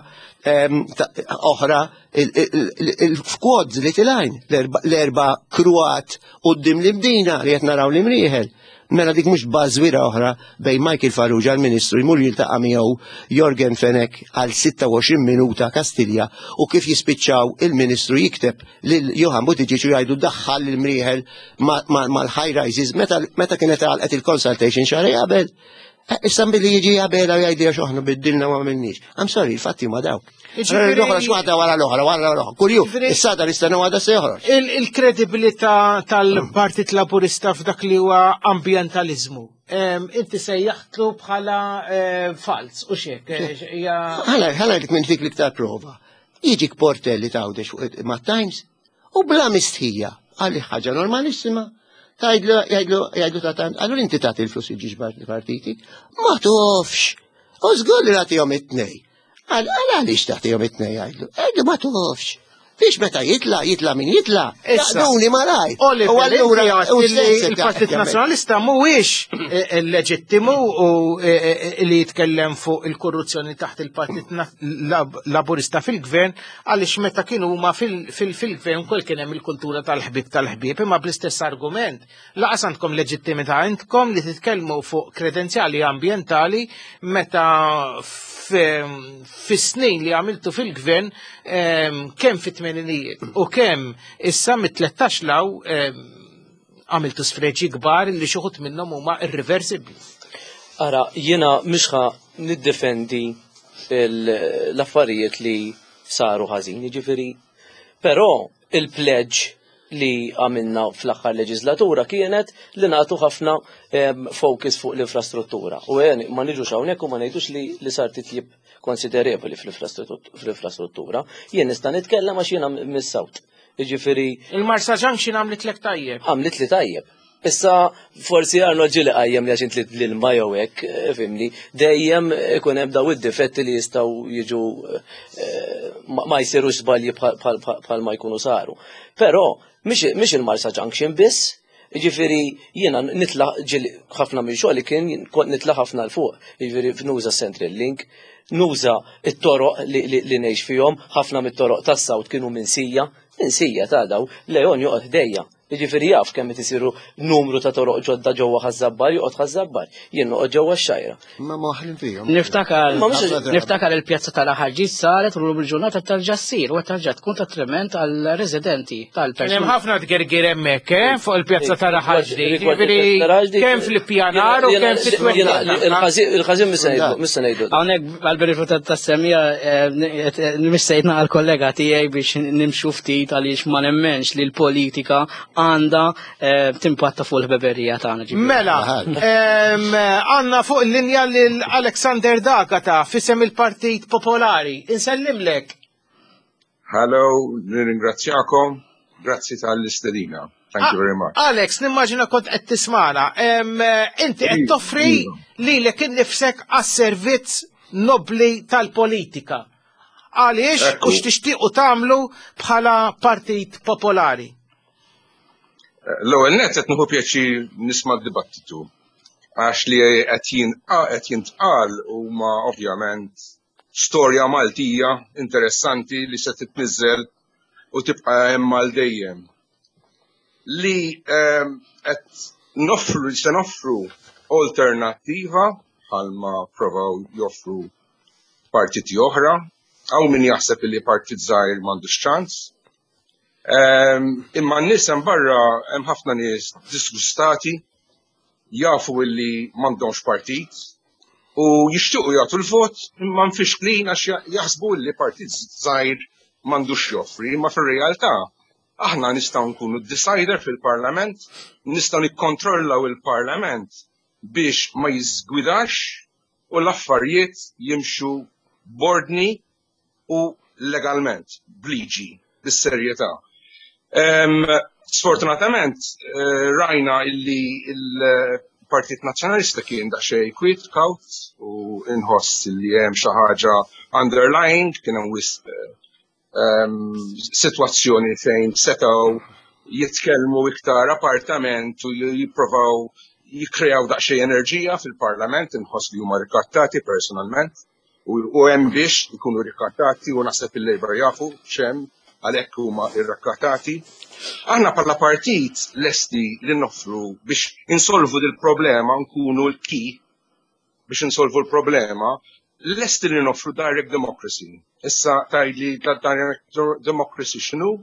em, ta- oħra il-fkwod li tilajn l-erba kruat qudiem l-Imdina li qed naraw l-Imrieħel. Mela dik mhux bażwira oħra bejn Michael Farrugia l-Ministru jmur jiltaqa' miegħu Yorgen Fenech għal sitta u għoxrin minuta Kastilja u kif jispiċċaw il-Ministru jikteb lil Johann Buttigieg u jgħidu daħħal l-Imrieħel mal-high rises meta meta kienet għalqet il-consultation xahar qabel. Eh, Issa billi jiġi qabel u jgħidu għax aħna biddilna ma għamilniex. I'm sorry, il-fatti ma dawk. Jiġifieri- L-oħra x'waħda wara l-oħra, wara l-oħra. Kuljum, Jiġifieri- issa da nistennew għada se joħroġ. Il- Il-kredibilità tal-Partit Laburista f'dak li huwa ambientalizmu. Em, Inti sejjaħtlu bħala eh, fals u xek. eh, hija- Ħala, ħala dik minn dik l-iktar prova. Jiġik Portelli t'Għawdex fuq ma' Times u bla mistħija għalli ħaġa normalissima. Tgħidlu, jgħidlu, jgħidlu ta' Times, allura inti tagħti l-flus il-ġiġ partiti? Ma tofx. U żgur li nagħtihom it-tnej. Għal għaliex tagħtihom it-tnej jgħidlu? Għidlu ma tofx. Biex meta jitla, jitla min jitla, jaqduni malaj. U allura il-Partit Nazzjonalista mhuwiex eh, leġittimu u eh, eh, li jitkellem fuq il-korruzzjoni taħt il-Partit Laburista fil-Gvern, għaliex meta kienu huma fil-Gvern kol kien hemm il-kultura tal-ħbieb tal-ħbieb, imma bl-istess argument laqas għandkom leġittimità intkom li titkellmu fuq kredenzjali ambjentali meta fis-snin li għamiltu fil-gvern kemm fit-tmeninijiet u kemm issa mit-tlettax law għamiltu sfreġi kbar li xi wħud minnhom huma irreversibbli. Ara, jiena mhux ħa niddefendi l-affarijiet li saru ħażin, jiġifieri, però il-pledge li għamilna fl-aħħar leġislatura kienet li nagħtu ħafna focus fuq l-infrastruttura. U għen, ma niġux hawnhekk u ma ngħidux li, li sar titjib konsiderevoli fl-infrastruttura. Jien nista' nitkellem għax jiena mis-South. Jiġifieri Il-Marsa Junction għamlitlek tajjeb. Għamlit li tajjeb. Issa forsi Arnold ġieli qajjem li għax int l-ilma jew hekk, fimni, dejjem ikun hemm daw id-difetti li jistgħu jiġu ma jsirux żbalji bħal ma jkunu saru. Però mhix il-Marsa Junction biss, jiġifieri jiena nitla' ġieli ħafna minn xogħli kien kont nitla' ħafna 'l fuq, jiġifieri nuża Central Link, nuża it-toroq li ngħix fihom, ħafna mit-toroq tas-South kienu minsija, minsija ta' daw, Leon joqgħod ħdejja. Jiġifieri jaf kemm qed isiru numru ta' toroq ġodda ġewwa Ħaż-Żabbar, joqgħod Ħaż-Żabbar, jien noqgħod ġewwa x-Xgħajra. Ma moħlin fihom. Niftakar niftakar il-pjazza tal-Aħarġit saret u llum il-ġurnata tarġa' ssir u tarġa' tkun ta' trement għall-residenti tal-persuni. Hemm ħafna tgergir hemmhekk, eh, fuq il-pjazza tal-Aħarġit. Jiġifieri kemm fl-ippjanar u kemm fit-twettiq. Il-ħażin mhux se ngħidu. Hawnhekk għall-benefiċċju tas-semija missejtna għall-kollega tiegħi biex nimxu ftit għaliex ma nemmenx li l-politika għandha timpatta fuq il-ħbeberija tagħna. Mela, għandna fuq il-linja lil Alexander D'Agata fisem il-Partit Popolari. Insellimlek. Hello, nirringrazzjakom, grazzi tal-istedina. Thank you very much. Alex, nimmaġina kont qed tismana. Inti qed toffri lilek innifsek għas-servizz nobli tal-politika. Għaliex u x'tixtiequ tagħmlu bħala Partit Popolari? L-ewwel nett qed nieħu pjaċir nisma' d-dibattitu għax li qed jintqal huma ovvjament storja Maltija interessanti li se titniżżel u tibqa' hemm għal dejjem. Li qed noffru li se noffru alternattiva bħalma provaw joffru partiti oħra, hawn min jaħseb li partit żgħir m'għandux ċans. Imma n-nies hemm barra hemm ħafna nies disgustati, jafu illi m'għandhomx partit u jixtiequ jagħtu l-vot imma mfixklin għax jaħsbu illi partit żgħir m'għandux joffri, imma fir-realtà aħna nistgħu nkunu decider fil-Parlament, nistgħu nikkontrollaw il-Parlament biex ma jiżgwidax u l-affarijiet jimxu b'ordni u legalment, b'liġi, bis-serjetà. Sfortunatament, rajna illi il-Partit Nazzjonalista kien daqsxejn kwiet, kawt, u inħoss li hemm xi ħaġa underlying, kien hemm wisq sitwazzjoni fejn setgħu jitkellmu iktar appartament u jipprovaw jikkreaw daqsxejn enerġija fil-Parlament, inħoss li huma rikattati personalment, u hemm biex ikunu rikattati u naħseb il-Labour jafu x'hemm għalhekk huma rrakattati. Aħna bħala partit lesti li noffru biex insolvu dil-problema, nkunu l-key biex insolvu l-problema, lesti li noffru direct democracy. Issa tgħidli direct democracy x'inhu?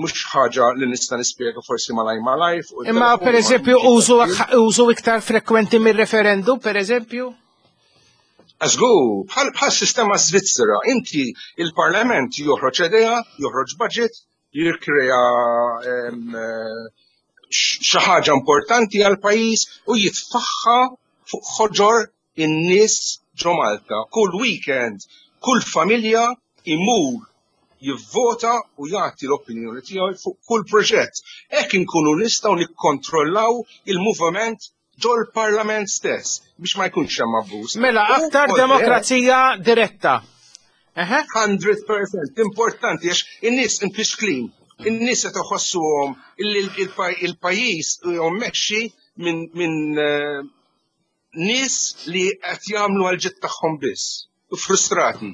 Mhux ħaġa li nista' nispjega forsi malaj malaj. Imma per eżempju użu iktar frekwenti mir-referendum, per eżempju? Għażgu, bħal sistema Svizzera, inti il-Parlament joħroġ idea, joħroġ budget, jirkrea xi ħaġa importanti għal pajjiż u jitfaħħa fuq ħoġor in-nies ġo Malta. Kull weekend, kull familja imur jivvota u jagħti l-opinjoni tiegħu fuq kull proġett. Hekk inkunu nistgħu nikkontrollaw il-moviment ġol parlament stess biex ma jkunx hemm abbuż. Mela aktar demokrazija diretta. hundred percent importanti għax in-nies imfixklin, in-nies qed iħossuhom il-pajjiż mmexxi minn nies li qed jagħmlu għall-ġid tagħhom biss, u frustrati.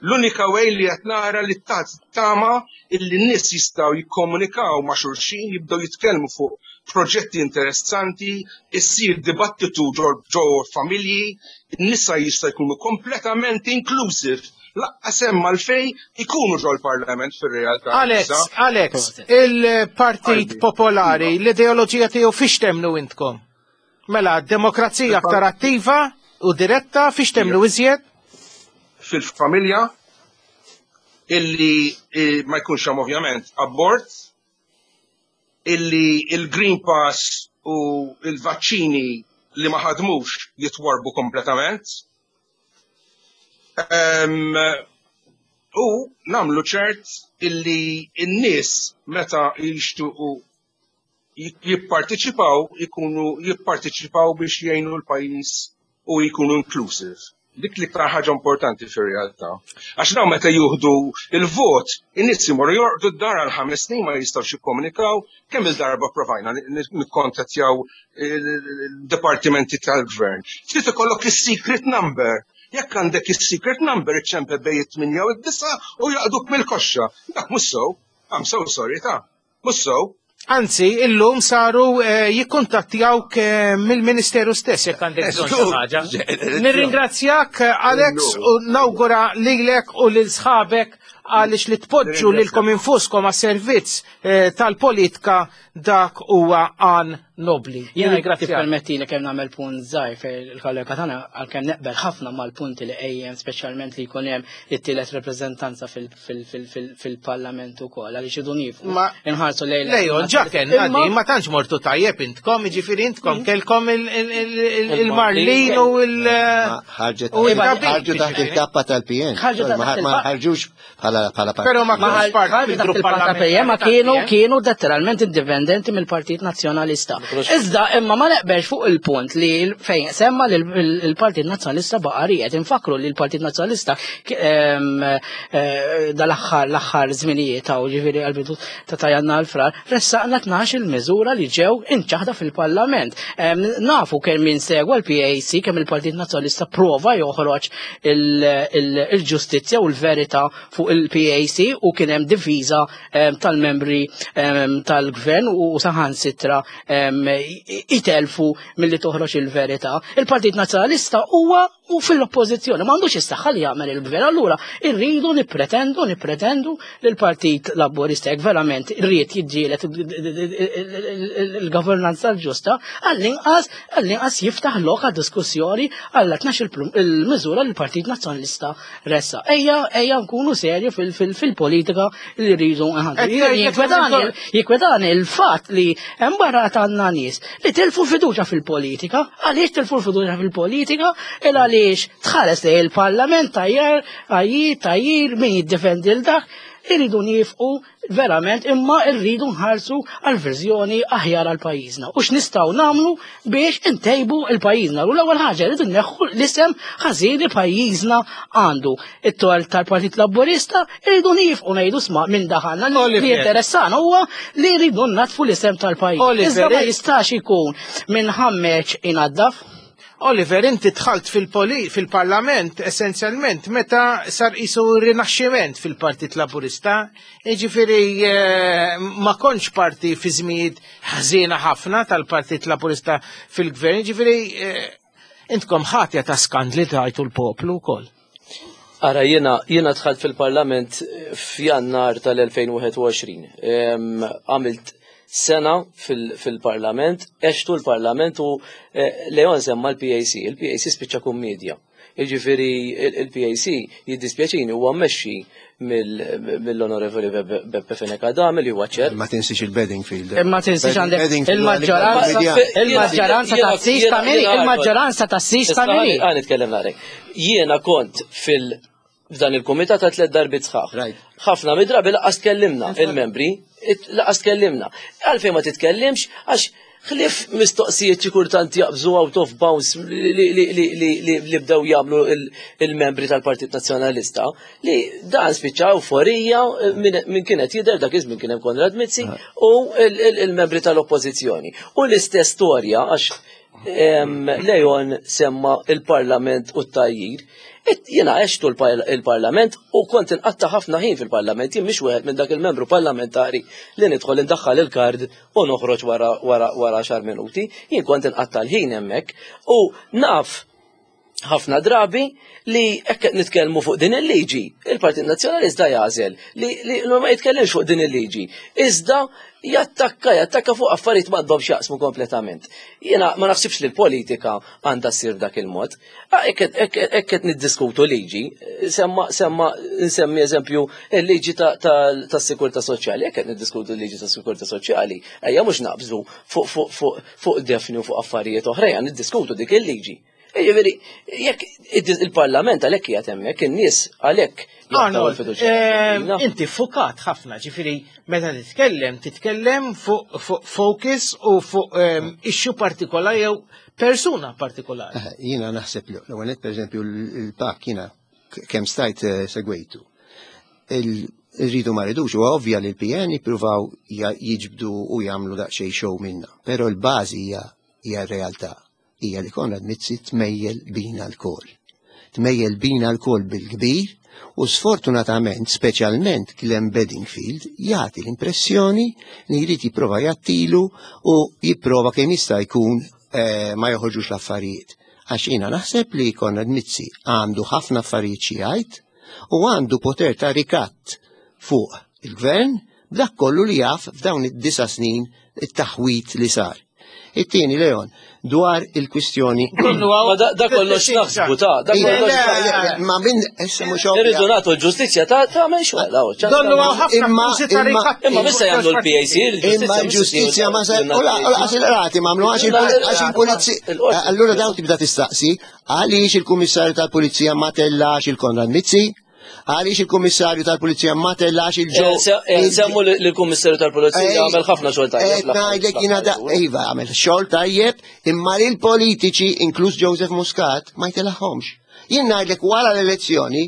L-unika way li qed nara li tama illi n-nies jistgħu jikkomunikaw ma' xulxin, jibdew jitkellmu fuq proġetti interessanti, issir dibattitu ġo familji, n-nisa jista' jkunu kompletament inclusive, laqqas hemm għalfejn ikunu ġo l-Parlament fir-realtà. Alex, Alex, il-Partit Popolari, l-ideoloġija tiegħu fiex temnu intkom? Mela, demokrazija aktar attiva u diretta fiex temnu iżjed? Fil-familja, illi ma jkunx hemm ovvjament abort, illi il-Green Pass u il-vaċċini li ma ħadmux jitwarbu kompletament. U namlu ċert illi n-nies meta jixtuqu jipparteċipaw, ikunu jipparteċipaw biex jgħinu l-pajjiż u jkunu inclusive. Dik l-iktar ħaġa importanti fir-realtà. Għax dawn meta juhdu il-vot, in-nies imorru jorqdu d-dar għal ħames snin ma jistgħux jikkomunikaw, kemm il-darba provajna nikkontattjaw il-dipartimenti tal-gvern. Trid ikollok is-secret number. Jekk għandek is-secret number iċċempe bejn it-tminja u d-disa u jaqduk mill-koxxa. Dak mhux sew. I'm so sorry ta' mhux sew. Anzi, illum saru jikkuntattjawk mill-Ministeru stess jekk għandek bżonn xi ħaġa. Nirringrazzjak Alex u nawgura lilek u lil sħabek għaliex li tpoġġu lilkom infuskom għas-servizz tal-politika dak huwa għan nobli. Jiena tippermetti li kemm nagħmel punt żgħir fejn il-kollega tagħna għalkemm neqbel ħafna mal-punti li qejjem, speċjalment li jkun hemm it-tielet rappreżentanza fil-Parlament ukoll għaliex idu niefu. Inħarsu lejn. Lejon, ġa kellna di, ma tantx mortu tajjeb intkom, jiġifieri intkom kelkom il-Marlin u l ħarġu taħt il-kappa tal-P N. Ma ħarġux bħala partit. Però ma kienux parti mill-grupp parlamentari. Ma kienu kienu letteralment indipendenti mill-Partit Nazzjonalista. Iżda imma ma neqbex fuq il-punt li fejn semma li l-Partit Nazzjonalista baqa' ried. Infakru li l-Partit Nazzjonalista dal-aħħar l-aħħar żminijiet hawn ġifieri għall-bidu ta' Tajanna l-Frar ressaqna tnax il-miżura li ġew inċaħda fil-Parlament. Nafu kemm min segwa l-P A C kemm il-Partit Nazzjonalista prova joħroġ il-ġustizzja u l-verità fuq il-P A C u kien hemm diviża tal-membri tal-gvern u saħansitra itelfu milli toħroġ il-verità. Il-Partit Nazzjonalista huwa u fil-oppożizzjoni m'għandux is-saħħa li jagħmel il-gvern. Allura irridu nippretendu nippretendu li l-Partit Laburista jekk verament irrid jiġġieled il-governanza l-ġusta għall-inqas għall-inqas jiftaħ lok għad diskussjoni għal tnax il-miżura li l-Partit Nazzjonalista ressa. Ejja ejja nkunu serju fil-politika li rridu nħandu. Jikwedani il-fatt li hemm barra għandna nies li tilfu fiduċja fil-politika. Għaliex tilfu fiduċja fil-politika? Il għaliex tħares li il-Parlament tajjer, għajjir, tajjir, min jiddefendi l-dak, irridu nifqu verament imma rridu nħarsu għal verżjoni aħjar għal pajjiżna. U x'nistgħu nagħmlu biex intejbu l-pajjiżna. U l-ewwel ħaġa rridu nneħħu l-isem ħażin li pajjiżna għandu. It-tol tal-Partit Laburista rridu nifqu ngħidu sma' minn daħalna li interessana huwa li rridu natfu l-isem tal-pajjiż. Iżda ma jistax ikun minn ħammeġ inaddaf. Oliver, inti dħalt fil-parlament essenzjalment meta sar isu rinaxximent fil-Partit Laburista, jiġifieri ma kontx parti fi żmijiet ħażina ħafna tal-Partit Laburista fil-gvern, jiġifieri intkom ħatja ta' skandli tajtu l-poplu wkoll. Ara, jiena jiena dħalt fil-parlament f'Jannar tal-elfejn u wieħed u għoxrin. Għamilt sena fil-parlament, għextu l-parlament u Leon semma l-P A C. Il-P A C spiċċa kummedja. Jiġifieri il-P A C jiddispjaċini huwa mmexxi mill-Onorevoli Beppe Fenech Adami li huwa ċert. Ma tinsiex il-Bedingfield. Ma tinsiex għandek il-maġġoranza il-maġġoranza ta' sis ta' miri, il-maġġoranza ta' sis ta' miri. Ħa nitkellem narek. Jiena kont fil- f'dan il-kumitat ta' tliet darbiet sħaħ. Ħafna mid-drabi laqas tkellimna il-membri, laqas tkellimna. Għalfejn ma titkellimx għax Ħlief mistoqsijiet xi kultant jaqbżu out of bounds li bdew jagħmlu il-membri tal-Partit Nazzjonalista, li dan spiċċa euforija minn kienet jidher dak iż-żmien kien hemm Konrad Mizzi u il-membri tal-Oppożizzjoni. U l-istess storja għax Leon semma il-Parlament u t-tajjir. Jiena għextu il-Parlament u kont inqatta ħafna ħin fil-Parlament, jien mhix wieħed minn dak il-membru parlamentari li nidħol indaħħal il-kard u noħroġ wara wara wara xar minuti, jien kont inqatta l-ħin hemmhekk u naf ħafna drabi li hekk qed nitkellmu fuq din il-liġi, il-Partit Nazzjonalista jagħżel li, li ma jitkellimx fuq din il-liġi. Iżda jattakka, jattakka fuq affarijiet m'għandhomx jaqsmu kompletament. Jiena ma naħsibx li l-politika għandha ssir b'dak il-mod. Hekk qed niddiskutu liġi, semma semma nsemmi eżempju il-liġi tas-sikurtà soċjali, hekk qed niddiskutu l-liġi tas-sikurtà soċjali, ejja mhux naqbżu fuq fuq fuq fuq Daphne u fuq affarijiet oħra, ejja niddiskutu dik il-liġi. Jiġifieri, jekk il-Parlament għalhekk qiegħed hemmhekk, in-nies għalhekk jaqtgħu l-fiduċja. Inti fukat ħafna, ġifieri meta titkellem, titkellem fuq focus u fuq issue partikolari jew persuna partikolari. Jiena naħseb li l-ewwel pereżempju l-P A C jiena kemm stajt segwejtu. Irridu ma rridux, huwa ovvja li l-P N jippruvaw jiġbdu u jagħmlu daqsxejn show minna, però l-bażi hija hija r-realtà. Hija li Konrad Mizzi tmejjel bina lkoll. Tmejjel bina lkoll bil-kbir u sfortunatament, speċjalment Glenn Bedingfield, jagħti l-impressjoni li jrid jipprova jattilu u jipprova kemm jista' jkun eh, ma joħorġux l-affarijiet. Għax jiena naħseb li Konrad Mizzi għandu ħafna affarijiet xi jgħid u għandu poter ta' rikatt fuq il-gvern b'dak kollu li jaf f'dawn id-disa snin it-taħwit li sar. It-tieni, Leon, dwar il-kwistjoni. Ma da kollox naħsbu ta' da kollox. Ma min issa mhux ovvja. Irridu nagħtu l-ġustizzja ta' tagħmel xogħol. Donnu hawn ħafna Imma- akkużi ta' imma- rikatti. Imma mista jagħmlu l-P A C, Imma l-ġustizzja ma sa u laqas il-qrati m'għamlu għax il-pulizija. Allura daw tibda tistaqsi għaliex il-kummissarju tal-pulizija ma tellax il-Konrad Mizzi, għaliex il-kummissarju tal-pulizija ma tellax il-ġo. Semmu l-Kummissarju tal-Pulizija għamel ħafna xogħol tajjeb. Qed ngħidlek jiena da, iva, għamel xogħol tajjeb, imma li l-politiċi, inkluż Joseph Muscat, ma jtellagħhomx. Jien ngħidlek wara l-elezzjoni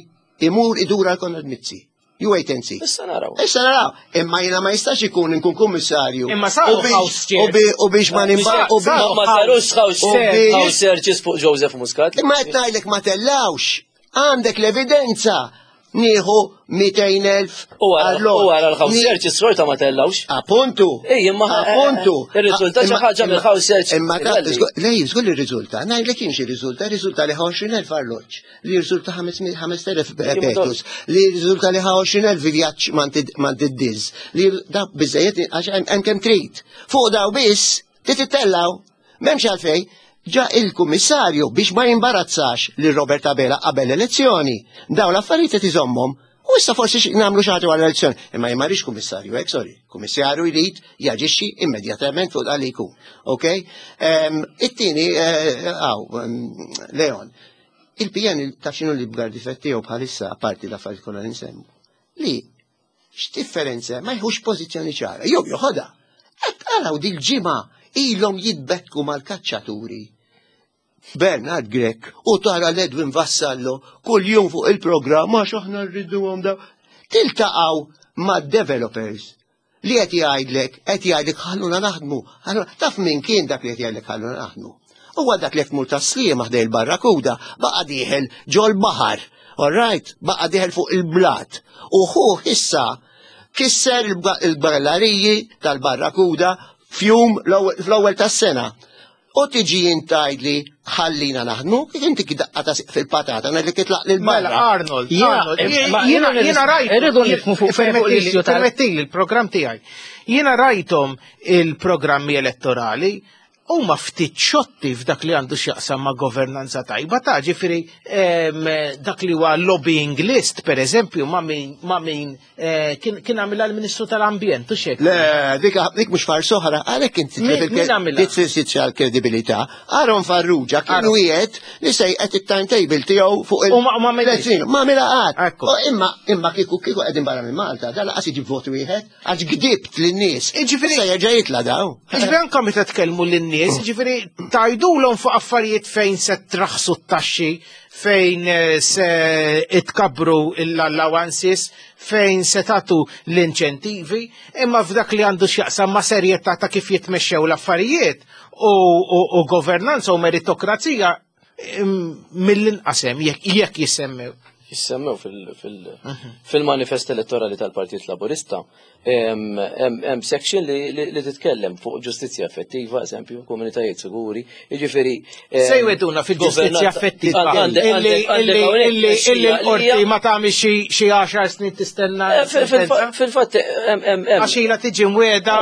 imur idur għal Konrad Mizzi. You wait and see. Issa naraw. Issa naraw. Imma jiena ma jistax ikun inkun kummissarju. Imma saru U biex- house u bi- U biex ma nimba. u biex- Ma sarux house u biex- house searches fuq Joseph Muscat. Imma qed ngħidlek ma tellawx. Għandek l-evidenza. Nieħu mitejn elf U wara u wara l-house searches xorta ma tellawx. Appuntu. Ej, imma Appuntu. Ir-riżultat xi Imma- ħaġa mill-house search. Imma ta' Iħalli. żgur- lej, żgur li riżulta. Ngħidlek kienx irriżulta, riżulta li ħa għoxrin elf arloġġ, li riżulta ħamest elef petus, li riżulta li ħa għoxrin elf vjaġġ mant id-diż, li da biżejjed għax hemm hemm kemm trid. Fuq daw biss titittellgħu, m'hemmx għalfej. Ġa il-kummissarju biex ma jimbarazzax lil Robert Abela qabel l-elezzjoni. Daw l-affarijiet qed iżommhom. U issa forsi xi- nagħmlu xi ħaġa wara l-elezzjoni. Imma jien ma rridx kummissarju, hekk sorry. Kummissarju jrid jaġixxi immedjatament fuq dak li jkun. Ok? Ehm, It-tieni, għaw, Leon, il-P N taf x'inhu l-ikbar difett tiegħu bħalissa, apparti l-affarijiet kollha li nsemmu. Li x'differenza ma jħux pożizzjoni ċara. Jew joħodha. Qed taraw dil-ġimgħa ilhom jitbekku mal-kaċċaturi. Bernard Grech u tara l-Edwin Vassallo kull jum fuq il-programm għax aħna rriduhom daw. Tiltaqgħu ma' developers li qed jgħidlek, qed jgħidlek ħalluna naħdmu. Ħalluna- Taf min kien dak li qed jgħidlek ħalluna naħdmu? Huwa dak li qed tmur Tas-Sliema ħdej il-Barrakuda, baqa' dieħel ġol-baħar. All right, baqa' dieħel fuq il-blat. U hu issa kisser il-gallariji tal-Barrakuda fjum fl-ewwel tas-sena. U tiġi intajdli ħallina naħdmu, kif inti daqqa ta' fil-patata, ngħidlek itlaq lil Mela, barra. Arnold, Ja, Arnold, ma jiena jiena jiena rajt. irridu nifhmu fuq- fuq l-issue tal- Permettili il-programm tiegħi. Jiena rajthom il-programmi elettorali. Huma ftit xotti f'dak li għandu x'jaqsam ma' governanza tajba ta' ġifieri em, dak li huwa lobbying list, per eżempju, ma' min ma' min eh, kien kien għamilha l-Ministru tal-Ambjent u xek. Le, dik dik mhux farsa oħra, għalhekk inti Min- min għamilha? Titfissizja l-kredibilità. Aaron Farrugia kien Aaron. wieħed li sejqet it-timetable tiegħu fuq il- U ma- u ma għamilhiex. Tliet snin. Ma għamilha qatt. Ekku. U Imma imma kieku kieku qegħdin barra minn Malta, da laqas iġib vot wieħed għax gdibt lin-nies. Jiġifieri- Issa jerġa' jitla' daw. Ġifieri anka meta tkellmu lin-nies, ġifieri tgħidulhom fuq affarijiet fejn se traħsu t-taxxi, fejn eh, se itkabbru l-allowances, fejn se tagħtu l-inċentivi, imma f'dak li għandu x'jaqsam ma' serjetà ta' kif jitmexxew l-affarijiet u, u, u governanza u meritokrazija im, mill-inqas hemm jekk jekk jissemmew. Jissemmew fil- fil- fil-manifest elettorali tal-Partit Laburista, hemm hemm section li, li, li titkellem fuq ġustizzja effettiva, eżempju, komunitajiet siguri, jiġifieri. em, Se jweduna fil-ġustizzja governanza- effettiva Għandek- illi għandek- għandek illi hawnhekk illi tmexxija illi li l-qorti hija- ma tagħmel xi xi għaxar snin tistenna. Eh, fil- fil- Fil-fatt hemm hemm hemm Għax ilha tiġi mweda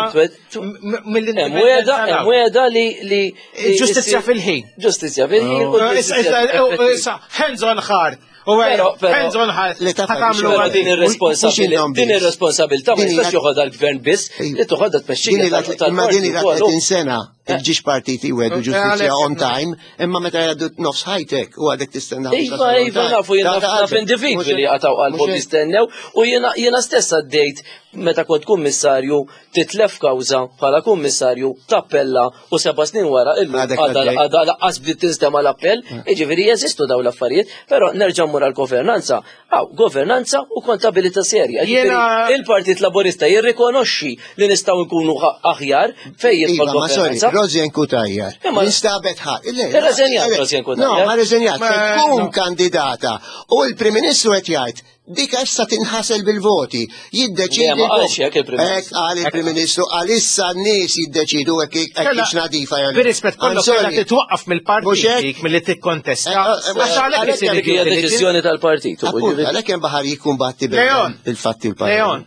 Hemm weda, hemm weda li li li- Ġustizzja fil-ħin. Ġustizzja fil-ħin u ġustizzja effettiva. Hands on heart. U Però- però- hands on heart. Ħa tagħmlu Però għadin. din ir-responsabilità din ir-responsabilità ma Din jistax hija- joħodha l-gvern biss, li toħodha tmexxija Din ila- Imma din ila tal-partit tletin sena il-ġiex partiti wedu ġustizzja Għalhekk- on time, imma meta jgħaddu nofs high-tech u għadek tistenna. Iva, iva, nafu jena naf individwi li għataw qalbhom jistennew u jena jena stess għaddejt meta kont kummissarju titlef kawża bħala kummissarju tappella u seba' snin wara illum Għadek għadha għaddej. għadha laqqas bdiet tinstema' l-appell, jiġifieri jeżistu dawn l-affarijiet, però nerġa' mmur għall-governanza. Aw, governanza u kontabilità serja. Jiġifieri Jiena- il-Partit Laburista jirrikonoxxi li nistgħu nkunu aħjar fejn jidħol Iva, ma sorry, governanza. Rosianne Cutajar. Imma- Instabet ħa. Irreżenjat Rosianne Cutajar. No, ma reżenjat. Ma- Se tkun no. kandidata u l-Prim Ministru qed jgħid dik issa tinħasel bil-voti. Jiddeċidi. Le, ma qalx hekk il-Prim Ministru. Hekk qal il-Prim Ministru għalissa n-nies jiddeċidu hekk hekk Kella- hix nadifa jew le. Bir-rispett I'm kollu sorry. kellha titwaqqaf Mhux mill-partit hekk? dik milli tikkontesta. Eh, eh, Għax għalhekk għalhekk isir Dik hija due diligence. deċiżjoni tal-partit. u Appunto, jiġifieri- għalhekk hemm baħar jikkumbatti Leon. bil-fatti u l-pariri. Leon,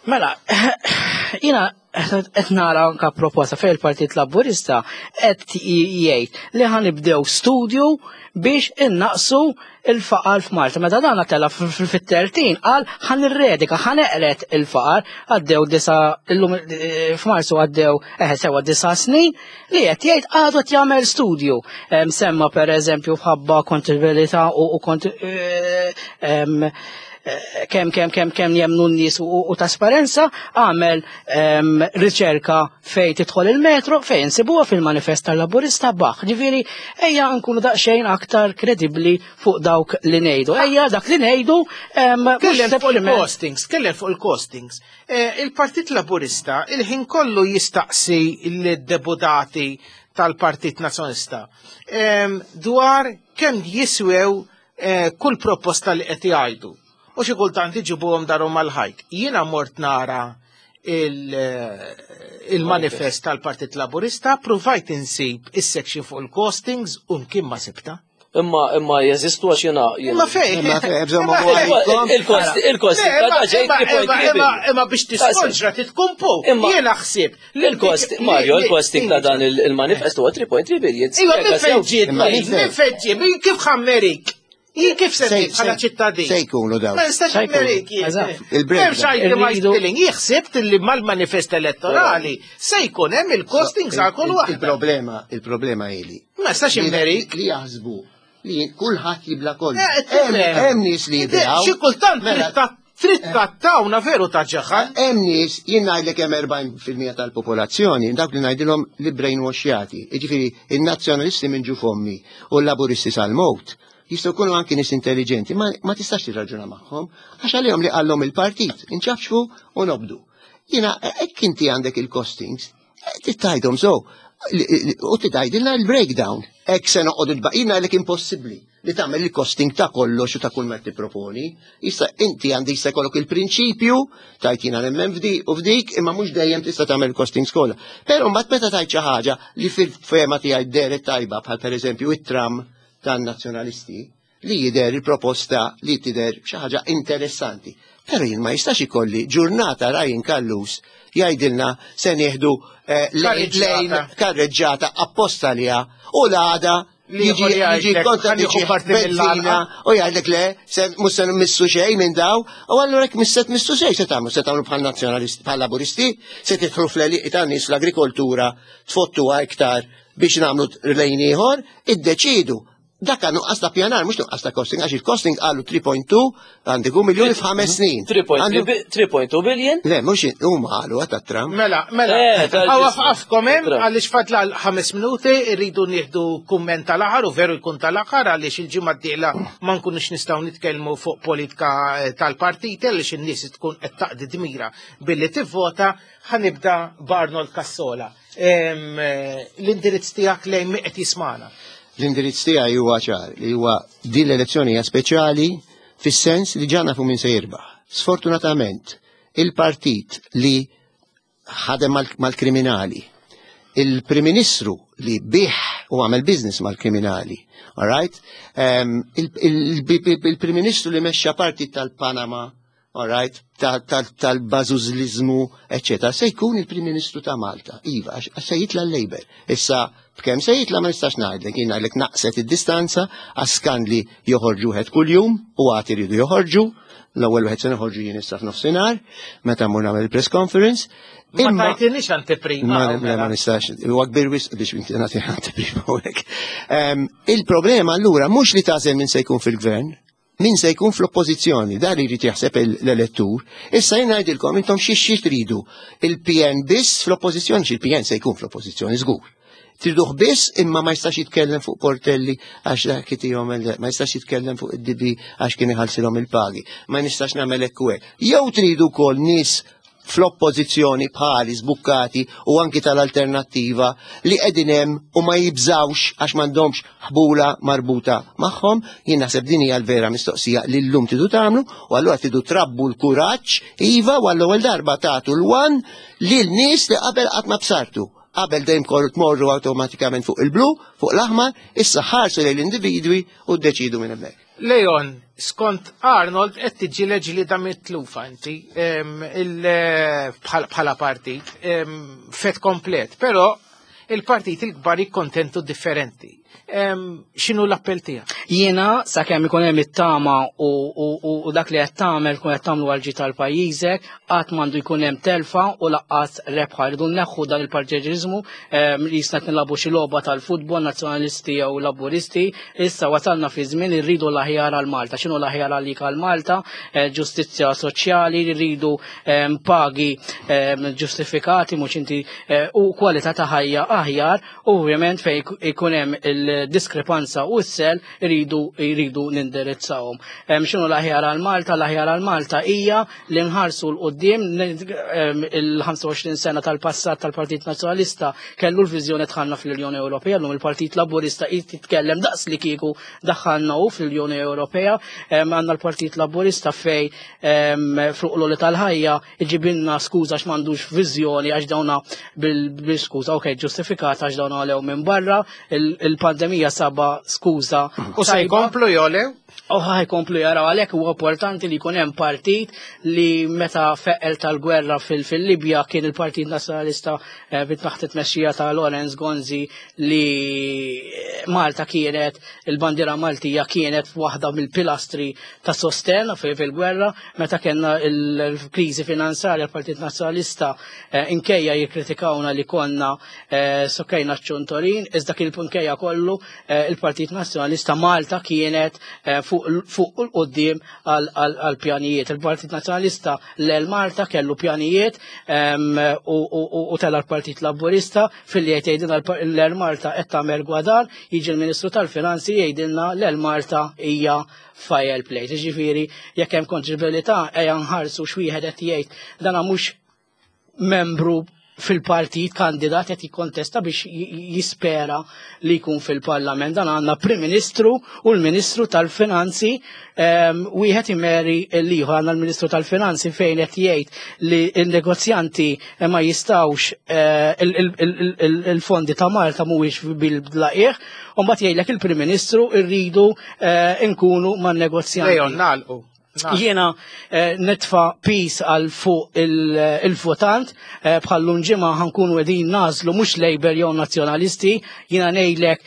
Mela, jina qed nara anka proposta fejn il-Partit Laburista qed jgħid li ħa nibdew studju biex innaqsu il-faqar f'Malta. Meta dan tela fit-tertin qal ħa nirredika, ħa neqred il-faqar, għaddew disa illum eh, f'Marzu għaddew eh sewa disa snin li qed jgħid għadu qed jagħmel studju. Em, Semma per eżempju f'ħabba kontabilità u u kont eh, em, eh, kemm kemm kemm kemm jemnu n-nies u, u trasparenza, għamel em, riċerka fej tidħol il-metro, fej nsibuha fil-manifest tal-Laburista baħ. Ġifieri, ejja nkunu daqsxejn aktar kredibbli fuq dawk li ngħidu. Ejja dak li ngħidu em, mhux Kellem fuq sempliċement- il-costings, kellem fuq il-costings. Eh, Il-Partit Laburista il-ħin kollu jistaqsi l-deputati tal-Partit Nazzjonalista em, dwar kemm jiswew eh, kull proposta li qed jgħidu. U xi kultant iġibuhom darhom mal-ħajt. Jiena mort nara il- eh, il-manifest tal-Partit Laburista, provajt insib is-section fuq il-costings u mkien ma sibta. Imma imma jeżistu għax jiena Imma fej? Imma fej, bżonn Imma ma fej? għalikom. Il-kost il-kost Le, ta' imma- ġej imma- three point three imma- billion. Imma biex tiskonġra titkumpu. Imma- Jiena ħsieb. li Il-kost, li- Mario, li- il-costing ta' dan il- il-manifest huwa three point three billion. Iva, minn fejn ġiet, Imma minn minn fejn? fejn ġiet, minn kif ħa mmerik? Jien kif se Se- ngħid bħala se- ċittadin? Se jkunu dawn. Ma nistax Se jkunu, mmerik jien. eżatt. Il-breakdown. M'hemmx itemized Irridu- billing. Jien ħsibt li mal-manifest elettorali se jkun hemm il-costings għal kull waħda. Il-problema, il-problema ili. Ma nistax immerik. Li jaħsbu li kulħadd jibla kollu. Eh, Hemm tifhem. hemm nies li jiblaw. Xi kultant Mela, trid ta- trid trattawna veru ta' ġaħan. Hemm nies jien ngħidlek hemm erbgħin fil-mija tal-popolazzjoni, dawk li ngħidilhom li brainwashjati. Jiġifieri in-nazzjonalisti minn ġuf ommi u l-laburisti sal-mowt jistgħu jkunu anki nies intelligenti, ma, ma tistax tirraġuna magħhom għax għalihom li qallhom il-partit, inċafxfu u nobdu. Jiena hekk inti għandek il-costings, tgħidhom so, u tgħidilna il-breakdown. Hekk se noqogħdu tbaqina għalek impossibbli li tagħmel il-costing ta' kollox u ta' kull ma tipproponi. Issa inti għandi jista' jkollok il-prinċipju tajt jiena nemmen f'di u f'dik, imma mhux dejjem tista' tagħmel il-costing skola. Però mbagħad meta tajt xi ħaġa li fil-fema tiegħi deret tajba bħal pereżempju it-tram tan-nazzjonalisti, li jidher il-proposta li tidher xi ħaġa interessanti. Però jien ma jistax ikolli ġurnata Ryan Callus jgħidilna se nieħdu eh, lejn karreġġata apposta liha u l-għada jiġi jiġi kontra benzina u jgħidlek le, mhux se missu xejn minn daw, u allura jekk mhux se tmissu xejn se tagħmlu, se tagħmlu bħal nazzjonalisti, bħal laburisti, se tidħlu fl-għelieqi tan-nies fl-agrikoltura tfottuha iktar biex nagħmlu lejn ieħor, iddeċidu. Dak nuqqas ta' pjanar, mhux nuqqas ta' costing, għax il-costing qalu three point two għandiku miljoni f'ħames snin. three point two billion? Le, mhux huma qalu għata Trump. Mela, mela, għaw għafkom hemm għaliex fadla ħames minuti rridu nieħdu kumment tal-aħħar u veru jkun tal-aħħar għaliex il-ġimgħa d-dieħla ma nkunux nistgħu nitkellmu fuq politika tal-partiti għaliex in-nies tkun qed taqdi dmira billi tivvota. Ħanibda b'Arnold Cassola. L-indirizz tiegħek lejn min qed jismana. L-indirizz tiegħi huwa ċar li huwa din l-elezzjoni hija speċjali fis-sens li ġa nafu min se jirbaħ. Sfortunatament, il-partit li ħadem mal-kriminali, il-Prim Ministru li bih u għamel business mal-kriminali, all right? Il-Prim Ministru li mexxa partit tal-Panama, all right, tal-bażużliżmu, eccetera, se jkun il-Prim Ministru ta' Malta. Iva, għax se jitla' l-Labour. Issa, b'kemm se jitla' ma nistax ngħidlek, jien ngħidlek naqset id-distanza għax skandli joħorġu wieħed kuljum u għad iridu joħorġu. L-ewwel wieħed se noħorġu jien issa f'nofsinhar, meta mmur nagħmel il-press conference. Ma tajtinix anteprima. Ma nistax, huwa kbir wisq biex inti nagħti anteprima hawnhekk. Il-problema allura mhux li tagħżel min se jkun fil-gvern, min se jkun fl-oppożizzjoni, dan li jrid jaħseb l-elettur. Issa jien ngħidilkom intom xi xi tridu. Il-P N biss fl-oppożizzjoni, xi il-P N se jkun fl-oppożizzjoni żgur. Triduh biss imma ma jistax jitkellem fuq Portelli għax dak itihom ma jistax jitkellem fuq id-D B għax kien iħallsilhom il-pagi. Ma nistax nagħmel hekk u hekk. Jew tridu wkoll nies fl-oppożizzjoni bħali żbukkati u anki tal-alternattiva li qegħdin hemm u ma jibżawx għax m'għandhomx ħbula marbuta magħhom. Jien naħseb din hija l-vera mistoqsija li llum tridu tagħmlu u allura tridu trabbu l-kuraġġ iva u għall-ewwel darba tagħtu l-one lil nies li qabel qatt ma bsartu. Qabel dejjem korru tmorru awtomatikament fuq il-blu, fuq l-aħmar, issa ħarsu lejn l-individwi u ddeċidu minn hemmhekk. Leon, skont Arnold qed tiġi leġlida mitlufa inti bħala partit fet komplet, però il-partit il-kbar jikkontentu differenti. X'inhu l-appell tiegħek? Jiena sakemm ikun hemm it-tama u dak li qed tagħmel tkun qed tagħmlu għal ġid tal-pajjiżek, qatt m'għandu jkun hemm telfa u laqqas rebħa. Rridu nneħħu dan il-partiġiżmu li jista' nilagħbu xi logħba tal-futbol nazzjonalisti jew laburisti. Issa wasalna fi żmien li rridu l-aħjar għal Malta. X'inhu l-aħjar għalik għal Malta? Ġustizzja soċjali, rridu pagi ġustifikati mhux inti u kwalità ta' ħajja aħjar, u ovvjament fejn ikun hemm il-diskrepanza u s-sel iridu jridu nindirizzawhom. X'inhu l-aħjar għal Malta? L-aħjar għal Malta hija li nħarsu l qudiem il-ħamsa u għoxrin sena tal-passat tal-Partit Nazzjonalista kellu l-viżjoni dħalna fl-Unjoni Ewropea, llum il-Partit Laburista jitkellem daqs li kieku daħħalna hu fl-Unjoni Ewropea. Għandna l-Partit Laburista fej fuq l-għoli tal-ħajja iġibilna skuża għax m'għandux viżjoni għax dawna bil-skuża, okej, ġustifikata għax dawna għalew minn barra, il-pandemija saba skuża. U se jkomplu jolew? U ħajkomplu jaraw, għalhekk huwa importanti li jkun hemm partit li meta feqel tal-gwerra fil-Libja kien il-Partit Nazzjonalista bit-taħt it-tmexxija ta' Lawrence Gonzi li Malta kienet, il-bandiera Maltija kienet waħda mill-pilastri ta' sosten fil-gwerra. Meta kellna l-kriżi finanzjarja l-Partit Nazzjonalista inkejja jikkritikawna li konna sokkejna ċ-ċuntorin, iżda kien inkejja kollu il-Partit Nazzjonalista Malta kienet fuq l-qoddim għal-pjanijiet. Il-Partit Nazzjonalista l Malta kellu pjanijiet u tela l-Partit Laburista fil-li jgħidilna l Malta qed tagħmel gwadan, jiġi l-Ministru tal-Finanzi jgħidilna l Malta hija fire plate. Jiġifieri jekk hemm kontribilità ejja nħarsu x'wieħed qed jgħid dana mhux membru fil-partit kandidat qed jikkontesta biex jispera li jkun fil-Parlament. Dan għandna Prim Ministru u l-Ministru tal-Finanzi, wieħed imeri l-ieħor. Għandna l-Ministru tal-Finanzi fejn qed jgħid li n-negozjanti ma jistgħux, il-fondi ta' Malta mhuwiex bil-blaqih, u mbagħad jgħidlek il-Prim Ministru rridu nkunu man-negozjanti. Leon, nagħlqu. Jiena nitfa pis għal fuq il-votant, bħallum ġimgħa ħankunu qegħdin nażlu mhux Labour jew Nazzjonalisti, jiena ngħidlek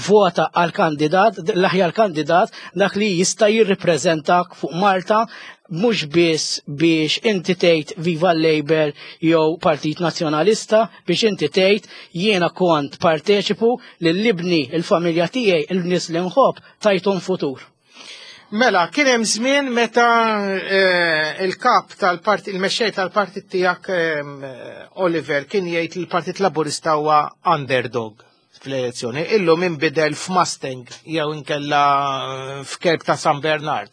vota għal kandidat, l-aħjar kandidat, dak li jista' jirrippreżentak fuq Malta, mhux biss biex inti tgħid viva Labour jew Partit Nazzjonalista, biex inti tgħid jiena kont parteċipu lil ibni il-familja tiegħi, il-nies li nħobb, tajthom futur. Mela, kien hemm żmien meta il-kap tal-partit, il-mexxej tal-partit tiegħek Oliver kien jgħid li l-Partit Laburista huwa underdog fl-elezzjoni. Illum inbidel f'Mustang jew inkella f'Kerk ta' San Bernard.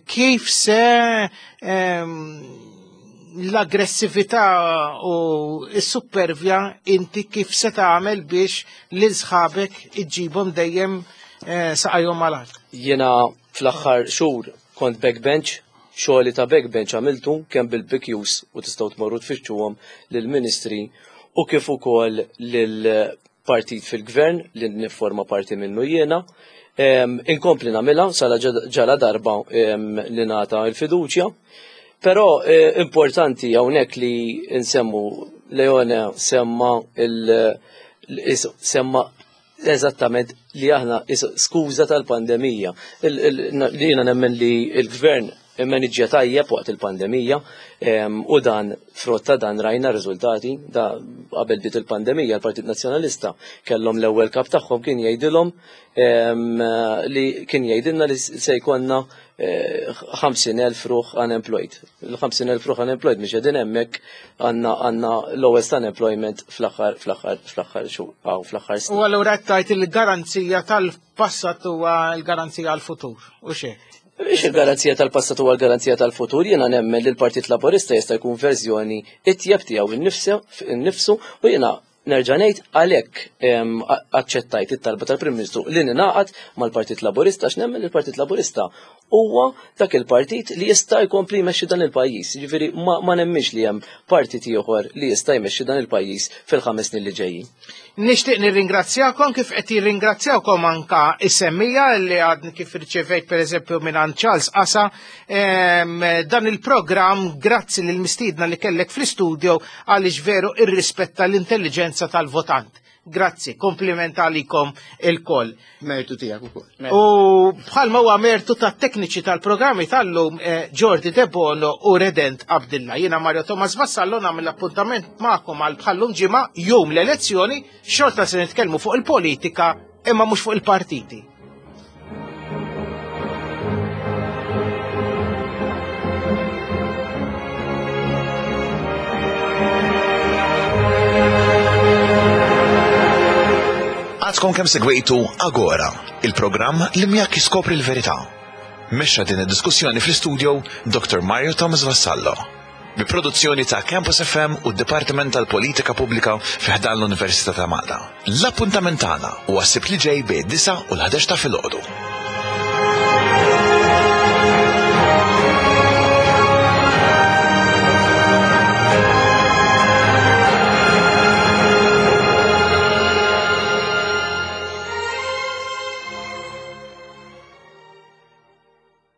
Kif se l-aggressività u s-supervja inti kif se tagħmel biex lil sħabek iġġibhom dejjem saqajhom mal-art? Jiena fl-aħħar xhur kont backbench, xogħli ta' backbench għamiltu kemm bil-P Qs u tistgħu tmorru tfittxuhom lill-ministri u kif ukoll lill-partit fil-gvern li nifforma parti minnu jiena. Inkompli nagħmilha sala ġala darba li nagħta l-fiduċja. Però importanti hawnhekk li nsemmu Leone semma il semma eżattament li aħna skuża tal-pandemija. Li jiena nemmen li l-gvern immaniġġja tajjeb waqt il-pandemija, u dan frott ta' dan rajna riżultati. Da qabel bdiet il-pandemija l-Partit Nazzjonalista kellhom l-ewwel kap tagħhom kien jgħidilhom li kien jgħidilna li se jkollna ħamsin elf ruħ unemployed. Il-ħamsin elf ruħ unemployed mhux qegħdin hemmhekk, għandna għandna lowest unemployment fl-aħħar fl-aħħar fl-aħħar xhur fl-aħħar snin. U allura qed tgħid il-garanzija tal-passat huwa l-garanzija għall-futur, u xejn? Biex il-garanzija tal-passat huwa l-garanzija tal-futur, jiena nemmen li l-Partit Laburista jista' jkun verżjoni itjeb tiegħu innifsu, u jiena nerġa' ngħid għalhekk aċċettajt it-talba tal-Prim Ministru li ningħaqad mal-Partit Laburista, għax nemmen li l-Partit Laburista huwa dak il-partit li jista' jkompli jmexxi dan il-pajjiż. Jiġifieri ma nemmix li hemm partit ieħor li jista' jmexxi dan il-pajjiż fil-ħames snin li ġejjin. Nixtieq nirringrazzjakom kif qed jirringrazzjawkom anka is-semmija li għadni kif irċevejt pereżempju minn Charles Qasa dan il-programm, grazzi lil mistiedna li kellek fl-istudio għaliex veru irrispetta l-intelligenza tal-votant. Grazzi, kompliment għalikom il-koll. Mertu tiegħek ukoll. U bħalma huwa mertu tat-tekniċi tal-programmi tal-lum Jordi Debono u Redent Abdilla. Jiena Mario Thomas Vassallo nagħmel appuntament magħkom għal bħallum ġimgħa jum l-elezzjoni, xorta se nitkellmu fuq il-politika imma mhux fuq il-partiti. Għadkom kemm segwejtu Agora, il-programm li miegħek jiskopri l-verità. Mexxa din id-diskussjoni fl-istudio Doctor Mario Thomas Vassallo. Bi produzzjoni ta' Campus F M u d-Dipartiment tal-Politika Pubblika fi ħdan l-Università ta' Malta. L-appuntament tagħna huwa s-Sibt li ġej bejn disa' u l-ħdax ta' filgħodu.